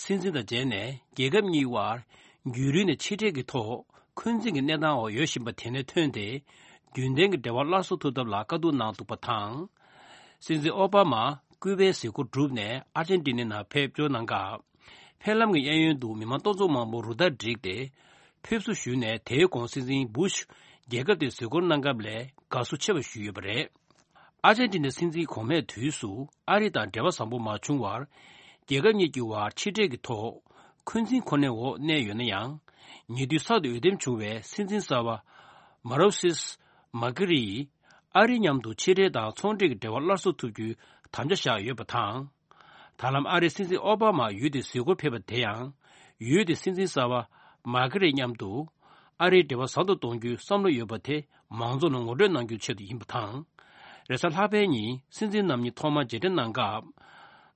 སྲིད་འཛིན་དང་མཇལ་ནས། རྒྱལ་ཁབ་གཉིས་དབར་རྒྱུན་རིང་ནས་ཕྱི་འབྲེལ་གྱི་ཐོག་འཁོན་འཛིན་གྱི་གནས་སྟངས་འོག་ཡོད་བཞིན་པ་དེ་ནས་ཐོན་ཏེ། རྒྱུན་ལྡན་གྱི་འབྲེལ་བ་སླར་གསོ་ཐུབ་ཐབས་ལ་བཀའ་བསྡུར་གནང་འདུག་པ་དང་། སྲིད་འཛིན་ཨོ་བྷ་མ་ཀུ་པའི་གཟིགས་སྐོར་གྲུབ་ནས་ཨར་ཇན་ཏི་ནའི་ནང་ཕེབས་འབྱོར་གནང་སྐབས། ཕེབས་ལམ་གྱི་གཡས་གཡོན་དུ་མི་མང་སྟོང་ཚོ་མང་པོ་རུ་སྟར་བསྒྲིགས་ཏེ་ཕེབས་བསུ་ཞུས་ནས། དེའི་གོང་སྲིད་འཛིན་བུ་ཤ་རྒྱལ་ཁབ་དེར་གཟིགས་སྐོར་གནང་སྐབས་ལས་དགའ་བསུ་ཆེ་བ་ཞུས་ཡོད་པ་རེད། ཨར་ཇན་ཏི་ནའི་སྲིད་འཛིན་གོང་མའི་དུས་སུ་ཨ་རི་དང་འབྲེལ་བ་བཟང་པོ་མ་བྱུང་བར། རྒྱལ་ཁབ་གཉིས་ཀྱི་དབར་ཕྱི་འབྲེལ་གྱི་ཐོག་འཁོན་འཛིན་ཁོ་ནའི་འོག་གནས་ཡོད་ན་ཡང་། ཉེ་དུས་གསར་དུ་འོས་འདེམས་བྱུང་བའི་སྲིད་འཛིན་གསར་པ་མ་རོ་སིས་མ་ཀི་རི་ཡིས་ཨ་རི་མཉམ་དུ་ཕྱི་འབྲེལ་དང་ཚོང་འབྲེལ་གྱི་འབྲེལ་བ་སླར་གསོ་ཐུབ་རྒྱུའི་དམ་བཅའ་བཞག་ཡོད་པ་དང་། ད་ལམ་ཨ་རིའི་སྲིད་འཛིན་ཨོ་བྷ་མ་ཡུལ་དེར་གཟིགས་སྐོར་ཕེབས་པ་དེ་ཡང་། ཡུལ་དེའི་སྲིད་འཛིན་གསར་པ་མ་ཀི་རེ་མཉམ་དུ་ཨ་རིའི་འབྲེལ་བ་ཟབ་ཏུ་གཏོང་རྒྱུའི་བསམ་བློ་ཡོད་པ་དེ་མང་ཚོགས་ལ་ངོ་སྤྲོད་གནང་རྒྱུའི་ཆེད་དུ་ཡིན་པ་དང་། རེས་གཟའ་ལྷག་པའི་ཉིན་སྲིད་འཛིན་རྣམ་གཉིས་ཐོག་མར་མཇལ་འཕྲད་གནང་སྐབས།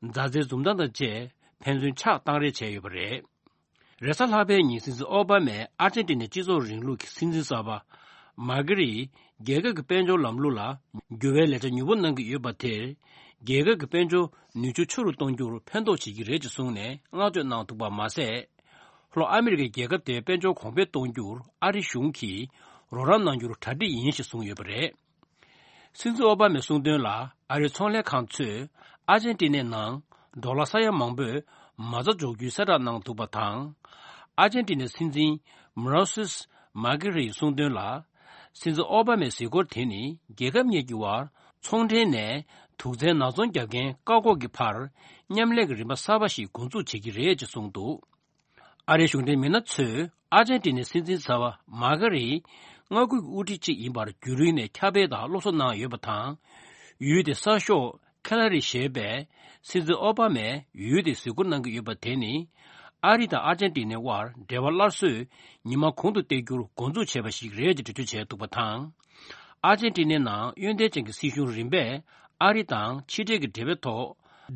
མཛའ་བརྩེའི་འཛུམ་མདངས་དང་བཅས་ཕན་ཚུན་ཕྱག་བཏང་རེས་བྱས་ཡོད་པ་རེད། རེས་གཟའ་ལྷག་པའི་ཉིན་སྲིད་འཛིན་ཨོ་བྷ་མས་ཨར་ཇན་ཏི་ནའི་སྤྱི་ཚོགས་རིང་ལུགས་ཀྱི་སྲིད་འཛིན་གསར་པ་མ་ཀི་རེ་ཡིས་རྒྱལ་ཁབ་ཀྱི་དཔལ་འབྱོར་ལམ་ལུགས་ལ་འགྱུར་བའི་ལས་འཆར་མྱུར་པོ་གནང་གི་ཡོད་པ་དེར། རྒྱལ་ཁབ་ཀྱི་དཔལ་འབྱོར་ནུས་ཕྱོད་ཆེ་རུ་གཏོང་རྒྱུར་ཕན་ཐོགས་བྱེད་ཀྱི་རེད་ཅེས་གསུངས་ནས་བསྔགས་བརྗོད་གནང་འདུག་པ་མ་ཟད། ལྷོ་ཨ་མི་རི་ཀའི་རྒྱལ་ཁབ་དེའི་དཔལ་འབྱོར་གོང་འཕེལ་གཏོང་རྒྱུར་ཨ་རི་གཞུང་གིས་རོགས་རམ་གནང་རྒྱུར་གྲ་སྒྲིག་ཡིན་ཞེས་གསུངས་ཡོད་པ་རེད། སྲིད་འཛིན་ཨོ་བྷ་མས་གསུངས་དོན་ལ། ཨ་རིའི་ཚོང་ལས་ཁང་ཚོས་ཨར་ཇན་ཏི་ནའི་ནང་ཌོ་ལར་ས་ཡ་མང་པོས་མ་རྩ་འཇོག་རྒྱུའི་གསལ་བསྒྲགས་གནང་འདུག་པ་དང་། ཨར་ཇན་ཏི་ནའི་སྲིད་འཛིན་མ་རོ་སིས་མ་ཀི་རེ་ཡིས་གསུངས་དོན་ལ། སྲིད་འཛིན་ཨོ་བྷ་མའི་གཟིགས་སྐོར་དེ་ནི་རྒྱལ་ཁབ་གཉིས་ཀྱི་དབར་ཚོང་འབྲེལ་ནས་དུག་རྫས་ནག་ཚོང་རྒྱག་མཁན་བཀག་འགོག་གི་བར་མཉམ་ལས་ཀྱི་རིམ་པ་གསར་པ་ཞིག་འགོ་འཛུགས་བྱེད་ཀྱི་རེད་ཅེས་གསུངས་འདུག། ཨ་རིའི་གཞུང་འབྲེལ་མི་སྣ་ཚོས་ཨར་ཇན་ཏི་ནའི་སྲིད་འཛིན་གསར་པ་མ་ཀ་རེའི་མངའ་ཁུལ་གྱི་དབུ་ཁྲིད་ཅིག་ཡིན་པར་རྒྱུན་རིང་ནས་ཁྱབ་སྤེལ་དང་སློབ་གསོ་གནང་ཡོད་པ་དང་། ཡུལ་དེའི་གསར་ཤོག་ཁེ་ལ་རི་ཞེས་པས་སྲིད་འཛིན་ཨོ་བྷ་མས་ཡུལ་དེར་གཟིགས་སྐོར་གནང་གི་ཡོད་པ་དེ་ནི། ཨ་རི་དང་ཨར་ཇན་ཏི་ནའི་དབར་འབྲེལ་བ་སླར་གསོས་ཉི་མ་གོང་དུ་སྤེལ་རྒྱུར་འགོ་འཛུགས་བྱས་པ་ཞིག་རེད་ཅེས་འགྲེལ་བརྗོད་བྱས་འདུག་པ་དང་། ཨར་ཇན་ཏི་ནའི་ནང་གཡོན་ཐལ་ཅན་གྱི་སྲིད་གཞུང་རིམ་པས་ཨ་རི་དང་ཕྱི་འབྲེལ་གྱི་འབྲེལ་བའི་ཐོག་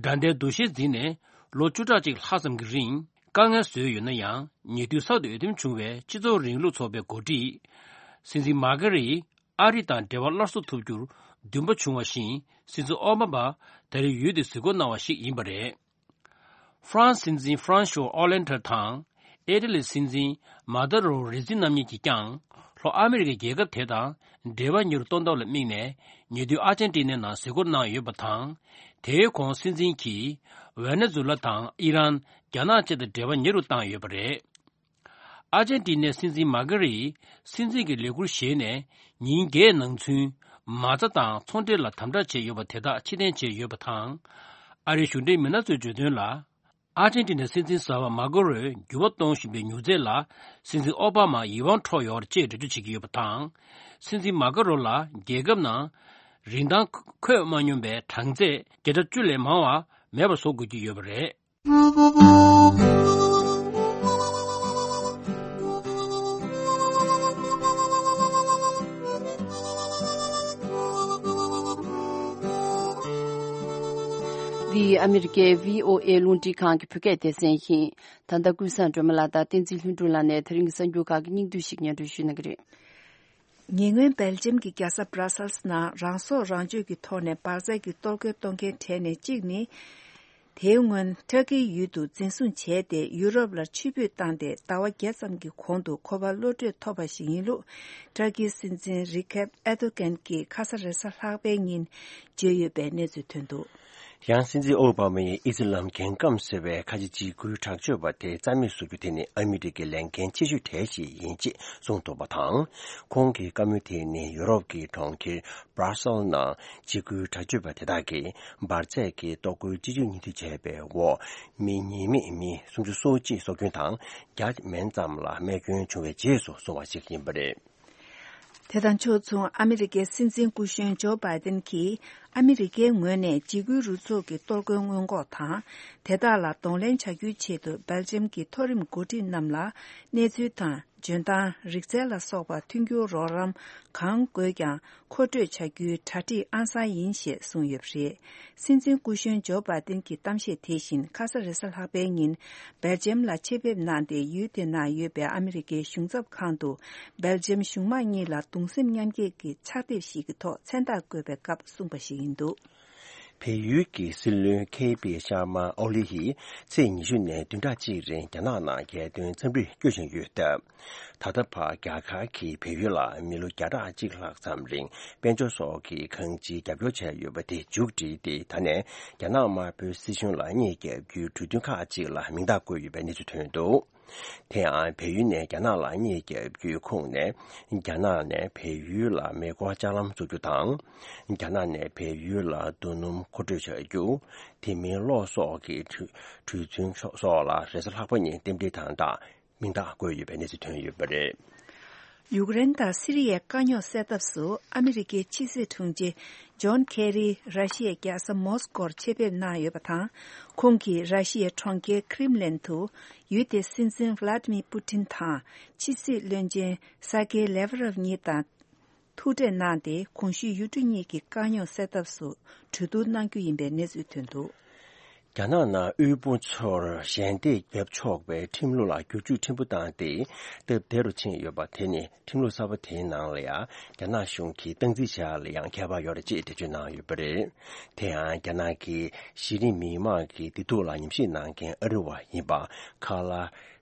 དགྲ་ཟླའི་འདུ་ཤེས་འཛིན་ནས་ལོ་བཅུ་ཕྲག་གཅིག་ལྷག་ཙམ་གྱི་རིང་དཀའ་ངལ་བཟོས་ཡོད་ན་ཡང་། ཉེ་དུས་གསར་དུ་འོས་འདེམས་བྱུང་བའི་སྤྱི་ཚོགས་རིང་ལུགས་ཚོགས་པའི་འགོ་ཁྲིད་སྲིད་འཛིན་མ་ཀ་རེའི་ ཨ་རི་དང་འབྲེལ་བ་སླར་གསོ་ཐུབ་རྒྱུར་འདུན་པ་བྱུང་བ་བཞིན། སྲིད་འཛིན་ཨོ་བྷ་མ་ད་རེས་ཡུལ་དེར་གཟིགས་སྐོར་གནང་བ་ཞིག་ཡིན་པ་རེད། ཧྥ་རན་སི་སྲིད་འཛིན་ཧྥ་རན་ཤོ་ཨོ་ལན་ཐར་དང་། ཨི་ཊ་ལིའི་སྲིད་འཛིན་མ་ཏཱ་རོ་རེ་ཛི་རྣམ་གཉིས་ཀྱིས་ཀྱང་། ལྷོ་ཨ་མི་རི་ཀའི་རྒྱལ་ཁབ་དེ་དང་འབྲེལ་བ་ཉེ་རུ་གཏོང་ཐབས་ལ་དམིགས་ནས། ཉེ་དུས་ཨར་ཇན་ཊི་ནའི་ནང་གཟིགས་སྐོར་གནང་ཡོད་པ་དང་། དེའི་གོང་སྲིད་འཛིན་གྱིས་ཝེ་ནེ་ཛུ་ལ་དང་ཨི་རན། རྒྱ་ནག་བཅས་དང་འབྲེལ་བ་ཉེ་རུ་བཏང་ཡོད་པ་རེད། ཨར་ཇན་ཊི་ནའི་སྲིད་འཛིན་མཱ་ཀ་རིས་སྲིད་འཛིན་གྱི་ལས་ཁུར་བཞེས་ནས་ཉིན་བརྒྱད་ནང་ཚུན། མ་རྩ་དང་ཚོང་འབྲེལ་ལ་དམ་དྲག་བྱས་ཡོད་པ་དེ་དག་ཕྱིར་འཐེན་བྱས་ཡོད་པ་དང་། ཨ་རིའི་གཞུང་འབྲེལ་མི་སྣ་ཚོས་བརྗོད་དོན་ལ། ཨར་ཇན་ཊི་ནའི་སྲིད་འཛིན་གསར་པ་མཱ་ཀ་རོས་འགྱུར་བ་གཏོང་བཞིན་པའི་མྱུར་ཚད་ལ། སྲིད་འཛིན་ཨོ་བྷ་མ་ཡིད་དབང་འཕྲོག་ཡོད་རེད་ཅེས་འགྲེལ་བརྗོད་བྱེད་ཀྱི་ཡོད་པ་དང་། སྲིད་འཛིན་མཱ་ཀ་རོ་ལ་རྒྱལ་ཁབ་ནང་རིན་ཐང་འཁོད་མ་མྱོང་པའི་གྲངས་ཚད་བརྒྱ་ཆ་བཅུ་ལས་མང་བ་མེད་པ་བཟོ་དགོས་ཀྱི་ཡོད་པ་རེད། འདི་ཨ་མི་རི་ཀའི་བྷི་ཨོ་ཨེ་རླུང་འཕྲིན་ཁང་གི་བོད་སྐད་སྡེ་ཚན་ཡིན། ད་ལྟ་ཀུན་བཟང་སྒྲོལ་མ་ལགས་དང་བསྟན་འཛིན་ལྷུན་གྲུབ་ལགས་ནས་དེ་རིང་གི་གསར་འགྱུར་ཁག་གི་སྙིང་བསྡུས་ཤིག་སྙན་སྒྲོན་ཞུ་གནང་གི་རེད། ཉེ་སྔོན་སྦེལ་ཇམ་གྱི་རྒྱལ་ས་སྦྲ་སལ་སི་ནང་རང་སྲོག་རང་གཅོད་ཀྱི་ཐོག་ནས་འབར་རྫས་ཀྱི་གཏོར་རྒོལ་གཏོང་མཁན་གྲས་ནས་གཅིག་ནི། དེའི་སྔོན་ཏུར་ཀིའི་ཡུལ་དུ་འཛིན་བཟུང་བྱས་ཏེ་ཡུ་རོབ་ལ་ཆུད་ཕུད་བཏང་སྟེ་ཟླ་བ་བརྒྱད་ཙམ་གྱི་གོང་དུ་ཁོ་པ་གློད་གྲོལ་ཐོབ་པ་ཞིག་ཡིན་ལུགས། ཏུར་ཀིའི་སྲིད་འཛིན་རི་ཁེབ་ཨེར་དོ་གྷན་གྱིས་ཁ་ས་རེས་གཟའ་ལྷག་པའི་ཉིན་བརྗོད་ཡོད་པའི་གནས་ཚུལ་ཐོན་འདུག། ཡང་སྲིད་འཛིན་ཨོ་བྷ་མ་ཡིས་ཨི་སི་ལམ་རྒྱལ་ཁམས་ཟེར་བའི་ཁ་ཆེ་འཇིགས་སྐུལ་དྲག་སྤྱོད་པ་དེ་རྩ་མེད་བཟོ་རྒྱུ་དེ་ནི་ཨ་མི་རི་ཀའི་ལས་འགན་ཆེ་ཤོས་གྲས་ཤིག་ཡིན་ཅེས་གསུངས་འདུག་པ་དང་། ཁོང་གི་བཀའ་མོལ་དེ་ནི་ཡུ་རོབ་ཀྱི་གྲོང་ཁྱེར་སྦྲ་སེལ་ནང་འཇིགས་སྐུལ་དྲག་སྤྱོད་པ་དེ་དག་གིས་འབར་རྫས་ཀྱི་གཏོར་རྒོལ་སྤྱི་སྤྱོད་ཉེས་འཛུགས་བྱས་པའི་འོག་མི་ཉེས་མེད་མི་སུམ་ཅུ་སོ་གཅིག་སྲོག་སྐྱོན་དང་བརྒྱ་མན་ཙམ་ལ་རྨས་སྐྱོན་བྱུང་བའི་རྗེས་སུ་སོང་བ་ཞིག་ཡིན་པ་རེད། དེ་དང་ཕྱོགས་མཚུངས་ཨ་མི་རི་ཀའི་སྲིད་འཛིན་སྐུ་གཞོན་ཇོ་བྷའི་ཏིན་གྱིས་ཨ་མི་རི་ཀའི་ངོས་ནས་འཇིགས་སྐུལ་རུ་ཚོགས་ཀྱི་གཏོར་རྒོལ་སྔོན་འགོག་དང་། དེ་དག་ལ་གདོང་ལེན་བྱ་རྒྱུའི་ཆེད་དུ་སྦེལ་ཇམ་གྱི་མཐོ་རིམ་འགོ་ཁྲིད་རྣམས་ལ་གནས་ཚུལ་དང་འཇོན་ཐང་། རིག་རྩལ་ལ་སོགས་པ་མཐུན་འགྱུར་རོགས་རམ་གང་དགོས་ཀྱང་མཁོ་སྤྲོད་བྱ་རྒྱུའི་གྲ་སྒྲིག་ཨང་གསར་ཡིན་ཞེས་གསུངས་ཡོད་པ་རེད། སྲིད་འཛིན་སྐུ་གཞོན་ཇོ་བྷའི་ཏིན་གྱི་གཏམ་བཤད་དེ་བཞིན་ཁ་ས་རེས་གཟའ་ལྷག་པའི་ཉིན་སྦེལ་ཇམ་ལ་ཆེད་ཕེབས་གནང་སྟེ་ཡུལ་དེ་ན་ཡོད་པའི་ཨ་མི་རི་ཀའི་གཞུང་ཚབ་ཁང་དུ་སྦེལ་ཇམ་གཞུང་མང་གཉིས་ལ་གདུང་སེམས་མཉམ་སྐྱེད་ཀྱི་ཕྱག་དེབ་ཞིག་གི་ཐོག་མཚན་རྟགས་བཀོད་པའི་སྐབས་གསུངས་པ་ཞིག་ཡིན་འདུག། བལ་ཡུལ་གྱི་སྲིད་བློན་ཁེ་པི་ཤར་མ་ཨོ་ལི་ཡིས་ཚེས་ཉི་ཤུ་ནས་བདུན་ཕྲག་གཅིག་རིང་རྒྱ་ནག་ནང་རྒྱལ་དོན་འཚམས་འདྲིར་བསྐྱོད་བཞིན་ཡོད་སྟབས། ད་ལྟ་བར་རྒྱ་གར་གྱིས་བལ་ཡུལ་ལ་མི་ལོ་བརྒྱ་ཕྲག་གཅིག་ལྷག་ཙམ་རིང་དཔལ་འབྱོར་སོགས་ཀྱི་གང་ཅིའི་རྒྱབ་སྐྱོར་བྱས་ཡོད་པ་དེ་མཇུག་བསྒྲིལ་ཏེ། ད་ནས་རྒྱ་ནག་དམར་པོའི་སྲིད་གཞུང་ལ་རྙེད་བརྒྱབ་རྒྱུའི་གྲོས་མཐུན་ཁག་ཅིག་ལ་མིང་རྟགས་བཀོད་ཡོད་པའི་གནས་ཚུལ་ཐོན་འདུག། དེ་ཡང་བལ་ཡུལ་ནས་རྒྱ་ནག་ལ་རྙེད་བརྒྱབ་རྒྱུའི་ཁོངས་ནས། རྒྱ་ནག་ནས་བལ་ཡུལ་ལ་མེ་འཁོར་ལྕགས་ལམ་བཟོ་རྒྱུ་དང་། རྒྱ་ནག་ནས་བལ་ཡུལ་ལ་རྡོ་སྣུམ་མཁོ་སྤྲོད་བྱ་རྒྱུ། དེ་མིན་གློག་སོགས་ཀྱི་གྲོས་གྲོས་མཐུན་སོགས་ལ་རེས་གཟའ་ལྷག་པ་ཉིན་རྟེན་འབྲེལ་དང་སྦྲགས་མིང་རྟགས་བཀོད་ཡོད་པའི་གནས་ཚུལ་ཐོན་ཡོད་པ་རེད། ཡུཀ་རེན་དང་སི་རི་ཡའི་དཀའ་རྙོག་སེལ་ཐབས་སུ་ཨ་མི་རི་ཀའི་ཕྱི་སྲིད་དྲུང་ཆེ་ཇོན་ཁེ་རི་ར་ཤི་ཡའི་རྒྱལ་ས་མོ་སི་ཀོར་ཆེད་ཕེབས་གནང་ཡོད་པ་དང་། ཁོང་གིས་ར་ཤི་ཡའི་གྲོང་ཁྱེར་ཁི་རིམ་ལན་དུ་ཡུལ་དེའི་སྲིད་འཛིན་ཝ་ལ་ཏི་མི་པུ་ཏིན་དང་ཕྱི་སྲིད་བློན་ཆེན་སར་ཀེ་ལེ་ཝ་རོབ་གཉིས་དང་ཐུག་འཕྲད་གནང་སྟེ། གོང་ཞུས་ཡུལ་གྲུ་གཉིས་ཀྱི་དཀའ་རྙོག་སེལ་ཐབས་སུ་གྲོས་བསྡུར་གནང་རྒྱུ་ཡིན་པའི་གནས་ཚུལ་ཐོན་འདུག། རྒྱ་ནག་ནང་དབུལ་པོ་ཚོར་ཞལ་འདེབས་བརྒྱབ་ཆོག་པའི་ཁྲིམས་ལུགས་ལ་བསྒྱུར་བཅོས་ཕྲན་བུ་བཏང་སྟེ་སྟབས་བདེ་རུ་ཕྱིན་ཡོད་པ་དེ་ནི་ཁྲིམས་ལུགས་གསར་པ་དེའི་ནང་ལ་ཡང་རྒྱ་ནག་གཞུང་གིས་སྟངས་འཛིན་བྱ་ཡག་ལ་ཡང་ཁྱད་པར་ཡོད་རེད་ཅེས་འགྲེལ་བརྗོད་གནང་ཡོད་པ་རེད། དེ་ཡང་རྒྱ་ནག་གི་གཞི་རིམ་མི་མང་གི་བདེ་སྡུག་ལ་ཉམས་ཞིབ་གནང་མཁན་ཨ་རི་བ་ཡིན་པ་ཁ་ལ་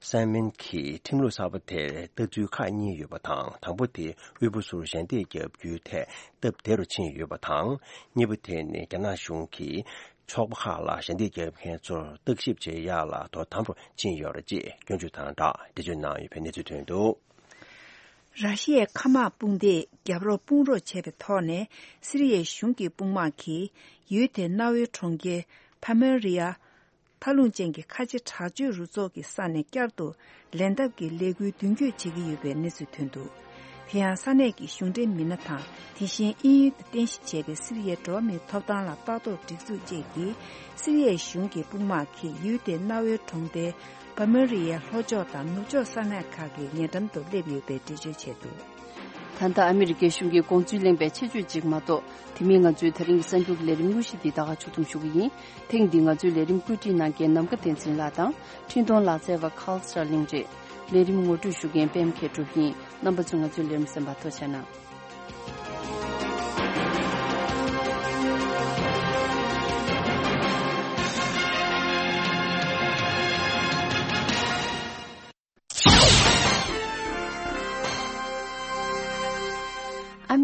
སན་མིན་གྱིས་ཁྲིམས་ལུགས་གསར་པ་དེར་ལྟ་ཚུལ་ཁག་གཉིས་ཡོད་པ་དང་། དང་པོ་དེ་དབུལ་པོ་ཚོར་ཞལ་འདེབས་བརྒྱབ་རྒྱུའི་ཐད་སྟབས་བདེ་རུ་ཕྱིན་ཡོད་པ་དང་། གཉིས་པ་དེ་ནི་རྒྱ་ནག་གཞུང་གིས་ཚོགས་པ་ཁག་ལ་ཞལ་འདེབས་བརྒྱབ་མཁན་ཚོར་བརྟག་ཞིབ་བྱེད་ཡག་ལ་དོ་དམ་རུ་ཕྱིན་ཡོད་རེད་ཅེས་སྐྱོན་བརྗོད་དང་སྦྲགས་འགྲེལ་བརྗོད་གནང་ཡོད་པའི་གནས་ཚུལ་ཐོན་འདུག། ར་ཤི་ཡའི་མཁའ་དམག་དཔུང་སྡེས་རྒྱབ་རོགས་དཔུང་རོགས་བྱས་པའི་ཐོག་ནས་སི་རི་ཡའི་གཞུང་གི་དཔུང་དམག་གིས་ཡུལ་དེའི་གནའ་བོའི་གྲོང་ཁྱེར་ཕ་མེ་རི་ཡ། མཐའ་ལྷུང་ཅན་གྱི་ཁ་ཆེ་དྲག་སྤྱོད་རུ་ཚོགས་ཀྱི་ས་ནས་བསྐྱར་དུ་ལེན་ཐབས་ཀྱི་ལས་འགུལ་མདུན་སྐྱོད་བྱེད་ཀྱི་ཡོད་པའི་གནས་ཚུལ་ཐོན་འདུག། དེ་ཡང་ས་གནས་ཀྱི་གཞུང་འབྲེལ་མི་སྣ་དང་། དེ་བཞིན་དབྱིན་ཡུལ་དུ་རྟེན་གཞི་བྱས་པའི་སི་རི་ཡའི་འགྲོ་བ་མིའི་ཐོབ་ཐང་ལ་ལྟ་རྟོག་སྒྲིག་འཛུགས་བཅས་ཀྱིས། སི་རི་ཡའི་གཞུང་གི་དཔུང་དམག་གིས་ཡུལ་དེའི་གནའ་བོའི་གྲོང་རྡལ་པ་མེ་རི་ཡའི་ལྷོ་ཕྱོགས་དང་ནུབ་ཕྱོགས་ས་གནས་ཁག་གི་ཉེ་འགྲམ་དུ་སླེབས་ཡོད་པའི་འགྲེལ་བརྗོད་བྱས་འདུག། ད་ལྟ་ཨ་མི་རི་ཀའི་གཞུང་གི་དགོངས་ཚུལ་གླེང་བའི་ཆེད་བརྗོད་ཅིག་མ་གཏོགས། དེ་མིན་ང་ཚོའི་ད་རིང་གི་གསར་འགྱུར་གྱི་ལས་རིམ་དངོས་གཞི་འདི་ད་ག་ཕྱོགས་བསྡོམས་ཞུ་གི་ཡིན། ཐེངས་འདིའི་ང་ཚོའི་ལས་རིམ་བཀོད་སྒྲིག་གནང་མཁན་ནམ་མཁའ་བསྟན་འཛིན་ལགས་དང་། འཕྲིན་གཏོང་ལག་རྩལ་བ་Carl Sterling་རེད། ལས་རིམ་ངོ་སྤྲོད་ཞུ་མཁན་པད་མ་མཁས་གྲུབ་ཡིན། རྣམ་པ་ཚོས་ང་ཚོའི་ལས་རིམ་གསན་པར་ཐུགས་རྗེ་གནང་།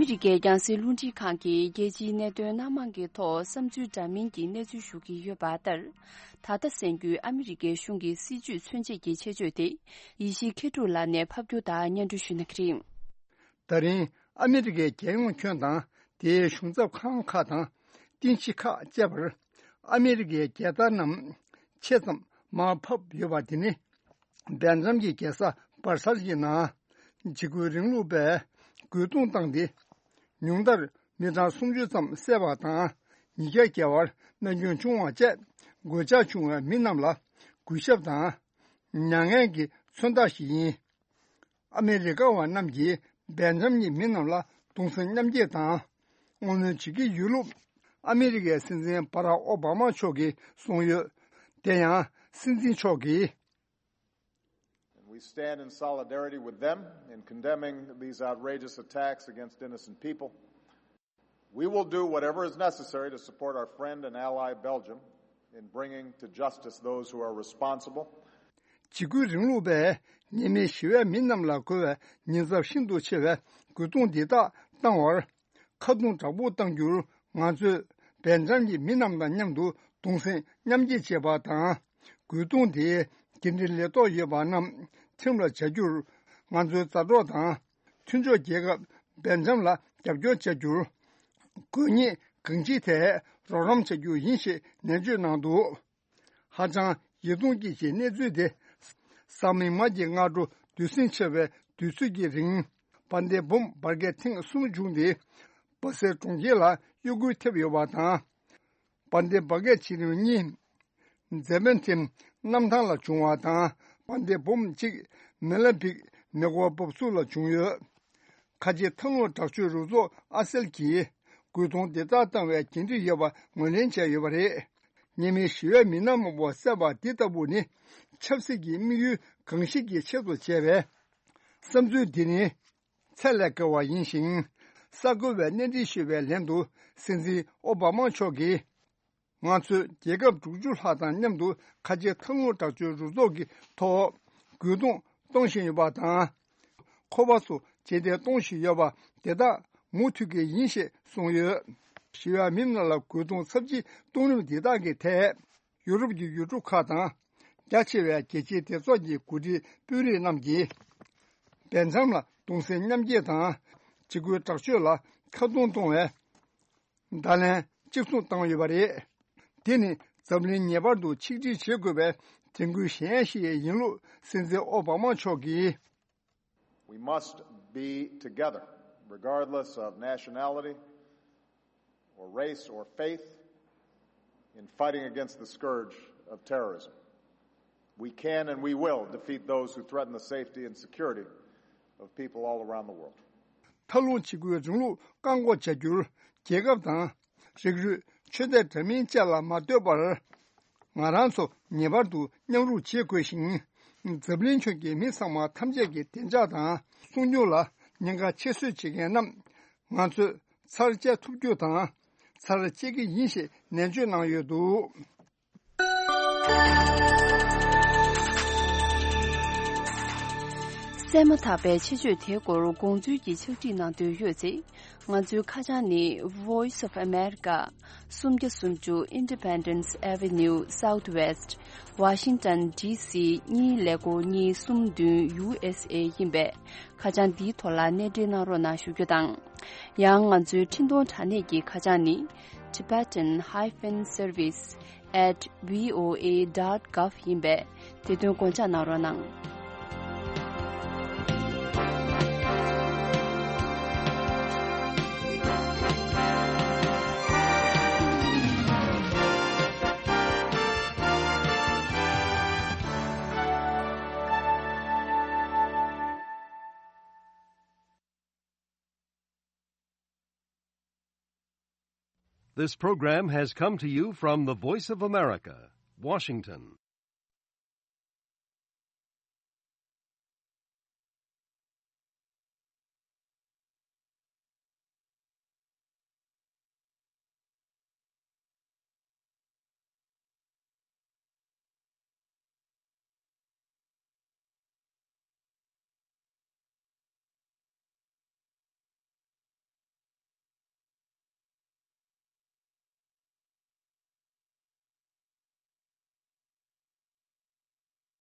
རི་ཀའི་རྒྱང་སྲིང་རླུང་འཕྲིན་ཁང་གིས་རྒྱལ་སྤྱིའི་གནད་དོན་སྣ་མང་གི་ཐོག་བསམ་ཚུལ་འདྲ་མིན་གྱི་གནས་ཚུལ་ཞུ་གི་ཡོད་པ་ལྟར། ད་ལྟ་གསན་རྒྱུའི་ཨ་མི་རི་ཀའི་གཞུང་གི་སྲིད་བྱུས་མཚོན་བྱེད་ཀྱི་ཆེད་བརྗོད་དེ། ཡེ་ཤེས་མཁས་གྲུབ་ལགས་ནས་ཕབ་སྒྱུར་དང་སྙན་སྒྲོན་ཞུ་གནང་གི་རེད། ད་རིང་ཨ་མི་རི་ཀའི་རྒྱལ་ཡོངས་ཁྱོན་དང་དེའི་གཞུང་ཚབ་ཁང་ཁག་དང་། རྟེན་གཞི་ཁག་བཅས་པར་ཨ་མི་རི་ཀའི་རྒྱལ་དར་རྣམས་ཆེ་ཙམ་མར་ཕབ་ཡོད་པ་དེ་ནི། སྦེལ་ཇམ་གྱི་རྒྱལ་ས་སྦར་སལ་གྱི་ནང་འཇིགས་སྐུལ་རིང་ལུགས་པས་རྒོལ་རྡུང་བཏང་སྟེ། ཉུང་མཐར་མི་གྲངས་སུམ་ཅུ་ཙམ་བསད་པ་དང་། ཉིས་བརྒྱ་བརྒལ་བར་རྨས་སྐྱོན་བྱུང་བ་བཅས། གོད་ཆག་བྱུང་བའི་མི་རྣམས་ལ་གུས་ཞབས་དང་། མྱ་ངན་གྱི་མཚོན་རྟགས་ཤིག་ཡིན། ཨ་མི་རི་ཀ་བ་རྣམས་ཀྱིས་སྦེལ་ཇམ་གྱི་མི་རྣམས་ལ་གདུང་སེམས་མཉམ་སྐྱེད་དང་བསྔོ་སྨོན་བྱེད་ཀྱི་ཡོད་ལུགས། ཨ་མི་རི་ཀའི་སྲིད་འཛིན་བྷ་རག་ཨོ་བྷ་མ་མཆོག་གིས་གསུངས་ཡོད། དེ་ཡང་སྲིད་འཛིན་མཆོག་གིས། And we stand in solidarity with them in condemning these outrageous attacks against innocent people. We will do whatever is necessary to support our friend and ally Belgium in bringing to justice those who are responsible. འཇིགས་སྐུལ་རིང་ལུགས་པས་ཉེས་མེད་ཞི་བའི་མི་རྣམས་ལ་རྒོལ་བའི་ཉེན་ཚབས་ཤིན་ཏུ་ཆེ་བའི་རྒོལ་རྡུང་འདི་དག་བཏང་བར་ཁ་རྡུང་དྲག་པོ་གཏང་རྒྱུར། ང་ཚོས་སྦེལ་ཇམ་གྱི་མི་རྣམས་དང་མཉམ་དུ་གདུང་སེམས་མཉམ་སྐྱེད་བྱེད་པ་དང་། རྒོལ་རྡུང་དེའི་འགན་འཁྲི་ལས་ཐོག་ཡོད་པ་རྣམས་ཁྲིམས་ལ་བྱ་རྒྱུར། ང་ཚོའི་མཛའ་གྲོགས་དང་མཐུན་ཕྱོགས་རྒྱལ་ཁབ་སྦེལ་ཇམ་ལ་རྒྱབ་སྐྱོར་བྱ་རྒྱུར། དགོས་ངེས་གང་ཅིའི་ཐད་རོགས་རམ་བྱ་རྒྱུ་ཡིན་ཞེས་ནན་བརྗོད་གནང་འདུག། ཧ་ཅང་ཡིད་གདུང་སྐྱེད་ཀྱི་གནས་ཚུལ་དེ། གཟའ་མིག་དམར་གྱི་སྔ་དྲོ་བདུད་སྲིན་ཆེ་བའི་དུས་ཚོད་ཀྱི་རིང་། བན་དེ་བུམ་འབར་གས་ཐེངས་གསུམ་བྱུང་སྟེ། སྦ་སེལ་གྲོང་ཁྱེར་ལ་གཡོ་འགུལ་ཐེབས་ཡོད་པ་དང་། བན་དེ་འབར་གས་ཆེ་རིམ་གཉིས། ཛེ་བན་ཐིམ་གནམ་ཐང་ལ་བྱུང་བ་དང་། བན་དེ་བུམ་གཅིག་མེ་ལ་བིག་མེ་འཁོར་འབབ་ཚུགས་ལ་བྱུང་ཡོད། ཁ་ཆེ་མཐའ་ལྷུང་དྲག་སྤྱོད་རུ་ཚོགས་ཨ་སེལ་གྱིས་རྒོལ་རྡུང་དེ་དག་བཏང་བའི་འགན་འཁྲི་ཡོད་པ་ངོས་ལེན་བྱས་ཡོད་པ་རེད། ཉེས་མེད་ཞི་བའི་མི་སྣ་མང་པོ་བསད་པ་འདི་ལྟ་བུ་ནི་ཆབ་སྲིད་ཀྱི་དམིགས་ཡུལ་གང་ཞིག་གི་ཆེད་དུ་བྱས་པའི་བསམ་ཚུལ་འདི་ནི་ཚད་ལས་བརྒལ་བ་ཡིན་ཞིང་། གསར་འགོད་པའི་གནས་འདྲི་ཞུས་པའི་ལན་དུ་སྲིད་འཛིན་ཨོ་བྷ་མ་མཆོག་གིས། ང་ཚོས་རྒྱལ་ཁབ་དྲུག་ཅུ་ལྷག་དང་མཉམ་དུ་ཁ་ཆེ་མཐའ་ལྷུང་དྲག་སྤྱོད་རུ་ཚོགས་ཀྱི་ཐོག་རྒོལ་རྡུང་གཏོང་བཞིན་ཡོད་པ་དང་། ཁོ་པ་སོགས་རྗེས་འདེད་གཏོང་བཞིན་ཡོད་པ་དེ་དག་མུ་མཐུད་ཀྱི་ཡིན་ཞེས་གསུངས་ཡོད། ཞི་བའི་མི་རྣམས་ལ་རྒོལ་རྡུང་ཚབས་ཆེའི་གཏོང་རིམ་འདི་དག་གི་ཐད། ཡུ་རོབ་ཀྱི་ཡུལ་གྲུ་ཁག་དང་། རྒྱ་ཆེ་བའི་རྒྱལ་སྤྱིའི་སྡེ་ཚོགས་ཀྱི་འགོ་ཁྲིད་དཔོན་རིགས་རྣམས་ཀྱིས། སྦེལ་ཇམ་ལ་གདུང་སེམས་མཉམ་སྐྱེད་དང་། འཇིགས་སྐུལ་དྲག་སྤྱོད་ལ་ཁ་རྡུང་གཏོང་བའི་བརྡ་ལན་གཅིག་མཚུངས་བཏང་ཡོད་པ་རེད། དེ་ནི་འཛམ་གླིང་ངེས་པར་དུ་ཆིག་སྒྲིལ་བྱེད་དགོས་པའི་དྲན་སྐུལ་གཞན་ཞིག་ཡིན་ལུགས་སྲིད་འཛིན་ཨོ་བྷ་མ་མཆོག་གིས། We must be together, regardless of nationality or race or faith, in fighting against the scourge of terrorism. We can and we will defeat those who threaten the safety and security of people all around the world. མཐའ་ལྷུང་འཇིགས་སྐུལ་རིང་ལུགས་བཀག་འགོག་བྱ་རྒྱུར་རྒྱལ་ཁབ་དང་། རིགས་རུས་ཆོས་དད་འདྲ་མིན་བཅས་ལ་མ་ལྟོས་པར། ང་རང་ཚོ་ངེས་པར་དུ་མཉམ་རུབ་བྱེད་དགོས་ཤིང་། འཛམ་གླིང་ཁྱོན་གྱི་མི་ཚང་མ་ཐམས་ཅད་ཀྱི་བདེ་འཇགས་དང་སྲུང་སྐྱོབ་ལ་ཉེན་ཁ་ཆེ་བཟོས་བྱེད་མཁན་རྣམས། ང་ཚོས་ཚར་བཅད་ཐུབ་རྒྱུ་དང་། ཚར་བཅད་ཀྱི་ཡིན་ཞེས་ནན་བརྗོད་གནང་ཡོད་འདུག། གསན་མ་ཐག་པའི་ཆེད་བརྗོད་དེའི་སྐོར་དགོངས་ཚུལ་གྱི་ཕྱག་བྲིས་གནང་འདོད་ཡོད་ཚེ། ང་ཚོའི་ཁ་བྱང་ནི། Voice of America། སུམ་བརྒྱ་སུམ་ཅུ། Independence Avenue Southwest། Washington D C གཉིས་ཀླད་ཀོར་གཉིས་གསུམ་བདུན། U S A ཡིན་པས། ཁ་བྱང་འདིའི་ཐོག་ལ་གནས་འབྲེལ་གནང་རོགས་གནང་ཞུ་རྒྱུ་དང་། ཡང་ང་ཚོའི་འཕྲིན་གཏོང་དྲ་གནས་ཀྱི་ཁ་བྱང་ནི། Tibetan hyphen service at V O A dot gov ཡིན་པས། དེ་དོན་དགོངས་འཇགས་གནང་རོགས་གནང་། This program has come to you from the Voice of America, Washington.